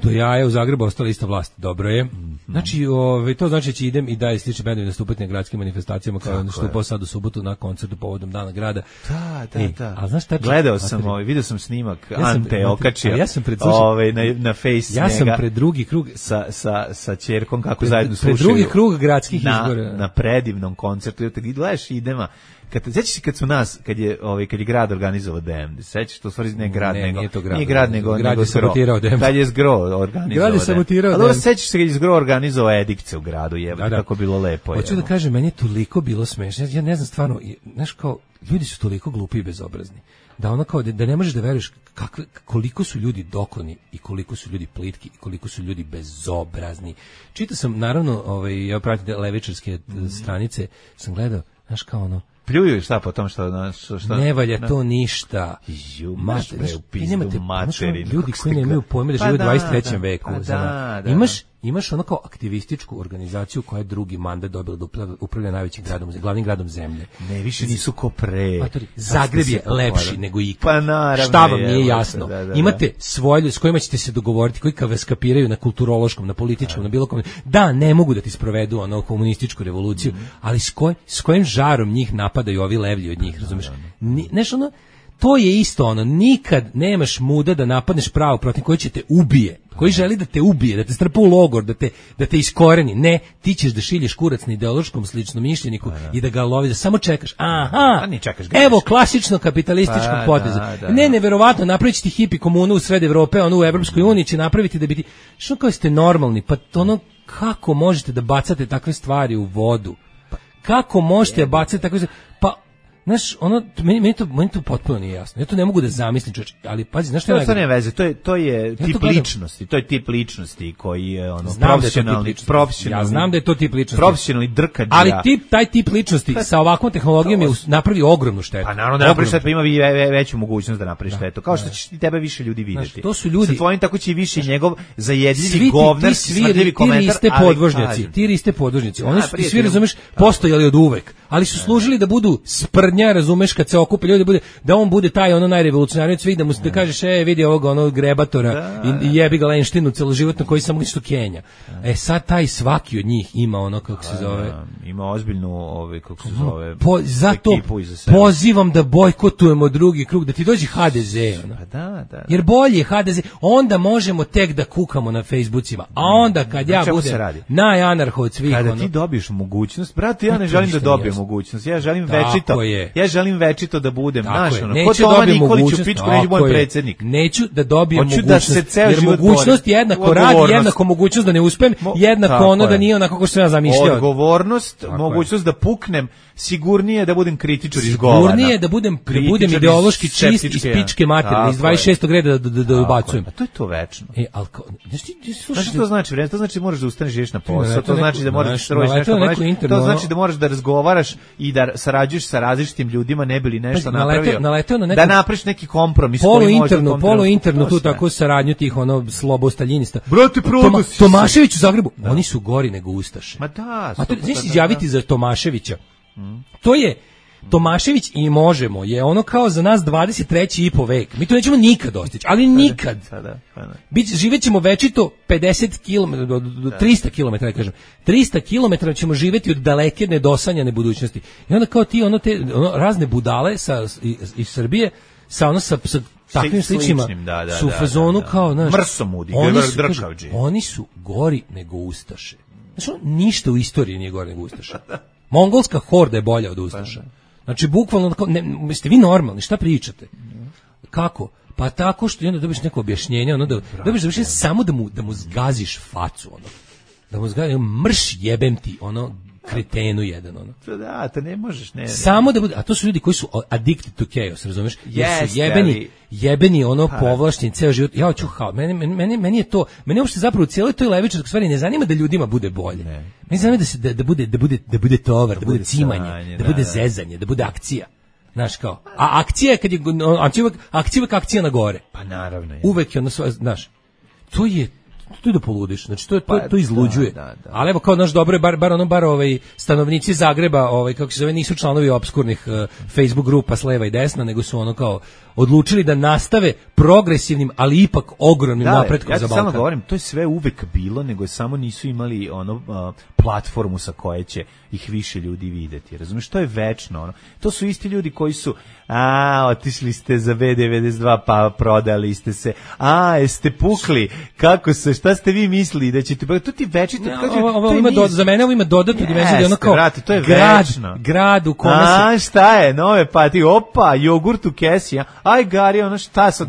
Do jaja u Zagrebu ostala ista vlast. Dobro je. Znači, to znači da će idem i dalje slični bendovi nastupati na gradskim manifestacijama kao je nastupao sad u subotu na koncertu povodom Dana grada. Da. A znaš šta? Gledao sam, vidio sam snimak Ante okačio na face ja sam pred drugi krug sa ćerkom kako zajedno slušaju. Pred drugi krug gradskih izbora. Na predivnom koncertu. Gledaš Idema. Sećaš se kad je grad organizovao Damned, sećaš to stvari ne grad nego nije grad nego sabotirao Damned. Kad je Zgro organizovao. Grad je sabotirao. Ali sećaš se kad je Zgro organizovao Edikce u gradu, kako bilo lepo je. Hoću da kažem, meni je toliko bilo smešno. Ja ne znam stvarno, znaš kao ljudi su toliko glupi i bezobrazni. Da ono kao da ne možeš da veruješ koliko su ljudi dokoni i koliko su ljudi plitki i koliko su ljudi bezobrazni. Čitao sam naravno, ja pratim levičarske stranice, sam gledao, znaš kao ono pljuju šta po tom što ne valja to ništa. Ljudi koji nemaju pojma da žive u 23. veku. Imaš ono kao aktivističku organizaciju koja je drugi mandat dobila da upravlja najvećim gradom, glavnim gradom zemlje. Ne, više nisu ko pre. Zagreb je lepši nego ikad. Pa naravno. Šta vam nije jasno? Imate svoje s kojima ćete se dogovoriti, koji vas kapiraju na kulturološkom, na političkom, na bilo kom. Da, ne mogu da ti sprovedu ono komunističku revoluciju, ali s kojim žarom njih napadaju ovi levlji od njih, razumeš? Nešto ono, to je isto ono, nikad nemaš muda da napadneš pravo protiv koji će te ubije, koji želi da te ubije, da te strpa u logor, da te iskoreni. Ne, ti ćeš da šilješ kurac na ideološkom sličnom mišljeniku i da ga lovi, da samo čekaš. Aha, evo klasično kapitalističkog poteza. Ne, neverovatno, napravit će ti hipi komunu u sred Evrope, ono u Evropskoj uniji će napraviti da bi ti... Što kao ste normalni? Pa ono, kako možete da bacate takve stvari u vodu? Kako možete bacati takve stvari? Pa Znaš, ono, meni to potpuno nije jasno. Ja to ne mogu da zamislim, čovječ, ali pazi, znaš što je to ne veze, to je tip ličnosti, to je tip ličnosti koji je ono profesionalni. Ja znam da je to tip ličnosti. Profesionalni drkađa. Ali taj tip ličnosti sa ovakvom tehnologijom je napravi ogromnu štetu. Pa naravno da napravi štetu, pa ima veću mogućnost da napravi štetu. Kao što će tebe više ljudi videti. Znaš, to su ljudi. Sa tvojim tako će i više njegov zajedljivi govnarski smrdljivi komentar. Ti riste podvožnjaci. Oni su, svi razumeš, postojali od uvek, ali su služili da budu sprdnja, razumeš, kad se okupe ljudi, da on bude taj ono najrevolucionarniji od svih, da mu da kažeš vidi ovog onog grebatora i jebi ga Lenštinu celoživotno koji samo ništa Kenja. Sad taj svaki od njih ima ono kako se zove, ima ozbiljnu kako se zove, zato pozivam da bojkotujemo drugi krug, da ti dođe HDZ ono. Da. Jer bolje je HDZ, onda možemo tek da kukamo na Facebookima, a onda kad ja budem najanarho od svih, kada ti dobiješ mogućnost, brate, ja ne želim da dobijem mogućnost, ja želim večito. Ja želim večito da budem, znaš, ko Toma Nikolić u pičku neće moj predsjednik. Neću da dobijem mogućnost, jer mogućnost je jednako rad, jednako mogućnost da ne uspem, jednako ono da nije onako kako sam ja zamišljao. Odgovornost, mogućnost da puknem, sigurnije da budem kritičar izgovana. Sigurnije da budem ideološki čist iz pičke materije, iz 26. reda da ubacujem. A to je to večno. Znaš što to znači? To znači moraš da ustaneš i ideš na posao, to znači da moraš da strojiš nešto, to znači da moraš da razgovaraš i da sarađuješ sa različitim ljudima, ne bi li nešto napravio, da napraviš neki kompromis polu-internu tu tako saradnju tih ono slobostaljinista. Brate, Tomašević u Zagrebu, oni su gori nego Ustaše. Ma da. A to znaš izjaviti za Tomaševića. To je Tomašević i Možemo je ono kao za nas 23. i po vek. Mi to nećemo nikad dostići, ali nikad. Živećemo večito 50 km, 300 km, da kažem. 300 km ćemo živjeti od daleke nedosanjane budućnosti. I onda kao ti razne budale iz Srbije sa takvim sličnima su u fazonu kao, znaš, mrsomudi, oni su gori nego Ustaše. Znači, ništa u istoriji nije gori nego Ustaše. Mongolska horda je bolja od Ustaša. Znači, bukvalno, jeste vi normalni, šta pričate? Kako? Pa tako što onda dobiš neko objašnjenje, ono dobiš objašnjenje samo da mu zgaziš facu, ono. Da mu zgaziš, mrš jebem ti, ono, kretenu jedan, ono. Da, to ne možeš, ne. Samo da bude, a to su ljudi koji su addicted to chaos, razumeš? Jer su jebeni ono povlašteni ceo život. Ja hoću meni je to, meni uopšte zapravo u cijeloj toj levičarskoj stvari ne zanima da ljudima bude bolje. Meni zanima da bude tovar, da bude cimanje, da bude zezanje, da bude akcija. Znaš kao, a akcija je kad je akcija na gore. Pa naravno je. Uvek je ono, znaš, to je da poludiš, znači to izluđuje. Da. Ali evo kao naš dobro je bar stanovnici Zagreba, kako se zove, nisu članovi opskurnih Facebook grupa s leva i desna, nego su ono kao odlučili da nastave progresivnim, ali ipak ogromnim napretkom za Balkan. Ja samo govorim, to je sve uvek bilo, nego samo nisu imali platformu sa koje će ih više ljudi videti. Razumiješ, to je večno. To su isti ljudi koji su otišli ste za B92 pa prodali ste se. Jeste pukli. Kako se, šta ste vi mislili da ćete, to ti večito. Za mene ovo ima dodatnu dimenziju da ono kao to je grad u kome se... šta je, nove pati, jogurt u kesi, aj Gari, ono šta sad,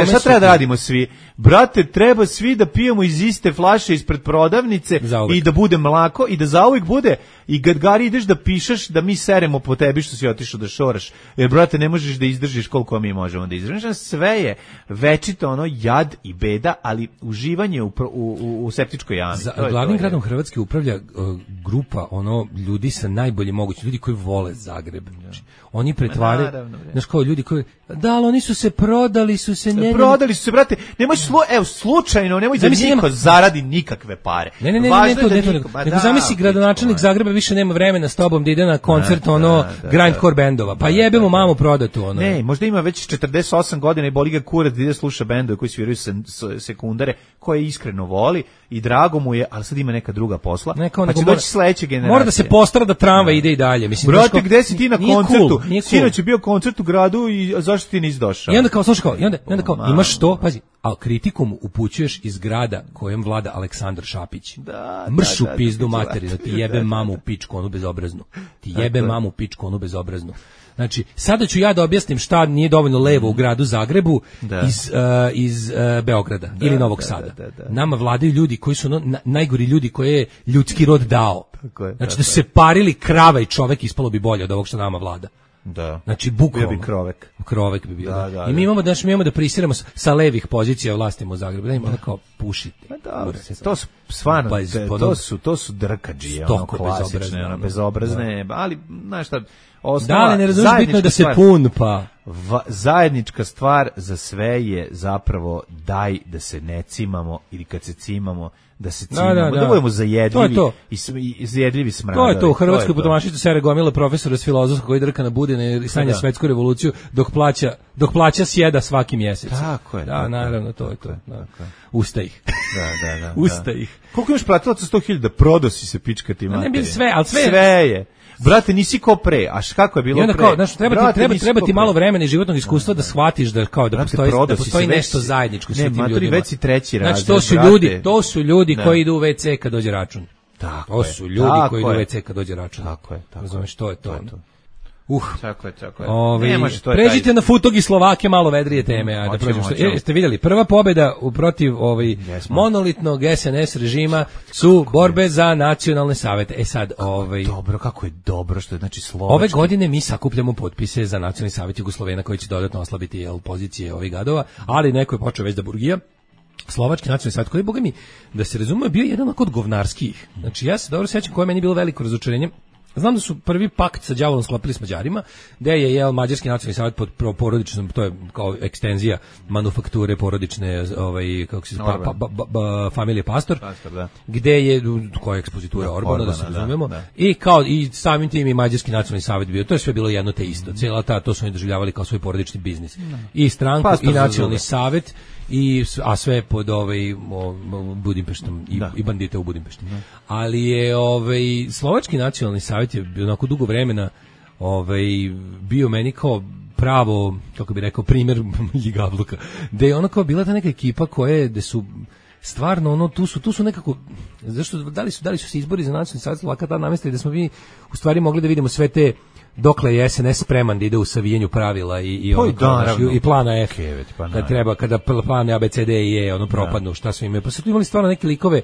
šta treba da radimo svi? Brate, treba svi da pijemo iz iste flaše ispred prodavnice i da bude mlako i da zauvijek bude. I kad Gari ideš da pišeš da mi seremo po tebi što si otišao da šoraš. Jer, brate, ne možeš da izdržiš koliko mi možemo da izdržiš. Sve je večito ono jad i beda, ali uživanje u septičkoj jami. Glavnim gradom Hrvatske upravlja grupa ljudi sa najboljim mogućim, ljudi koji vole Zagreb. Oni pretvaraju, znaš kao ljudi koji, ali oni su se prodali su se, brate, nemoj slučajno, nemoj da niko zaradi nikakve pare. Ne, nego zamisli gradonačelnik Zagreba više nema vremena s tobom da ide na koncert grindcore bendova, pa jebemo mamu prodatu. Ne, možda ima već 48 godina i boli ga kurac da ide sluša bendove koji sviraju sekundare, koje iskreno voli i drago mu je, ali sad ima neka druga posla, pa će doći sledeće generacije. Mora da se postara da tramvaj ide i dalje. Brate, gde si ti na koncertu? Sinoć je bio koncert u gradu i zašto ti nisi došao? I onda kao, slušaj, imaš to, pazi, a kritikom upućuješ iz grada kojem vlada Aleksandar Šapić. Mršu pizdu materi, da ti jebe mamu u pičku, onu bezobraznu. Ti jebe mamu u pičku, onu bezobraznu. Znači, sada ću ja da objasnim šta nije dovoljno levo u gradu Zagrebu iz Beograda ili Novog Sada. Nama vladaju ljudi koji su najgori ljudi koje je ljudski rod dao. Znači, da su se parili krava i čovek, ispalo bi bolje od ovog što nama vlada. Da. Znači bukvalno. Bio bi Krovek bi bio. Da. I mi imamo da prisiramo sa levih pozicija vlastimo u Zagrebu. Da imamo kao pušite. Pa dobro, to su stvarno, to su drkadžije, ono klasične, ono bezobrazne, ali znaš šta, osnova, da, ne razumiješ, bitno je da se pun, pa. Zajednička stvar za sve je zapravo daj da se ne cimamo ili kad se cimamo da se cimamo, da budemo zajedljivi i zajedljivi smradavi. To je to, u Hrvatskoj potomašicu sere gomila profesora s filozofskog koji drka na Budine i sanja svetsku revoluciju dok plaća sjeda svaki mjesec. Tako je. Da, naravno, to je to. Usta ih. Da. Usta ih. Koliko imaš platilaca 100.000 da prodo si se pička ti materije? Ne bi sve, ali sve je. Brate, nisi ko pre, a kako je bilo pre? I onda kao, znaš, treba ti malo vremena i životnog iskustva da shvatiš da kao da postoji nešto zajedničko sa tim ljudima. Ne, već si treći razred. Znači, to su ljudi koji idu u WC kad dođe račun. To su ljudi koji idu u WC kad dođe račun. Tako je. Razumeš, to je to. Tako je. Pređite na Futog i Slovake, malo vedrije teme. Ajde, prođemo. Ste vidjeli, prva pobjeda protiv monolitnog SNS režima su borbe za nacionalne savete. Sad, dobro, kako je dobro što je, znači, Slovački. Ove godine mi sakupljamo potpise za nacionalni savet Jugoslovena koji će dodatno oslabiti pozicije ovih gadova, ali neko je počeo već da burgija. Slovački nacionalni savet, koji, boga mi, da se razume, bio jedan od govnarskih. Znači, ja se dobro sjećam koje meni bilo veliko razočarenje. Znam da su prvi pakt sa đavolom sklopili s Mađarima, gde je Mađarski nacionalni savjet pod porodičnom, to je kao ekstenzija manufakture porodične, kako se familije Pastor, da. Gde je, koja je ekspozitura Orbana, da se razumemo, i samim tim i Mađarski nacionalni savjet bio, to je sve bilo jedno te isto, cijela to su oni doživljavali kao svoj porodični biznis. I stranku, i nacionalni savjet, a sve pod Budimpeštom i bandite u Budimpešti. Ali je Slovački nacionalni savjet je onako dugo vremena bio meni kao pravo, kako bi rekao, primjer ljigavluka, gde je ona kao bila ta neka ekipa gde su stvarno tu su nekako, zašto, da li su se izbori za nacionalni savjet Slovaka tada namestili da smo mi u stvari mogli da vidimo sve te dokle je SNS spreman da ide u savijenju pravila i plana F, kada plan A, B, C, D i E propadnu, šta su imali. Pa su tu imali stvarno neke likove,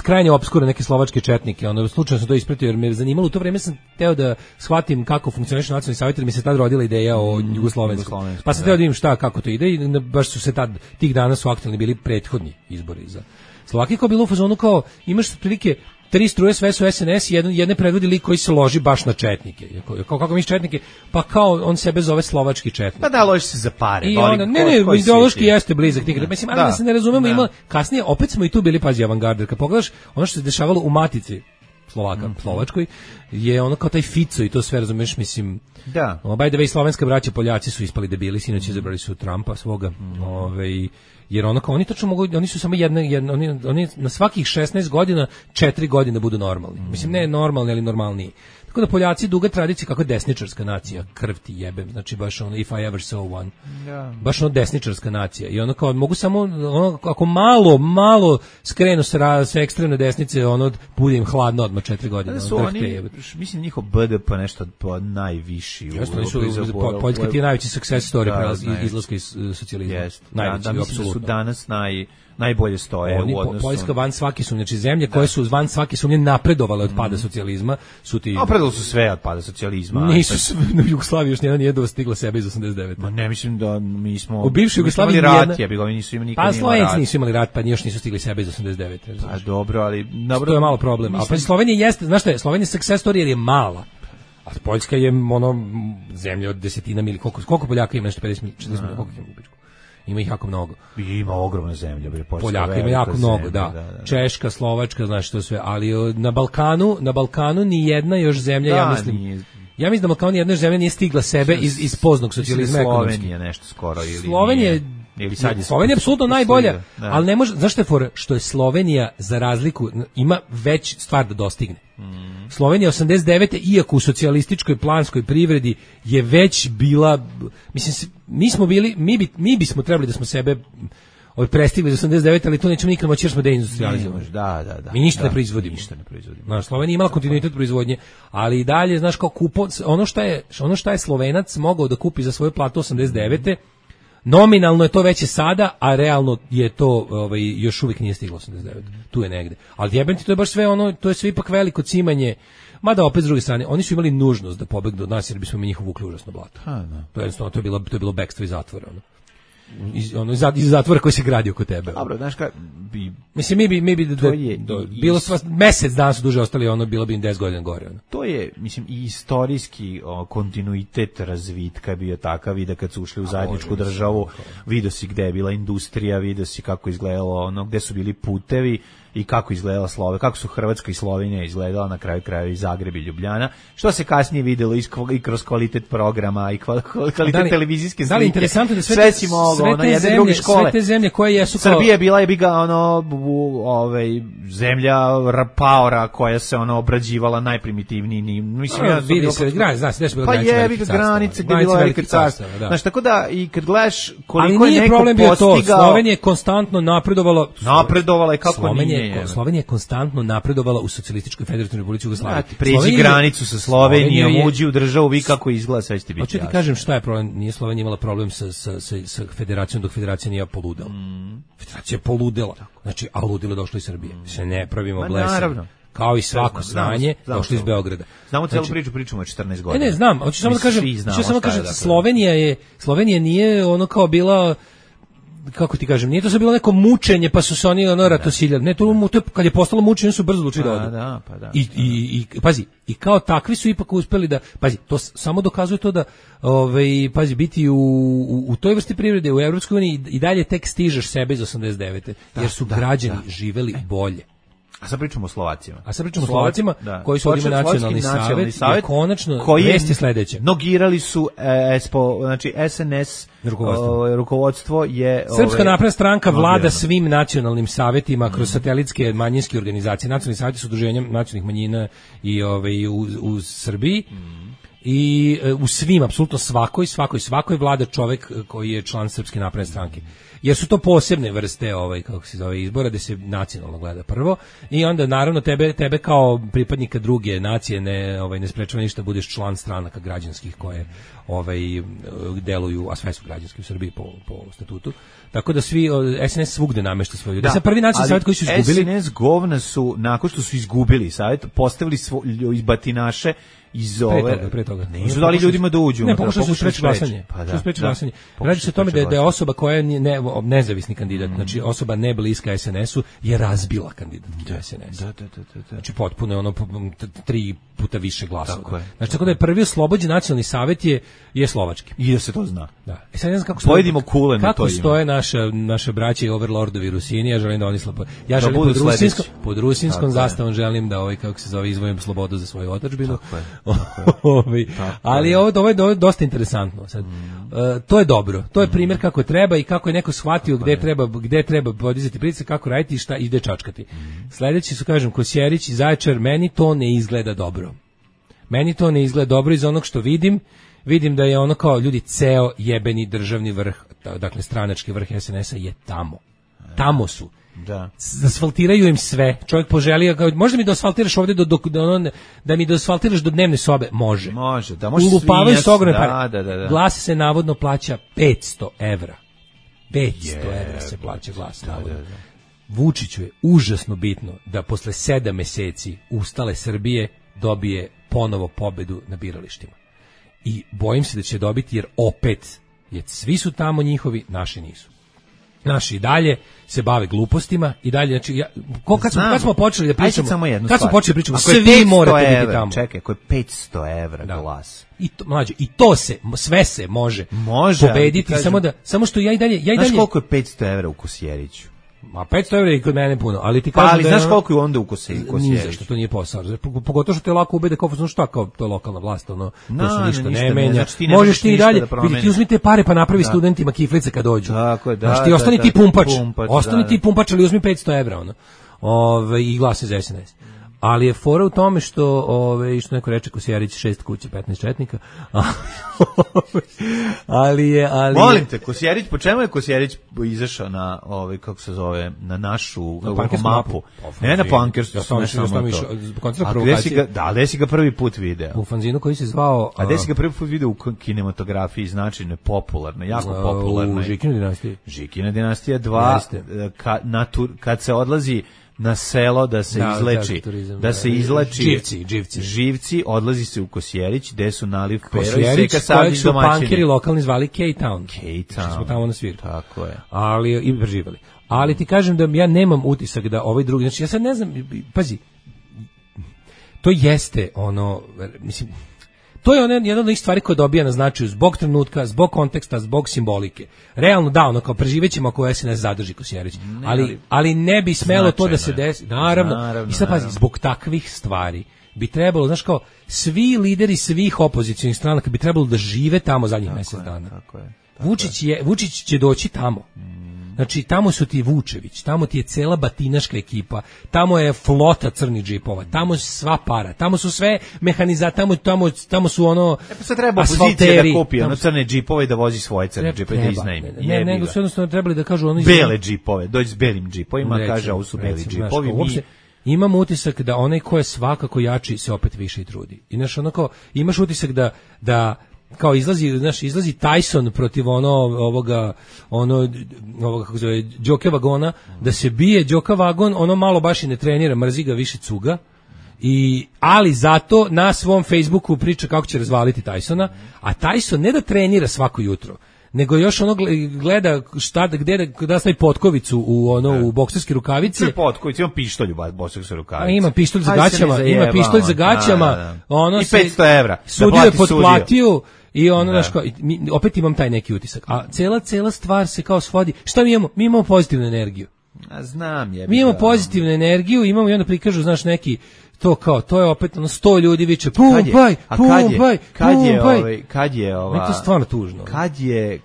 krajnje opskure, neke slovačke četnike, slučajno sam to ispratio jer me je zanimalo, u to vreme sam teo da shvatim kako funkcioniše nacionalni savjet, jer mi se tad rodila ideja o jugoslovenskom. Pa sam teo da vidim kako to ide i baš su se tad, tih dana su aktualni bili prethodni izbori za Slovakiju, kao bilo u fazonu kao, imaš prilike 3 struje, sve su SNS, jedne predvodi lik koji se loži baš na četnike. Kako misliš četnike? Pa kao on sebe zove slovački četnik. Pa da, loži se za pare. Ideološki jeste blizak tih. Mislim, ali da se ne razumemo, kasnije opet smo i tu bili, pazi, avangarder. Kad pogledaš ono što se dešavalo u Matici Slovačkoj, je ono kao taj Fico i to sve, razumeš, mislim. Da. By the way, slovenska braća Poljaci su ispali debili, sinoć izabrali su Trumpa svoga, jer ono kao oni tačno mogu, oni su samo oni na svakih 16 godina 4 godine budu normalni. Mislim, ne normalni, ali normalniji. Tako da Poljaci duga tradicija, kako je desničarska nacija, krv ti jebem, znači baš ono if I ever saw one. Baš ono desničarska nacija. I ono kao mogu samo ako malo skrenu sa ekstremne desnice, bude im hladno odmah 4 godine. Da su oni, mislim, njihov BDP nešto najviši. Poljska ti je najveći success story izlaska iz socijalizma. Najveći, mislim da su danas najbolje stoje u odnosu. Poljska van svake sumnje, znači zemlje koje su van svake sumnje napredovale od pada socijalizma su ti. Napredovali su sve od pada socijalizma. Nisu u Jugoslaviji još nije dostigla sebe iz 89. Ma ne, mislim da mi smo u bivšoj Jugoslaviji nisu imali nikad. Pa Slovenci nisu imali rat, pa još nisu stigli sebe iz 89. Pa dobro, ali to je malo problem. A pa Slovenija jeste, znaš šta je, Slovenija success story jer je mala. A Poljska je zemlja od desetina miliona. Koliko Poljaka ima, nešto 50 40 koliko ima u ima ih jako mnogo. Ima ogromne zemlje. Poljaka ima jako mnogo, da. Češka, Slovačka, znaš to sve, ali na Balkanu ni jedna još zemlja, ja mislim da Balkan jedna zemlja nije stigla sebe iz poznog socijalizma ekonomski. Slovenija nešto skoro ili Slovenija je apsolutno najbolja, ali ne može, znaš što je fora? Što je Slovenija za razliku ima već stvar da dostigne. Slovenija 89. iako u socijalističkoj planskoj privredi je već bila, mislim, mi bismo trebali da smo sebe prestigli za 89, ali to nećemo nikad moći jer smo deindustrializovani. Mi ništa ne proizvodimo. Slovenija imala kontinuitet proizvodnje, ali i dalje, znaš, kao ono šta je Slovenac mogao da kupi za svoju platu 89. Nominalno je to veće sada, a realno je to još uvijek nije stiglo 89. Tu je negde. Ali jebenti, to je baš sve ono, to je sve ipak veliko cimanje. Mada opet s druge strane, oni su imali nužnost da pobegnu od nas jer bismo mi njih uvukli užasno blato. To je jednostavno, to je bilo bekstvo iz zatvora. Iz zatvora koji se gradi oko tebe. Dobro, znaš kako mislim mi bi bilo mesec dana su duže ostali, bilo bi im 10 godina gore. To je, mislim, i istorijski kontinuitet razvitka bio takav i da kad su ušli u zajedničku državu, vidio si gde je bila industrija, vidio si kako izgledalo gde su bili putevi i kako izgledala kako su Hrvatska i Slovenija izgledala na kraju krajeva i Zagreb i Ljubljana, što se kasnije videlo i kroz kvalitet programa i kvalitet televizijske slike. Da li interesantno da sve si moglo, jedne druge škole. Sve te zemlje koje jesu kao... Srbija je bila zemlja paora koja se obrađivala najprimitivniji. Mislim, vidi se, zna se, pa je granice gde je bila velika carstva. Znaš, tako da i kad gledaš koliko je neko postigao... Slovenija je konstantno napredovala i kako nije. Slovenija je konstantno napredovala u socijalističkoj federativnoj republici Jugoslavije. Pređi granicu sa Slovenijom, uđi u državu, vi kako izgleda, sve će ti biti jasno. Hoću ti kažem šta je problem, nije Slovenija imala problem sa federacijom dok federacija nije poludela. Federacija je poludela, znači, a ludilo došlo iz Srbije. Se ne pravimo blesavi. Kao i svako znanje, došlo iz Beograda. Znamo celu pričamo od 14 godina. Ne, znam, hoću samo da kažem, Slovenija nije ono kao bila, kako ti kažem, nije to sad bilo neko mučenje pa su se oni ratosiljali. Ne, to kad je postalo mučenje su brzo odlučili da odu. I pazi, i kao takvi su ipak uspeli da, pazi, to samo dokazuje to da pazi, biti u toj vrsti privrede u Evropskoj uniji i dalje tek stižeš sebe iz 89. jer su građani živeli bolje. A sad pričamo o Slovacima. Koji su ovdje nacionalni savjet i konačno vest je sledeće. Nogirali su znači SNS rukovodstvo je... Srpska napredna stranka vlada svim nacionalnim savjetima kroz satelitske manjinske organizacije. Nacionalni savjeti su udruženja nacionalnih manjina i u Srbiji. I u svim, apsolutno svakoj vlada čovjek koji je član Srpske napredne stranke. Jer su to posebne vrste kako se zove izbora gde se nacionalno gleda prvo i onda naravno tebe kao pripadnika druge nacije ne sprečava ništa budeš član stranaka građanskih koje deluju, a sve su građanski u Srbiji po statutu. Tako da svi SNS svugde namešta svoje ljude. Sad prvi nacionalni savjet koji su izgubili, SNS govna su nakon što su izgubili savjet postavili iz batinaše iz pre toga. Nisu dali ljudima da uđu. Ne, pokušali su spreči glasanje. Radi se o tome da je osoba koja je nezavisni kandidat, znači osoba ne bliska SNS-u je razbila kandidatkinju SNS. Znači potpuno je 3 puta više glasova. Znači tako da je prvi oslobođen nacionalni savjet je slovački. I da se to zna. Da. Sad ne znam kako pojedimo kule na to. Kako stoje naše braće i overlordovi Rusini, ja želim da oni ja želim pod rusinskom zastavom želim da kako se zove izvojim slobodu za svoju otadžbinu. Ali ovo je dosta interesantno. Sad, to je dobro. To je primjer kako treba i kako je neko shvatio gde treba podizati pritisak, kako raditi i šta ide čačkati. Sledeći su, kažem, Kosjerić i Zaječar, meni to ne izgleda dobro. Meni to ne izgleda dobro iz onog što vidim da je ono kao ljudi ceo jebeni državni vrh, dakle stranački vrh SNS-a je tamo su. Da. Asfaltiraju im sve. Čovjek poželio, možda mi da asfaltiraš ovdje da mi da asfaltiraš do dnevne sobe, može. Da ulupavaju s ogromne pare. Glas se navodno plaća 500 evra. 500 evra se plaća glas navodno. Vučiću je užasno bitno da posle 7 meseci ustale Srbije dobije ponovo pobedu na biralištima. I bojim se da će dobiti jer opet svi su tamo njihovi, naši nisu. Naši i dalje se bave glupostima i dalje, znači, kad smo počeli da pričamo, svi morate biti tamo. Čekaj, ako je 500 evra glas. I to sve se može pobediti, samo što ja i dalje... Znaš koliko je 500 evra u Kosjeriću? Ma 500 evra je kod mene puno, ali ti kažem ali znaš koliko je onda u Kosjeriću? Ni zašto, to nije posao. Pogotovo što te lako ubede kao, šta kao, to je lokalna vlast, to se ništa ne menja. Možeš ti i dalje, vidi, ti uzmite pare pa napravi studentima kiflice kad dođu. Tako je, znaš, ti ostani ti pumpač, ali uzmi 500 evra, i glasa za SNS. Ali je fora u tome što što neko reče Kosjerić 6 kuća 15 četnika. ali Molim te, Kosjerić, po čemu je Kosjerić izašao na kako se zove, na našu mapu? Ne na Punkers, ja sam gde si ga prvi put video? U fanzinu koji se zvao... A gde si ga prvi put video u kinematografiji, značajno, popularno, jako popularno. U Žikina dinastiji. Žikina dinastija 2, kad se odlazi na selo da se izleči, da se izlači živci, odlazi se u Kosjerić, gde su naliv pero i seka sadni domaćini. Kojeg su punkeri lokalni zvali K-Town. Što smo tamo na svirku. Tako je. Ali, i preživali. Ali ti kažem da ja nemam utisak da ovaj drugi, znači ja sad ne znam, pazi, to jeste mislim, to je jedna od onih stvari koja dobija na značaju zbog trenutka, zbog konteksta, zbog simbolike. Realno da, kao preživećemo ako se ne zadrži Kosjerić. Ali ne bi smelo to da se desi. Naravno. I sad pazi, zbog takvih stvari bi trebalo, znaš kao, svi lideri svih opozicionih stranaka bi trebalo da žive tamo zadnjih mjesec dana. Vučić će doći tamo. Znači, tamo su ti Vučević, tamo ti je cela batinaška ekipa, tamo je flota crnih džipova, tamo je sva para, tamo su sve tamo su sad treba opozicija da kupi crne džipove i da vozi svoje crne džipove, da iznajmi. Ne, nego su jednostavno trebali da kažu bele džipove, dođi s belim džipovima, kaže, ovo su beli džipovi. Imam utisak da onaj ko je svakako jači se opet više i trudi. I znaš, imaš utisak da kao izlazi Tyson protiv ovoga kako se zove Đoke Vagona, da se bije Đoka Vagon, malo baš i ne trenira, mrzi ga, više cuga. Ali zato na svom Facebooku priča kako će razvaliti Tysona, a Tyson ne da trenira svako jutro, nego još gleda da stavi potkovicu u bokserske rukavice. Ne potkovicu, ima pištolj u bokserske rukavice. Ima pištolj za gaćama, i 500 evra. Sudiju je potplatio i opet imam taj neki utisak. A cela stvar se kao svodi. Šta mi imamo? Mi imamo pozitivnu energiju. Znam je. Mi imamo pozitivnu energiju, imamo i onda prikažu, znaš, neki to je opet 100 ljudi viče pumpaj. Kad je ova? To je stvarno tužno. Kad je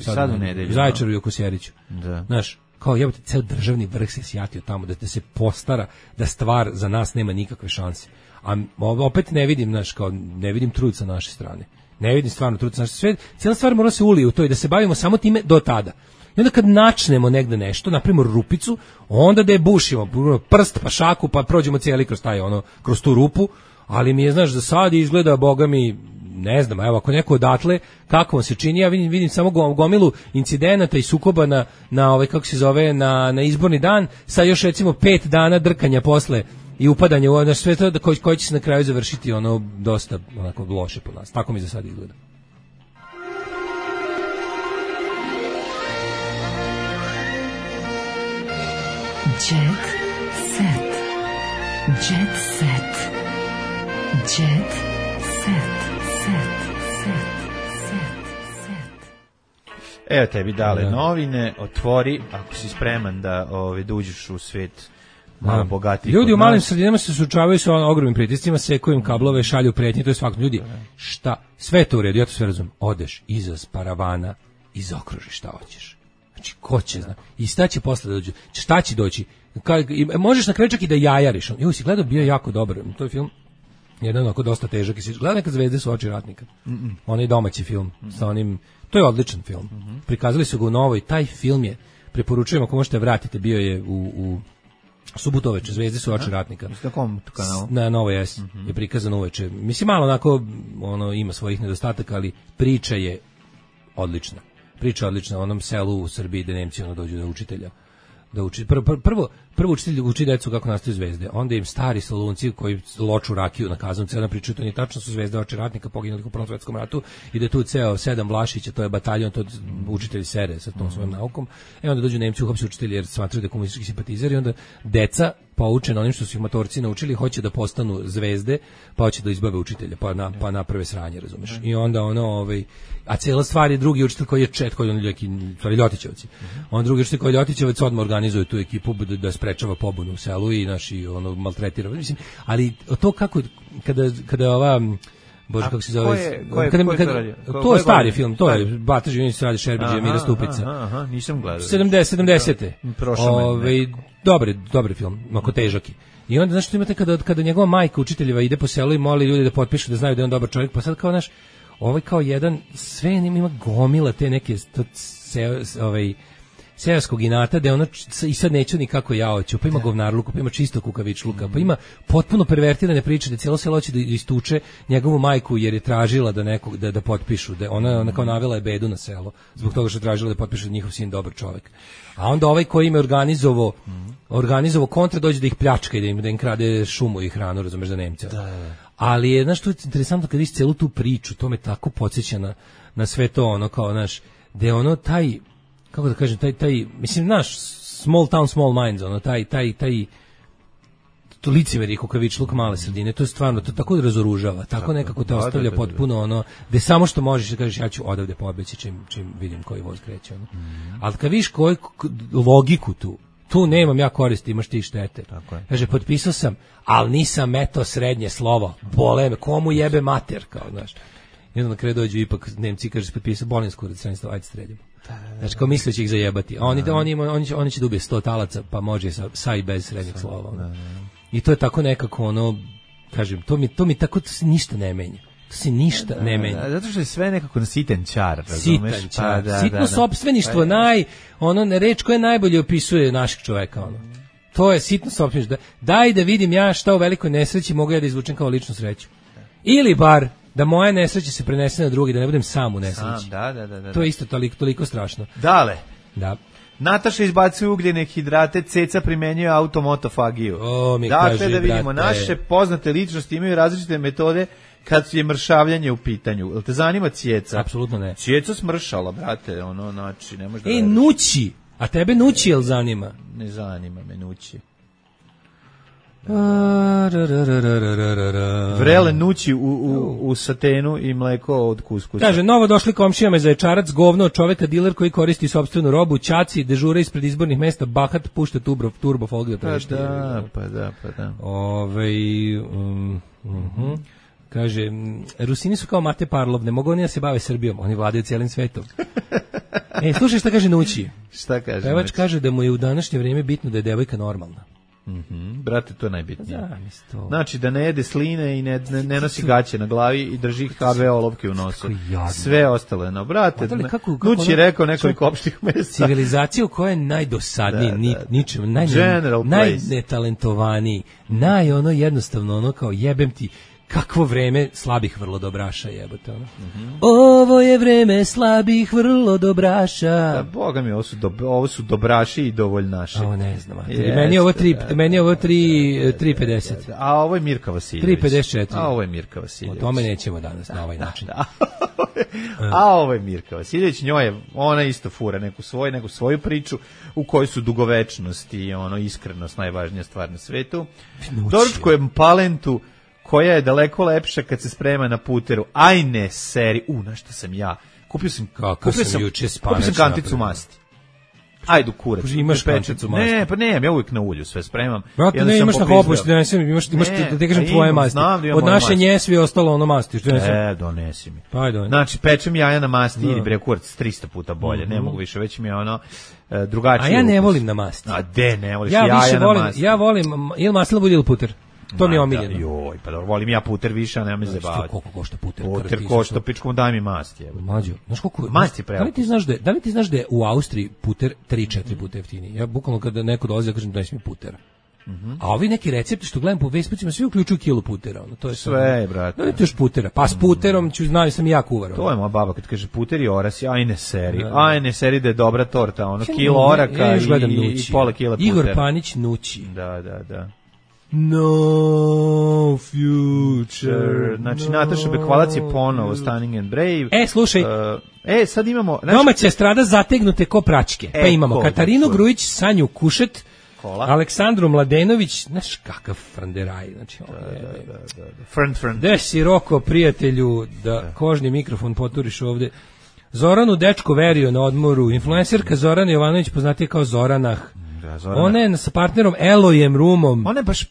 sad u nedelju. Zaječaru i oko Kosjeriću. Da. Znaš, kao jebote, ceo državni vrh se sjatio tamo da se postara da stvar za nas nema nikakve šanse. A opet ne vidim, znaš, kao ne vidim trud sa naše strane. Ne vidim stvarno trud sa naše strane. Cijela stvar mora se ulije u to i da se bavimo samo time do tada. I onda kad načnemo negde nešto, naprimjer rupicu, onda da je bušimo, prst pa šaku, pa prođemo cijeli kroz tu rupu, ali mi je, znaš, za sad izgleda, boga mi, ne znam, evo, ako neko odatle, kako vam se čini, ja vidim samo gomilu incidenata i sukoba na kako se zove, na izborni dan, sa još recimo 5 dana drkanja posle i upadanje u sve to koji će se na kraju završiti dosta onako loše po nas. Tako mi za sad izgleda. Jet set. Jet set. Jet set. Evo tebi dale novine, otvori, ako si spreman da uđeš u svet malo bogatiji. Ljudi u malim sredinama se suočavaju sa ogromnim pritiscima, sekuju im kablove, šalju pretnje, to je svakako. Ljudi, šta? Sve to u redu, ja to sve razumem. Odeš iza paravana i zaokružiš šta hoćeš. Znači, ko će zna? I šta će posle da dođe? Šta će doći? Možeš na kraju čak i da jajariš. Si gledao, bio jako dobar. To je film, jedan onako dosta težak. Gledao Nekad zvezde su oči ratnika. Onaj domaći film. Sa onim, to je odličan film. Prikazali su ga u Novoj. Taj film je, preporučujem ako možete vratite, bio je u subotu uveče, Zvezde su oči ratnika. Na kom kanalu? Na Novoj S je prikazano uveče. Mislim, malo onako, ima svojih nedostataka, ali priča je odlična. Priča odlična o onom selu u Srbiji gde Nemci dođu do učitelja. Prvo učitelj uči decu kako nastaju zvezde, onda im stari Solunci koji loču rakiju na Kazancu, jedna priča, to nije tačno, su zvezde oči ratnika poginuli u Prvom svetskom ratu i da tu ceo 7 Vlašića, to je bataljon, to učitelji sere sa tom svojom naukom, onda dođu Nemci, uhapse učitelji jer smatraju da je komunistički simpatizer i onda deca poučena onim što su ih matorci naučili, hoće da postanu zvezde, pa hoće da izbave učitelja, pa naprave sranje, razumeš. I onda a cijela stvar je drugi učitelj koji je koji on stvari Ljotićevci. On drugi učitelj koji je Ljotićevac odmah organizuje tu ekipu da sprečava pobunu u selu i maltretira. Mislim, ali to kako kada ova Bože, kako se zove? To je stari film, to je Bata Živinić radi Šerbeđija i Mira Stupica. Nisam gledao. 70. Dobri film, ako težaki. I onda, znaš, što imate kada njegova majka učiteljeva ide po selu i moli ljude da potpišu da znaju da je on dobar čovjek, pa sad kao, znaš, ovaj kao jedan, sve ima gomila te neke, seoskog inata, da ono, i sad neću nikako ja hoću, pa ima govnarluku, pa ima čisto kukavičluka, pa ima potpuno pervertirane priče da cijelo selo hoće da istuče njegovu majku jer je tražila da nekog da potpišu, da ona kao navela je bedu na selo zbog toga što je tražila da potpišu da njihov sin dobar čovjek. A onda ovaj koji im je organizovao kontra dođe da ih pljačka i da im krade šumu i hranu, razumeš, za Nemce. Ali je, znaš, to je interesantno kad vidiš celu tu priču, to me tako podsjeća na sve to, ono kao, znaš, da je ono taj, kako da kažem, taj mislim, naš small town, small minds, ono, taj to licemeri kukavičluk male sredine, to je stvarno, to tako razoružava, tako nekako te ostavlja potpuno ono, da samo što možeš da kažeš ja ću odavde pobeći čim vidim koji voz kreće, ono. Ali kad vidiš koju logiku tu nemam ja koristi, imaš ti štete. Kaže, potpisao sam, ali nisam meto srednje slovo, bole me, komu jebe mater, kao, znaš. I onda na kraju dođu ipak Nemci, kaže, potpisao Bolinsku radicenstvo, ajde sredimo. Znači, kao misle će ih zajebati. Oni će da ubije 100 talaca, pa može sa i bez srednjeg slova. I to je tako nekako, ono, kažem, to mi tako, to se ništa ne menja. To se ništa ne menja. Zato što je sve nekako na sitan čar, razumeš? Sitan čar. Sitno sopstveništvo, reč koja najbolje opisuje našeg čoveka, ono. To je sitno sopstveništvo. Daj da vidim ja šta u velikoj nesreći mogu ja da izvučem kao ličnu sreću. Ili bar da moja nesreća se prenese na drugi, da ne budem sam u nesreći. Da. To je isto toliko strašno. Dale. Da. Nataša izbacuje ugljene hidrate, Ceca primenjuje automotofagiju. Dakle, da vidimo, naše poznate ličnosti imaju različite metode kad je mršavljanje u pitanju. Jel te zanima Ceca? Apsolutno ne. Ceca smršala, brate, ono, znači, ne možda... Nući! A tebe Nući jel zanima? Ne zanima me Nući. Vrele Nući u satenu i mleko od kuskusa. Kaže, novo došli komšijama za Ječarac, govno od čoveka diler koji koristi sopstvenu robu, ćaci, dežura ispred izbornih mesta, bahat, pušta turbo folk da trešti. Pa da. Kaže, Rusini su kao Mate Parlov, ne mogu oni da se bave Srbijom, oni vladaju cijelim svetom. Slušaj šta kaže Nući. Šta kaže? Pevač kaže da mu je u današnje vrijeme bitno da je devojka normalna. Brate, to je najbitnije. Znači da ne jede sline i ne nosi gaće na glavi i drži HV olovke u nosu. Sve ostalo je, no brate. Nući je rekao nekoliko opštih mesta. Civilizacija u kojoj je najdosadniji, ničem, najnetalentovaniji, jednostavno kao jebem ti. Kakvo vreme slabih vrlodobraša, jebote, ono. Ovo je vreme slabih vrlodobraša. Da, boga mi, ovo su dobraši i dovoljnaši. Ovo ne znam. Meni je ovo 3.50. A ovo je Mirka Vasiljević. 3.54. A ovo je Mirka Vasiljević. O tome nećemo danas na ovaj način. A ovo je Mirka Vasiljević, ona isto fura neku svoju priču u kojoj su dugovečnost i iskrenost najvažnija stvar na svetu. Doručkujem palentu koja je daleko lepša kad se sprema na puteru. Ajne seri. Na što sam ja? Kupio sam kanticu masti. Ajdu kurac. Imaš kanticu masti? Ne, pa nemam, ja uvijek na ulju sve spremam. Brate, ne, imaš na hoposti, imaš da ti kažem tvoje masti. Od naše njesvi je ostalo ono masti. Donesi mi. Pa ajde. Znači, pečem jaja na masti ili bre kurac 300 puta bolje. Ne mogu više, već mi je drugačije. A ja ne volim na masti. A de, ne voliš jaja na masti. Ja volim ili maslina bude ili puter. To mi je omiljeno. Joj, pa dobro, volim ja puter više, a nema me zabavati. Koliko košta puter? Puter košta, pičkom daj mi masti. Mađo, znaš koliko? Masti pravo. Da li ti znaš da je u Austriji puter 3-4 puta jeftiniji? Ja bukvalno kada neko dolazi da kažem da mi putera. A ovi neki recepti što gledam po Facebookima svi uključuju kilu putera. To je sve, brate. Da ti još putera. Pa s puterom znaju sam i ja kuvar. To je moja baba kad kaže puter i orasi, ajne seri da je dobra torta, kilo oraka i pola kila putera. Igor Panić Nući. Da. No future. Znači, Nataša Bekvalac je ponovo Stunning and Brave. Slušaj. Sad imamo... Domaća estrada zategnute ko praćke. Pa imamo Katarinu Grujić, Sanju Kušet, Aleksandru Mladenović, znaš kakav franderaj. Znači, Friend. Gde si Roko, prijatelju, da kožni mikrofon poturiš ovde. Zoranu dečko verio na odmoru. Influencerka Zorana Jovanović poznatija kao Zoranah. Ona je sa partnerom Elojem Rumom. Ona je baš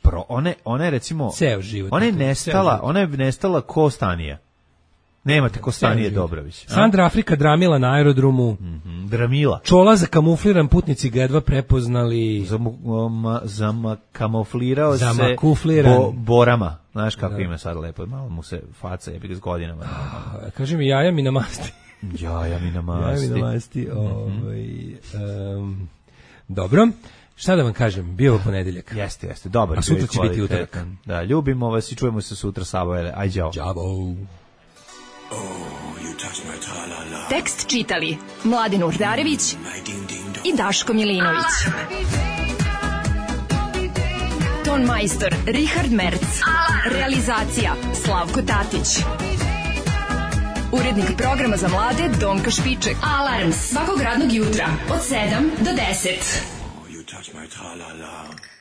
ona je recimo ceo život. Ona je nestala Kostanija. Nemate Kostanije Dobrović. Sandra Afrika dramila na aerodromu. Dramila. Čola za kamufliran, putnici ga jedva prepoznali. Kamuflirao se borama. Znaš kako ima sad lepo, malo mu se faca jebi ga s godinama. Kaže mi jaja mi na masti. Jaja mi na masti. Dobro. Šta da vam kažem, bio je ponedeljak. Jeste, dobar. A sutra će biti utorak. Da, ljubimo vas i čujemo se sutra, Sabojele. Aj, đavo. Đavo. Tekst čitali Mladin Urdarević i Daško Milinović. Ton majstor Richard Merc. Realizacija Slavko Tatić. Urednik programa za mlade Donka Špiček. Alarms svakog radnog jutra od 7 do 10. You touch my tra-la-la.